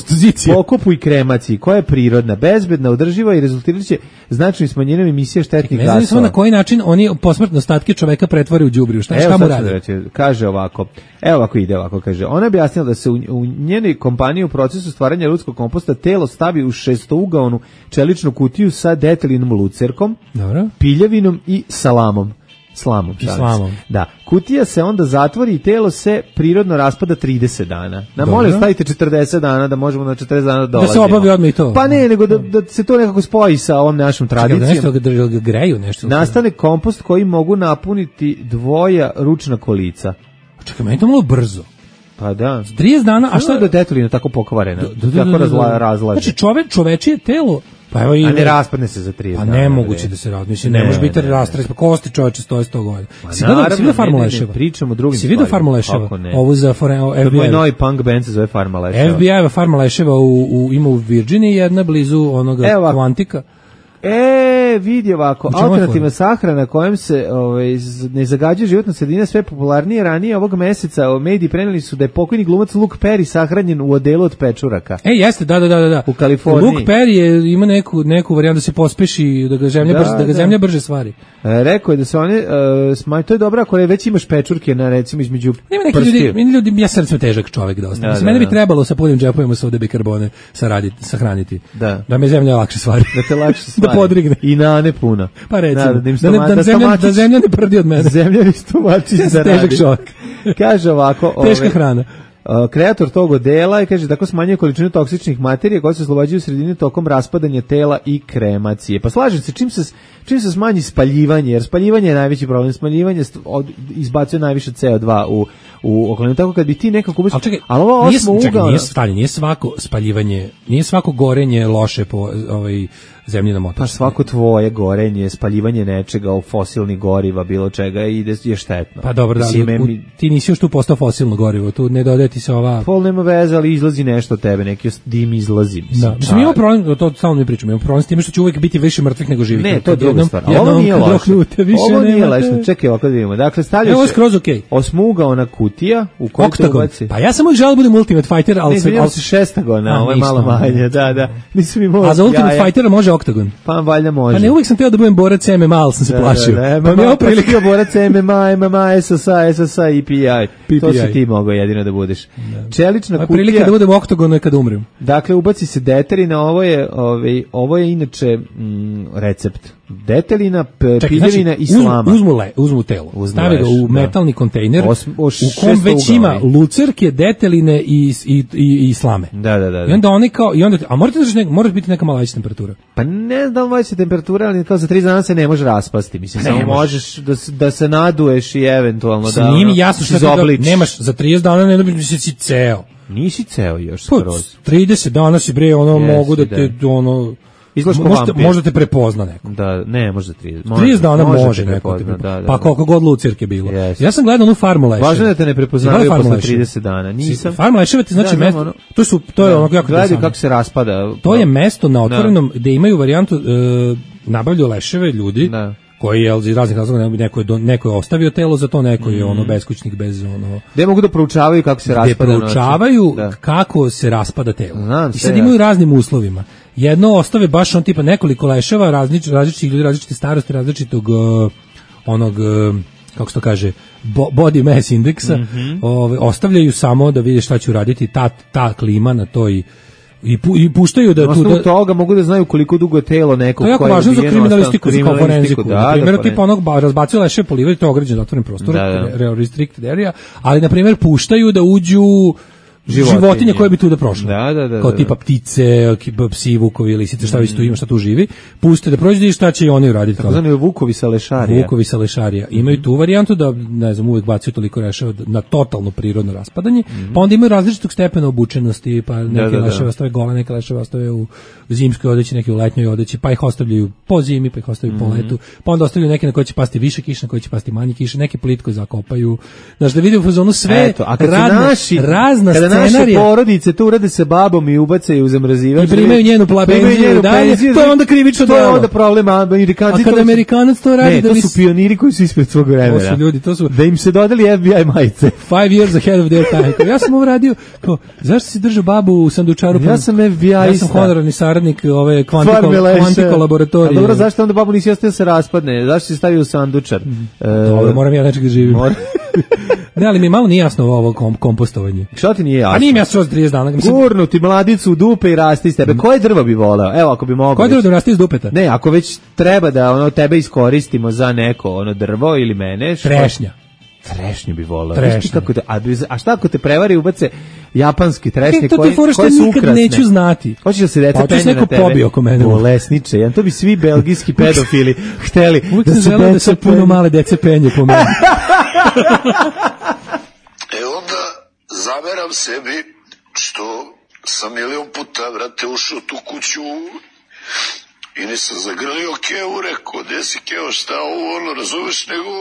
pokopu i kremaciji, koja je prirodna, bezbedna, održiva i rezultiraće značajnim smanjenjem emisije štetnih gasova. Ne znam na koji način oni posmrtne ostatke čoveka pretvore u đubrivo. Šta mu radi? Kaže ovako. Evo ovako ide ovako, kaže. Ona je objasnila da se u njenoj kompaniji u procesu stvaranja ljudskog komposta telo stavi u šestougaonu čeličnu kutiju sa detaljnom lucerkom, piljavinom i slamom. Da, kutija se onda zatvori i telo se prirodno raspada 30 dana. Molim, stavite 40 dana da možemo na 40 dana dolazimo. Da se obavi odmah i to. Pa ne, nego da se to nekako spoji sa ovom našom tradicijom. Da greju nešto. Nastane kompost koji mogu napuniti dvoja ručna kolica. Čekaj, meni to malo brzo. Pa da. 30 dana, a šta je do detaljina tako pokvarena? Tako razlaže. Znači čovečije telo, pa evo i... A ne raspadne se za 30 dana. A nemoguće da se raspadne. Mislim, ne može biti rastres, pa kosti čoveče stoje 100 godina. Si vidio Farmu Leševa? Pričamo o drugim stvarima. Si vidio Farmu Leševa? Ovo za FBI. Moj novi punk band se zove Farma Leševa. FBI-eva Farma Leševa ima u Virginiji, jedna blizu onoga Kvantika. Vidi ovako, alternativna sahrana kojom se ne zagađuje životna sredina sve popularnije. Ranije ovog meseca mediji preneli su da je pokojni glumac Luke Perry sahranjen u odelu od pečuraka. Jeste, da. U Kaliforniji. Luke Perry ima neku varijantu da se pospeši, da ga zemlja brže stvari. Rekao je da se one, to je dobro ako već imaš pečurke na recimo između prstiju. Ljudi, ja sam težak čovjek dosta. Mene bi trebalo sa punim džepovima sa bikarbone sahraniti. Da me zemlja lakše stvari. Da te lakše stvari. Podrigne. I nane puna. Pa recimo, da zemlja ne prdi od mene. Zemlja mi stomačić zaradi. Težak čovjek. Kaže ovako... Teška hrana. Kreator tog odela je, kaže, tako smanjuje količinu toksičnih materija koje se oslobađaju u sredini tokom raspadanja tela i kremacije. Pa slažem se, čim se smanji spaljivanje, jer spaljivanje je najveći problem, spaljivanje izbacuje najviše CO2 u okolinu, tako kad bi ti nekako ubiš... Ali ovo nije svako spaljivanje, nije svako gorenje loše po zemlji na motor. Pa svako tvoje gorenje, spaljivanje nečega, fosilnih goriva, bilo čega je štetno. Pa dobro, ti nisi još tu postao fosilno gorivo, tu ne dodaje ti se ova... Pol nema veze, ali izlazi nešto od tebe, neki dim izlazi. Mislim, imamo problem, to samo mi pričamo, imamo problem s time što će uvijek biti više mrtvih nego živih. Ne, to je druga stvar. Ovo nije loše. Ovo nije loše. Čekaj, ovako da vidimo. Dakle, stavlja se osmougaona kutija u kojoj se ubaci. Pa ja sam uvijek želeo da budem Ultimate Fighter, ali si šestagona, ovo je malo manje. Da. A za Ultimate Fightera može oktagon. Pa valjda može. Pa ne, uvijek sam teo da budem borac MMA, ali sam se plašio. Pa mi je oprilika borac MMA, SSA i PI. To si ti mogao jedino da budeš. Čelična kutija. Prilika da budem u oktagonu kada umrem. Dakle, ubaci se deterina, ovo je inače recept. Detelina, piljevina i slama. Uzmu telo, stave ga u metalni kontejner u kom već ima lucerke, deteline i slame. Da. I onda oni kao, a mora biti neka mala veća temperatura. Pa ne znam da veća temperatura, ali kao za 3 dana se ne može raspasti. Mislim, samo možeš da se naduješ i eventualno da nije mi jasno što nemaš za 30 dana, ne dobiš si ceo. Nisi ceo još skroz. 30 dana si bre, mogu da te možda te prepozna neko. Da, ne, možda 30. 30 dana može neko te prepozna. Pa koliko god lucirke bilo. Ja sam gledao onu farmu leševa. Važno da te ne prepoznaju posle 30 dana. Nisam. Farma leševa ti znači mesto. To je ono jako gledaj kako se raspada. To je mesto na otvorenom gde imaju varijantu nabavljaju leševe ljudi. Koji je iz raznih razloga neko je ostavio telo za to, neko je beskućnik bez ono. Gde mogu da proučavaju kako se raspada. Proučavaju kako se raspada telo. I sad imaju raznim uslovima. Jedno ostave baš on tipa nekoliko leševa različitih ljudi, različite starosti, različitog onog kako se to kaže body mass indeksa, ostavljaju samo da vide šta će raditi ta klima na toj i puštaju da tu toga mogu da znaju koliko dugo je telo nekog koje je važno za kriminalistiku, kao forenziku. Na primjer, tipa onog razbacuje leše po livadi, to je ograđen otvoren prostor, restricted area, ali na primjer puštaju da uđu životinje koje bi tu da prošle. Kao tipa ptice, psi, vukovi, lisice, šta već tu ima, šta tu živi. Puste da prođe i šta će oni uraditi. Tako zvani vukovi sa lešarija. Vukovi sa lešarija. Imaju tu varijantu da, ne znam, uvek bacaju toliko leševa na totalno prirodno raspadanje, pa onda imaju različitog stepena obučenosti, pa neke leševe ostave gole, neke leševe ostave u zimskoj odeći, neke u letnjoj odeći, pa ih ostavljaju po zimi, pa ih ostavljaju po letu, pa onda ostavljaju neke na koje će pasti više kiše, na koje će pasti manje kiše, neke plitko zakopaju. Znaš, da vidi u fazonu sve razna naše porodice to urade sa babom i ubacaju u zamrzivač. I primaju njenu penziju dalje, to je onda krivično delo. To je onda problem Amerikanci. A kada Amerikanac to radi da to su pioniri koji su ispred svog vremena. To su ljudi, da im se dodali FBI majice. 5 years ahead of their time. Ja sam ovo radio, zašto si držao babu u sandučaru? Ja sam FBI-ista. Ja sam honorarni saradnik ove kvantiko laboratorije. A dobro, zašto onda babu nisi ostavio se raspadne? Zašto si stavio u sandučar? Dobro, moram ja nečeg da živim. Ne, ali mi malo nije jasno ovo kompostovanje. Šta ti nije jasno? A nije mi jasno 30 dana. Gurnuti mladicu u dupe i rasti iz tebe. Koje drvo bi voleo? Evo, ako bi mogao. Koje drvo da rasti iz dupeta? Ne, ako već treba da tebe iskoristimo za neko drvo ili mene. Trešnja. Trešnju bi voleo. A šta ako te prevari ubace japanski trešnje koje su ukrasne? Nikad neću znati. Hoćeš da se deca penje na tebe? Pobio oko mene. Bolesniče. To bi svi belgijski pedofili hteli. Uvijek sam želeo da se puno male dece penje po mene. Onda zameram sebi što sam milion puta, vrate, ušao tu kuću i nisam zagrlio Kevu, rekao, gde si Kevo, šta ovo, razumeš, nego...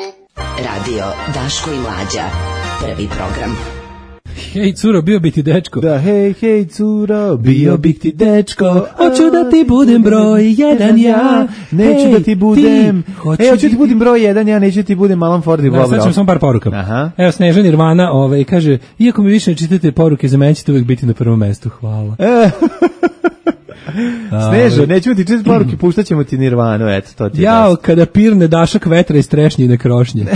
Radio Daško i Mlađa, prvi program. Hej curo, bio bi ti dečko. Da, hej curo, bio bi ti dečko. Hoću da ti budem broj jedan ja. Neću da ti budem. Hoću da ti budem broj jedan ja, neću da ti budem Alan Ford i Bob Ross. Sad ćemo samo par poruka. Evo Snežan Nirvana kaže, iako mi više ne čitate poruke, za mene ćete uvijek biti na prvom mestu. Hvala. Snežo, nećemo ti čitati poruke, puštat ćemo ti Nirvanu, eto, to ti je. Jao, kada pirne dašak vetra iz trešnjine krošnje.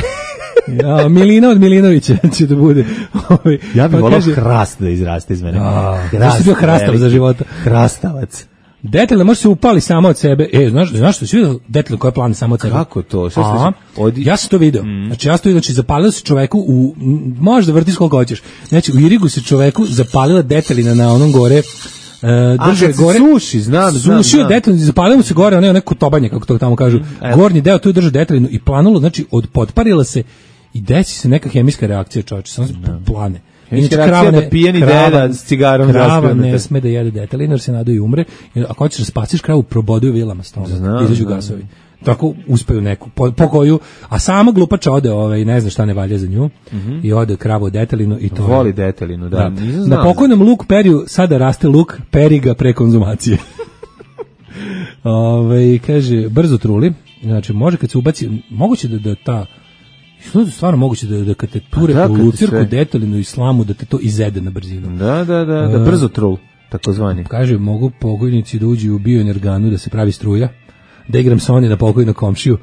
Ja, Milina od Milinovića će da bude. Ja bih volao hrast da izraste iz mene. Zašto si bio hrastav za života? Hrastavac. Detelina može se upali samo od sebe. Znaš što si vidio detelina koja plane samo od sebe? Kako to? Ja sam to vidio. Znači, zapalilo se čoveku možeš da vrtiš koliko hoćeš. Znači, u Irigu se čoveku zapalila detelina na onom gore. Drže gore suši, znam. Sušio detelinu, zapalilo mu se gore, neko tobanje, kako to tamo kažu. Gornji deo tu drže detelinu i planulo, znači podparila se i desi se neka hemijska reakcija, čovječe, samo se plane. Inače, da pijeni deda s cigarom. Krava ne sme da jede detelinu, jer se nada i umre. Ako hoćeš da spasiš kravu, proboduju vilama stomak, izađu gasovi. Tako uspeju neku, po koju, a sama glupača ode, ne zna šta ne valja za nju, i ode kravu detelinu i to. Voli detelinu, da. Na pokojnom Luk Periju sada raste luk, peri ga pre konzumacije. Kaže, brzo truli, znači može kad se ubaci, moguće da ta, stvarno moguće da kad te ture po lucirku, detelinu i slamu, da te to izede na brzinu. Da, brzo trul, takozvani. Kaže, mogu pokojnici da uđu u bioenerganu da se pravi struja, da igram Sony na pokojnu komšiju.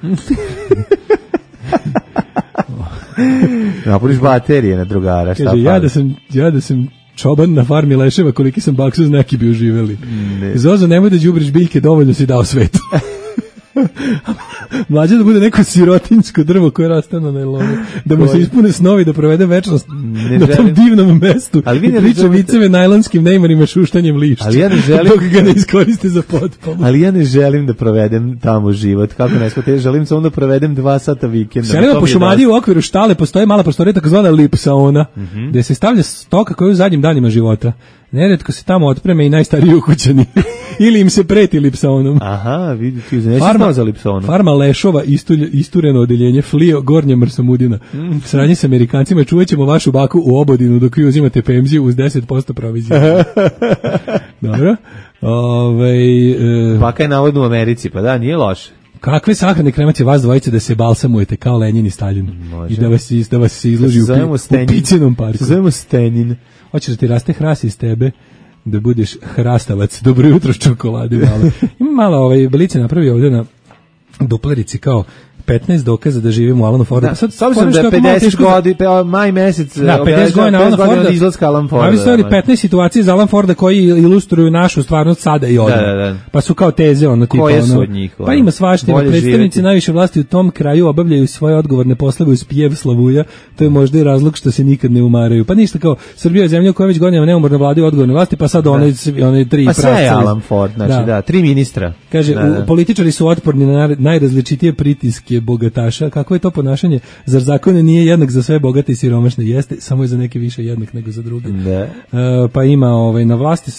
Napuliš baterije na drugara. Kaže, ja da sam čoban na farmi leševa, koliki sam baksuz, neki bi uživeli. Zozo, nemoj da đubriš biljke, dovoljno si dao svetu. Mlađe da bude neko sirotinjsko drvo koje raste na najlonu, da mu se ispune snovi da provede večnost na tom divnom mestu. Ali vi ne priča viceve najlonskim neymarima šuštanjem lišća. Ali ja ne želim dok ga ne iskoriste za potpalu. Ali ja ne želim da provedem tamo život. Kako ne shvatite, želim samo da provedem 2 sata vikenda. Selima po Šumadiji u okviru štale postoji mala prostorija takozvana lipsaona, gde se stavlja stoka koja je u zadnjim danima života. Neretko se tamo otpreme i najstariji ukućani. Ili im se preti lipsaonom. Aha, vidite, nećeš za lipsaonom. Farma Lešova, istureno odeljenje, Flio, Gornja Mrsamudina. Sranje s Amerikancima, čuvat ćemo vašu baku u Obodinu dok vi uzimate pemziju uz 10% provizije. Dobro. Baka je navodno u Americi, pa da, nije loše. Kakve sahrane kremacije vas dvojice da se balsamujete kao Lenjin i Stalin? Može. I da vas se izloži u Picinom parku. Zovemo Stenin. Hoćeš da ti raste hras iz tebe, da budeš hrastavac. Dobro jutro, čokolade malo. Ima malo Belice napravio ovdje na duplerici kao 15 dokaza da živimo u Alanu Fordu. Da, s obzirom da je 50 godina, maj mesec, da, 50 godina Alana Forda, izlaska Alan Forda. Ali su 15 situacije za Alan Forda koji ilustruju našu stvarnost sada i odmah. Da. Pa su kao teze, tipa koje su od njih? Pa ima svaština. Predstavnici najviše vlasti u tom kraju obavljaju svoje odgovorne poslove uz pjev slavuja. To je možda i razlog što se nikad ne umaraju. Pa ništa, kao Srbija je zemlja koja već godinama neumorno vladaju odgovorne vlasti, pa sad one 3 pa sve je Alan Ford, znači da, 3 ministra. Kaže, političari su otporni na najrazličitije pritiske bogataša. Kako je to ponašanje? Zar zakon nije jednak za sve bogate i siromašne? Jeste, samo je za neke više jednak nego za druge. Pa ima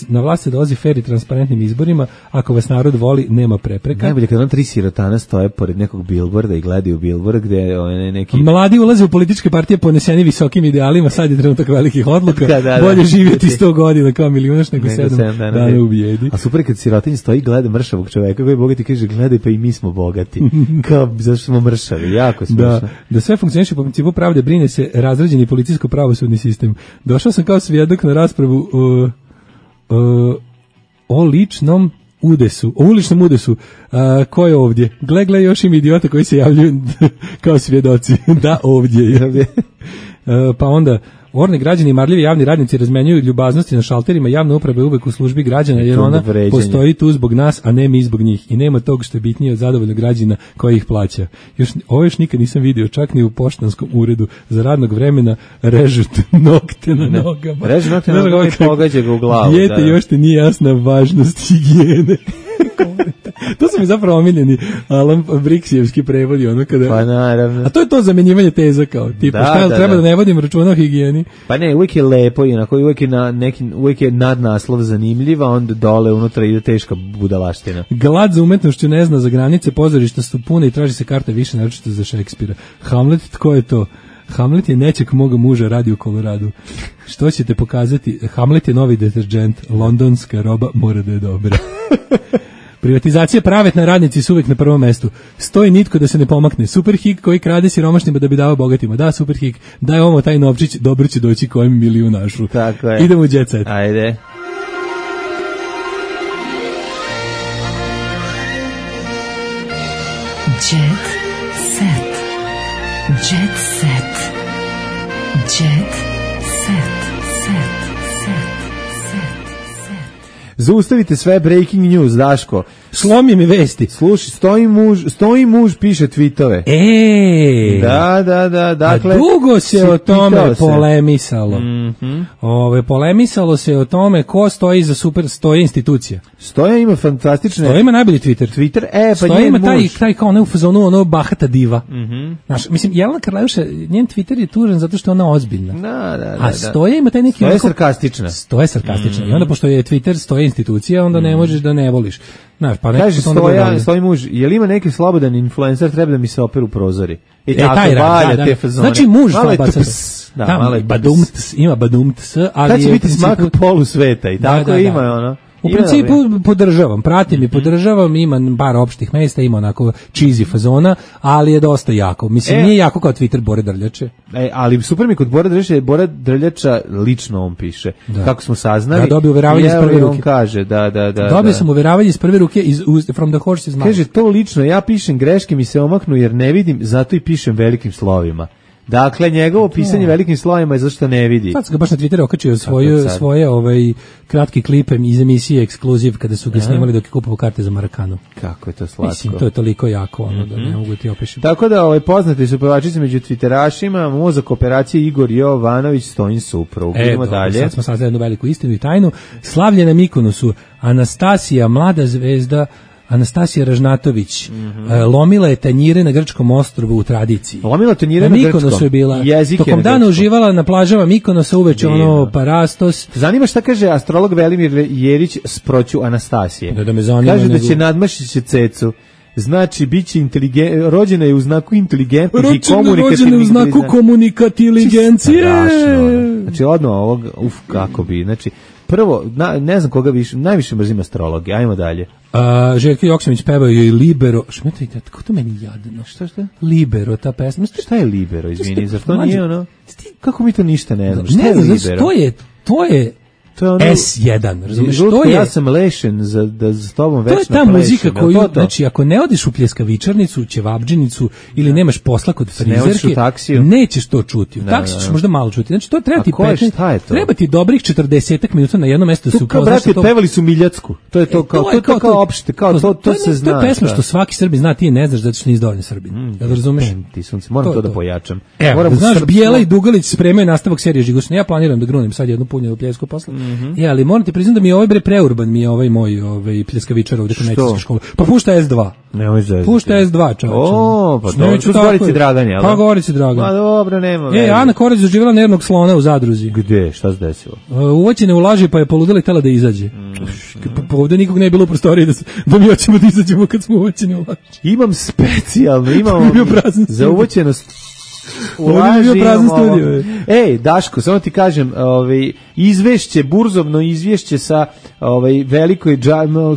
na vlasti dolazi fer i transparentnim izborima. Ako vas narod voli, nema prepreka. Najbolje kad 3 sirotana stoje pored nekog bilborda i gledaju bilbord gde je neki... Mladi ulaze u političke partije poneseni visokim idealima, sad je trenutak velikih odluka. Bolje živjeti 100 godina kao milijunaš nego 7 dana u bijedi. A super kad sirotinj stoji i gleda mršavog čoveka koji je bogat i kaže, gledaj pa i mi smo bogati. Kao zašto smo mršavi, jako smiješno. Da sve funkcioniše po principu pravde, brine se razrađeni policijsko-pravosudni sistem. Došao sam kao svjedok na raspravu o uličnom udesu. Ko je ovdje? Gle, još im idiota koji se javljaju kao svjedoci. Da, ovdje je. Pa onda, orni građani i marljivi javni radnici razmenjuju ljubaznosti na šalterima javne uprave uvek u službi građana, jer ona postoji tu zbog nas, a ne mi zbog njih. I nema tog što je bitnije od zadovoljnog građana koji ih plaća. Ovo još nikad nisam vidio, čak ni u poštanskom uredu za radnog vremena režu nokte na nogama. Režu nokte na nogama i pogađa ga u glavu. Dijete, još ti nije jasna važnost higijene. To su mi zapravo omiljeni Alan Briksijevski prevodi, kada... Pa naravno. A to je to zamenjivanje teza kao, tipa, treba da ne vodim računa o higijeni. Pa ne, uvijek je lepo, inako uvijek je nadnaslov zanimljiv, a onda dole unutra ide teška budalaština. Glad za umetnošću ne zna za granice, pozorišta su pune i traži se karta više, naročito za Šekspira. Hamlet, tko je to? Hamlet je nečeg moga muža, radi u Koloradu. Što ćete pokazati? Hamlet je novi deterđent, londonska roba mora da je dobra. Privatizacija pravetna, radnici su uvijek na prvom mestu. Stoji nitko da se ne pomakne. Superhik koji krade siromašnima da bi dao bogatima. Da, Superhik, daj ovo taj novčić, dobro će doći kojem milijunašu. Tako je. Idemo u Jet Set. Ajde. Jet Set. Jet Set. Jet Set. Zaustavite sve breaking news, Daško. Slomi mi vesti. Slušaj, stoji muž piše tvitove. Da. Dakle, a dugo se o tome polemisalo. Polemisalo se o tome ko stoji za stoji institucija. Stoja ima fantastične... Stoja ima najbolji Twitter. Pa Stoja ima taj kao u fazonu, bahata diva. Znaš, mislim, Jelena Karleuša, njen Twitter je tužan zato što je ona ozbiljna. A Stoja ima taj neki... Stoja je sarkastična. Stoja je sarkastična. I onda, pošto je Twitter stoja institucija, onda ne možeš da ne voliš. Znaš, pa kaže stoji muž, je li ima neki slobodan influencer, treba da mi se operu prozori. I tako valja te fazone. Znači muž ima badumts, ali kad će biti smak polu sveta i tako ima ono. U principu podržavam, pratim i podržavam, ima par opštih mesta, ima onako cheesy fazona, ali je dosta jako. Mislim, nije jako kao Twitter Bore Drljače. Ali super mi kod Bore Drljače, Bore Drljača lično on piše. Kako smo saznali. Ja dobio uveravanje iz prve ruke. On kaže, da. Dobio sam uveravanje iz prve ruke, from the horse's mouth. Kaže, to lično, ja pišem greške, mi se omaknu jer ne vidim, zato i pišem velikim slovima. Dakle, njegovo pisanje velikim slovima je zašto ne vidi. Sad ga baš na Twitteru okačio svoje kratki klipe iz emisije Ekskluziv kada su ga snimali dok je kupovao karte za Marakanu. Kako je to slatko. Mislim, to je toliko jako, da ne mogu ti opišem. Tako da, poznati su pevačice među Twitterašima, mozak operacije Igor Jovanović, Stojin suprug. Idemo dalje. Sad smo saznali jednu veliku istinu i tajnu. Slavlje na Mikonosu, Anastasija, mlada zvezda, Anastasija Ražnatović, lomila je tanjire na grčkom ostrvu u tradiciji. Lomila tanjire na grčkom? Mikonosu je bila. Tokom dana uživala na plažama Mikonosa, uveče parastos. Zanima šta kaže astrolog Velimir Jerić s proću Anastasije. Da me zanima. Kaže da će nadmašiti cecu. Znači, biće rođena je u znaku inteligentnih i komunikativnih. Rođena je u znaku komunikatiligencije. Znači, odmah ovog, kako bi, znači, prvo, ne znam koga više, najviše mrzim astrologe, ajmo dalje. Željko Joksimović pevao joj Libero. Šmetajte, kako to meni jadno? Šta? Libero, ta pesma. Šta je Libero, izvini, zar to nije ono? Kako mi to ništa ne znam? Šta je Libero? To je S1, razumiješ? Ja sam lešen za tobom večno plešem. To je ta muzika koju, znači, ako ne odiš u pljeskavičarnicu, ćevabdžinicu ili nemaš posla kod frizerke, nećeš to čuti. U taksi ćeš možda malo čuti. Znači, to treba ti 15, treba ti dobrih 40 minuta na jednom mjestu da se upoznaš. Brate, pevali su Miljacku. To je to kao opšte, to se zna. To je pesma što svaki Srbin zna, ti ne znaš da ćeš nisi dovoljno Srbin. Jel razumeš? Moram to da pojačam. Evo, znaš, Bijela i Dugalić spremaju nastavak serije Žigosno. Ja planiram da grunem sad jednu punjenu pljesku posle. Ali moram ti priznati da mi je ovaj preurban, mi je ovaj moj pljeskavičar ovdje kod medicinske škole. Pa pušta S2. Nemoj zezati. Pušta S2, čovječe. Pa dobro, tu Gorici Dragan, jel? Pa Gorici Dragan. Ma dobro, nema. Ana Korać doživjela nervnog slona u zadruzi. Gde? Šta se desilo? Uvoćene u laži pa je poludela i tela da izađe. Pa ovdje nikog ne je bilo u prostoriji da mi hoćemo da izađemo kad smo uvoćeni u laži. Imam specijalno, imamo za uvoćenost Ej, Daško, samo ti kažem, izvešće, burzovno izvješće sa velikoj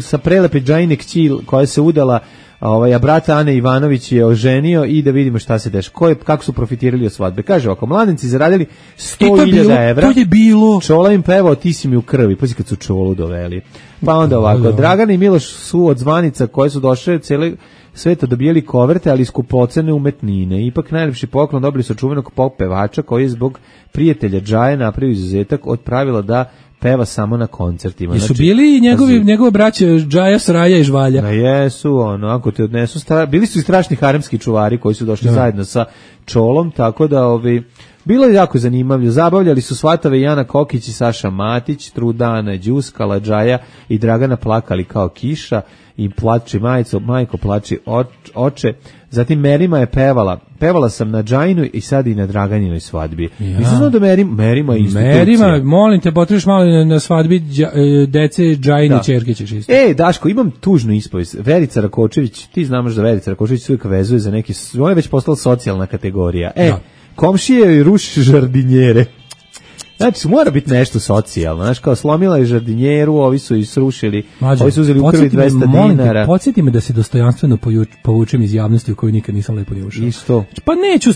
sa prelepe Džajine kći koja se udala, a brata Ane Ivanović je oženio i da vidimo šta se dešava. Kako su profitirali od svadbe. Kaže, ako mladenci zaradili 100.000 evra, to je bilo. Čola im pevao, ti si mi u krvi. Pazi kad su Čolu doveli. Pa onda ovako, Dragana i Miloš su od zvanica koje su došle cijele sveta dobijeli koverte, ali skupocene umetnine. Ipak najljepši poklon dobili su čuvenog pop pevača koji je zbog prijatelja Džaje napravio izuzetak od pravila da peva samo na koncertima. Jesu bili njegove braće Džaja, Sraja i Žvalja? Na jesu, ako te odnesu, bili su i strašni haremski čuvari koji su došli zajedno sa Čolom, tako da bilo je jako zanimljivo. Zabavljali su svatave Jana Kokić i Saša Matić, Trudana Đuskala, Džaja i Dragana plakali kao kiša i plače majko plači oče. Zatim Merima je pevala sam na Džajinu i sad i na Draganinoj svadbi. Nisam znao da Merima je institucija. Merima, molim te, potreš malo na svadbi dece Džajine ćerke ćeš isto. Daško, imam tužnu ispovest. Verica Rakočević, ti znaš da Verica Rakočević uvijek vezuje za neki, ona je već postala socijalna kategorija. Komšije joj ruši žardinjere. Znači, mora biti nešto socijalno. Znaš, kao slomila je žardinjeru, ovi su i srušili, ovi su uzeli u krvi 200 dinara. Podsjeti me da se dostojanstveno povučem iz javnosti u kojoj nikad nisam lepo ni ušao. Isto. Pa neću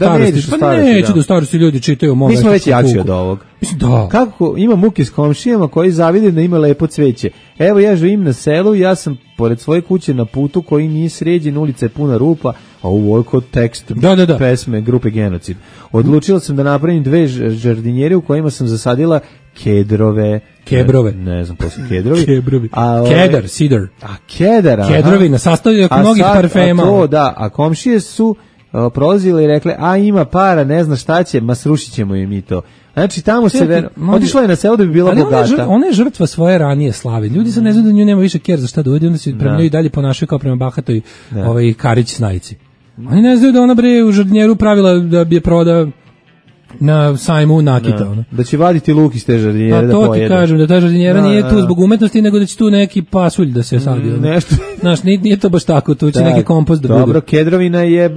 da u starosti ljudi čitaju o mom. Mi smo već jači od ovog. Mislim, da. Kako ima muke s komšijama koji zavide da ima lepo cveće. Evo, ja živim na selu, ja sam pored svoje kuće na putu koji nije sređen, ulica je puna rupa, a ovo je kod tekst pesme grupe Genocid. Odlučila sam da napravim 2 žardinjere u kojima sam zasadila kebrove. Ne znam, poslije kedrovi. Kedar, sidar. Kedar, aha. Kedrovi na sastavljaju mnogih parfema. A komšije su prolazile i rekle, ima para, ne zna šta će, ma srušit ćemo im i to. Znači, tamo se otišla je na selo da bi bila bogata. Ona je žrtva svoje ranije slave. Ljudi sad ne znaju da nju nema više ker za šta da uvedi, onda se prema njoj dalje ponašaju kao prema bahatoj Karić Snajici. Oni ne znaju da ona u žardinjeru pravila da bi je proda na sajmu nakita. Da će vaditi luk iz te žardinjere da pojede. To ti kažem, da ta žardinjera nije tu zbog umetnosti, nego da će tu neki pasulj da se sadi. Nešto. Znaš, nije to baš tako, tu će neki kompost da bude. Dobro, kedrovina je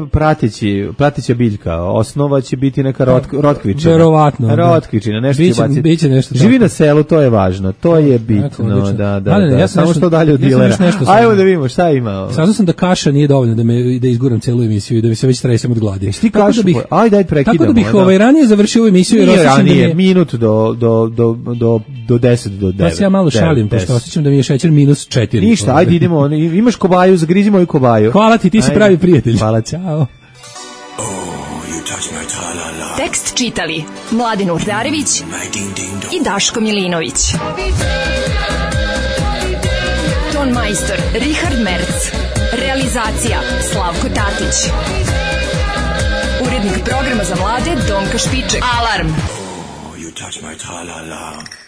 prateća biljka, osnova će biti neka rotkvičina. Verovatno. Rotkvičina, nešto će baciti. Biće nešto. Živi na selu, to je važno, to je bitno. Da. Samo što dalje od dilera. Ajmo da vidimo šta ima. Saznao sam da kaša nije dovoljno da izguram celu emisiju i da mi se već tresem od gladi. Ti kašu, ajde prekidamo. Tako da bih ranije završio ovu emisiju jer osjećam da mi je... minut do 10 do 9. Pa se ja malo šalim, pošto osjećam da mi je šećer -4. Ništa, ajde idemo, imaš kobaju, zagrizi moju kobaju. Hvala ti si pravi prijatelj. Hvala, čao. Tekst čitali Mladen Urdarević i Daško Milinović. Ton majstor Richard Merc. Realizacija Slavko Tatić. Urednik programa za mlade Donka Špiček. Alarm! You touch my tra-la-la.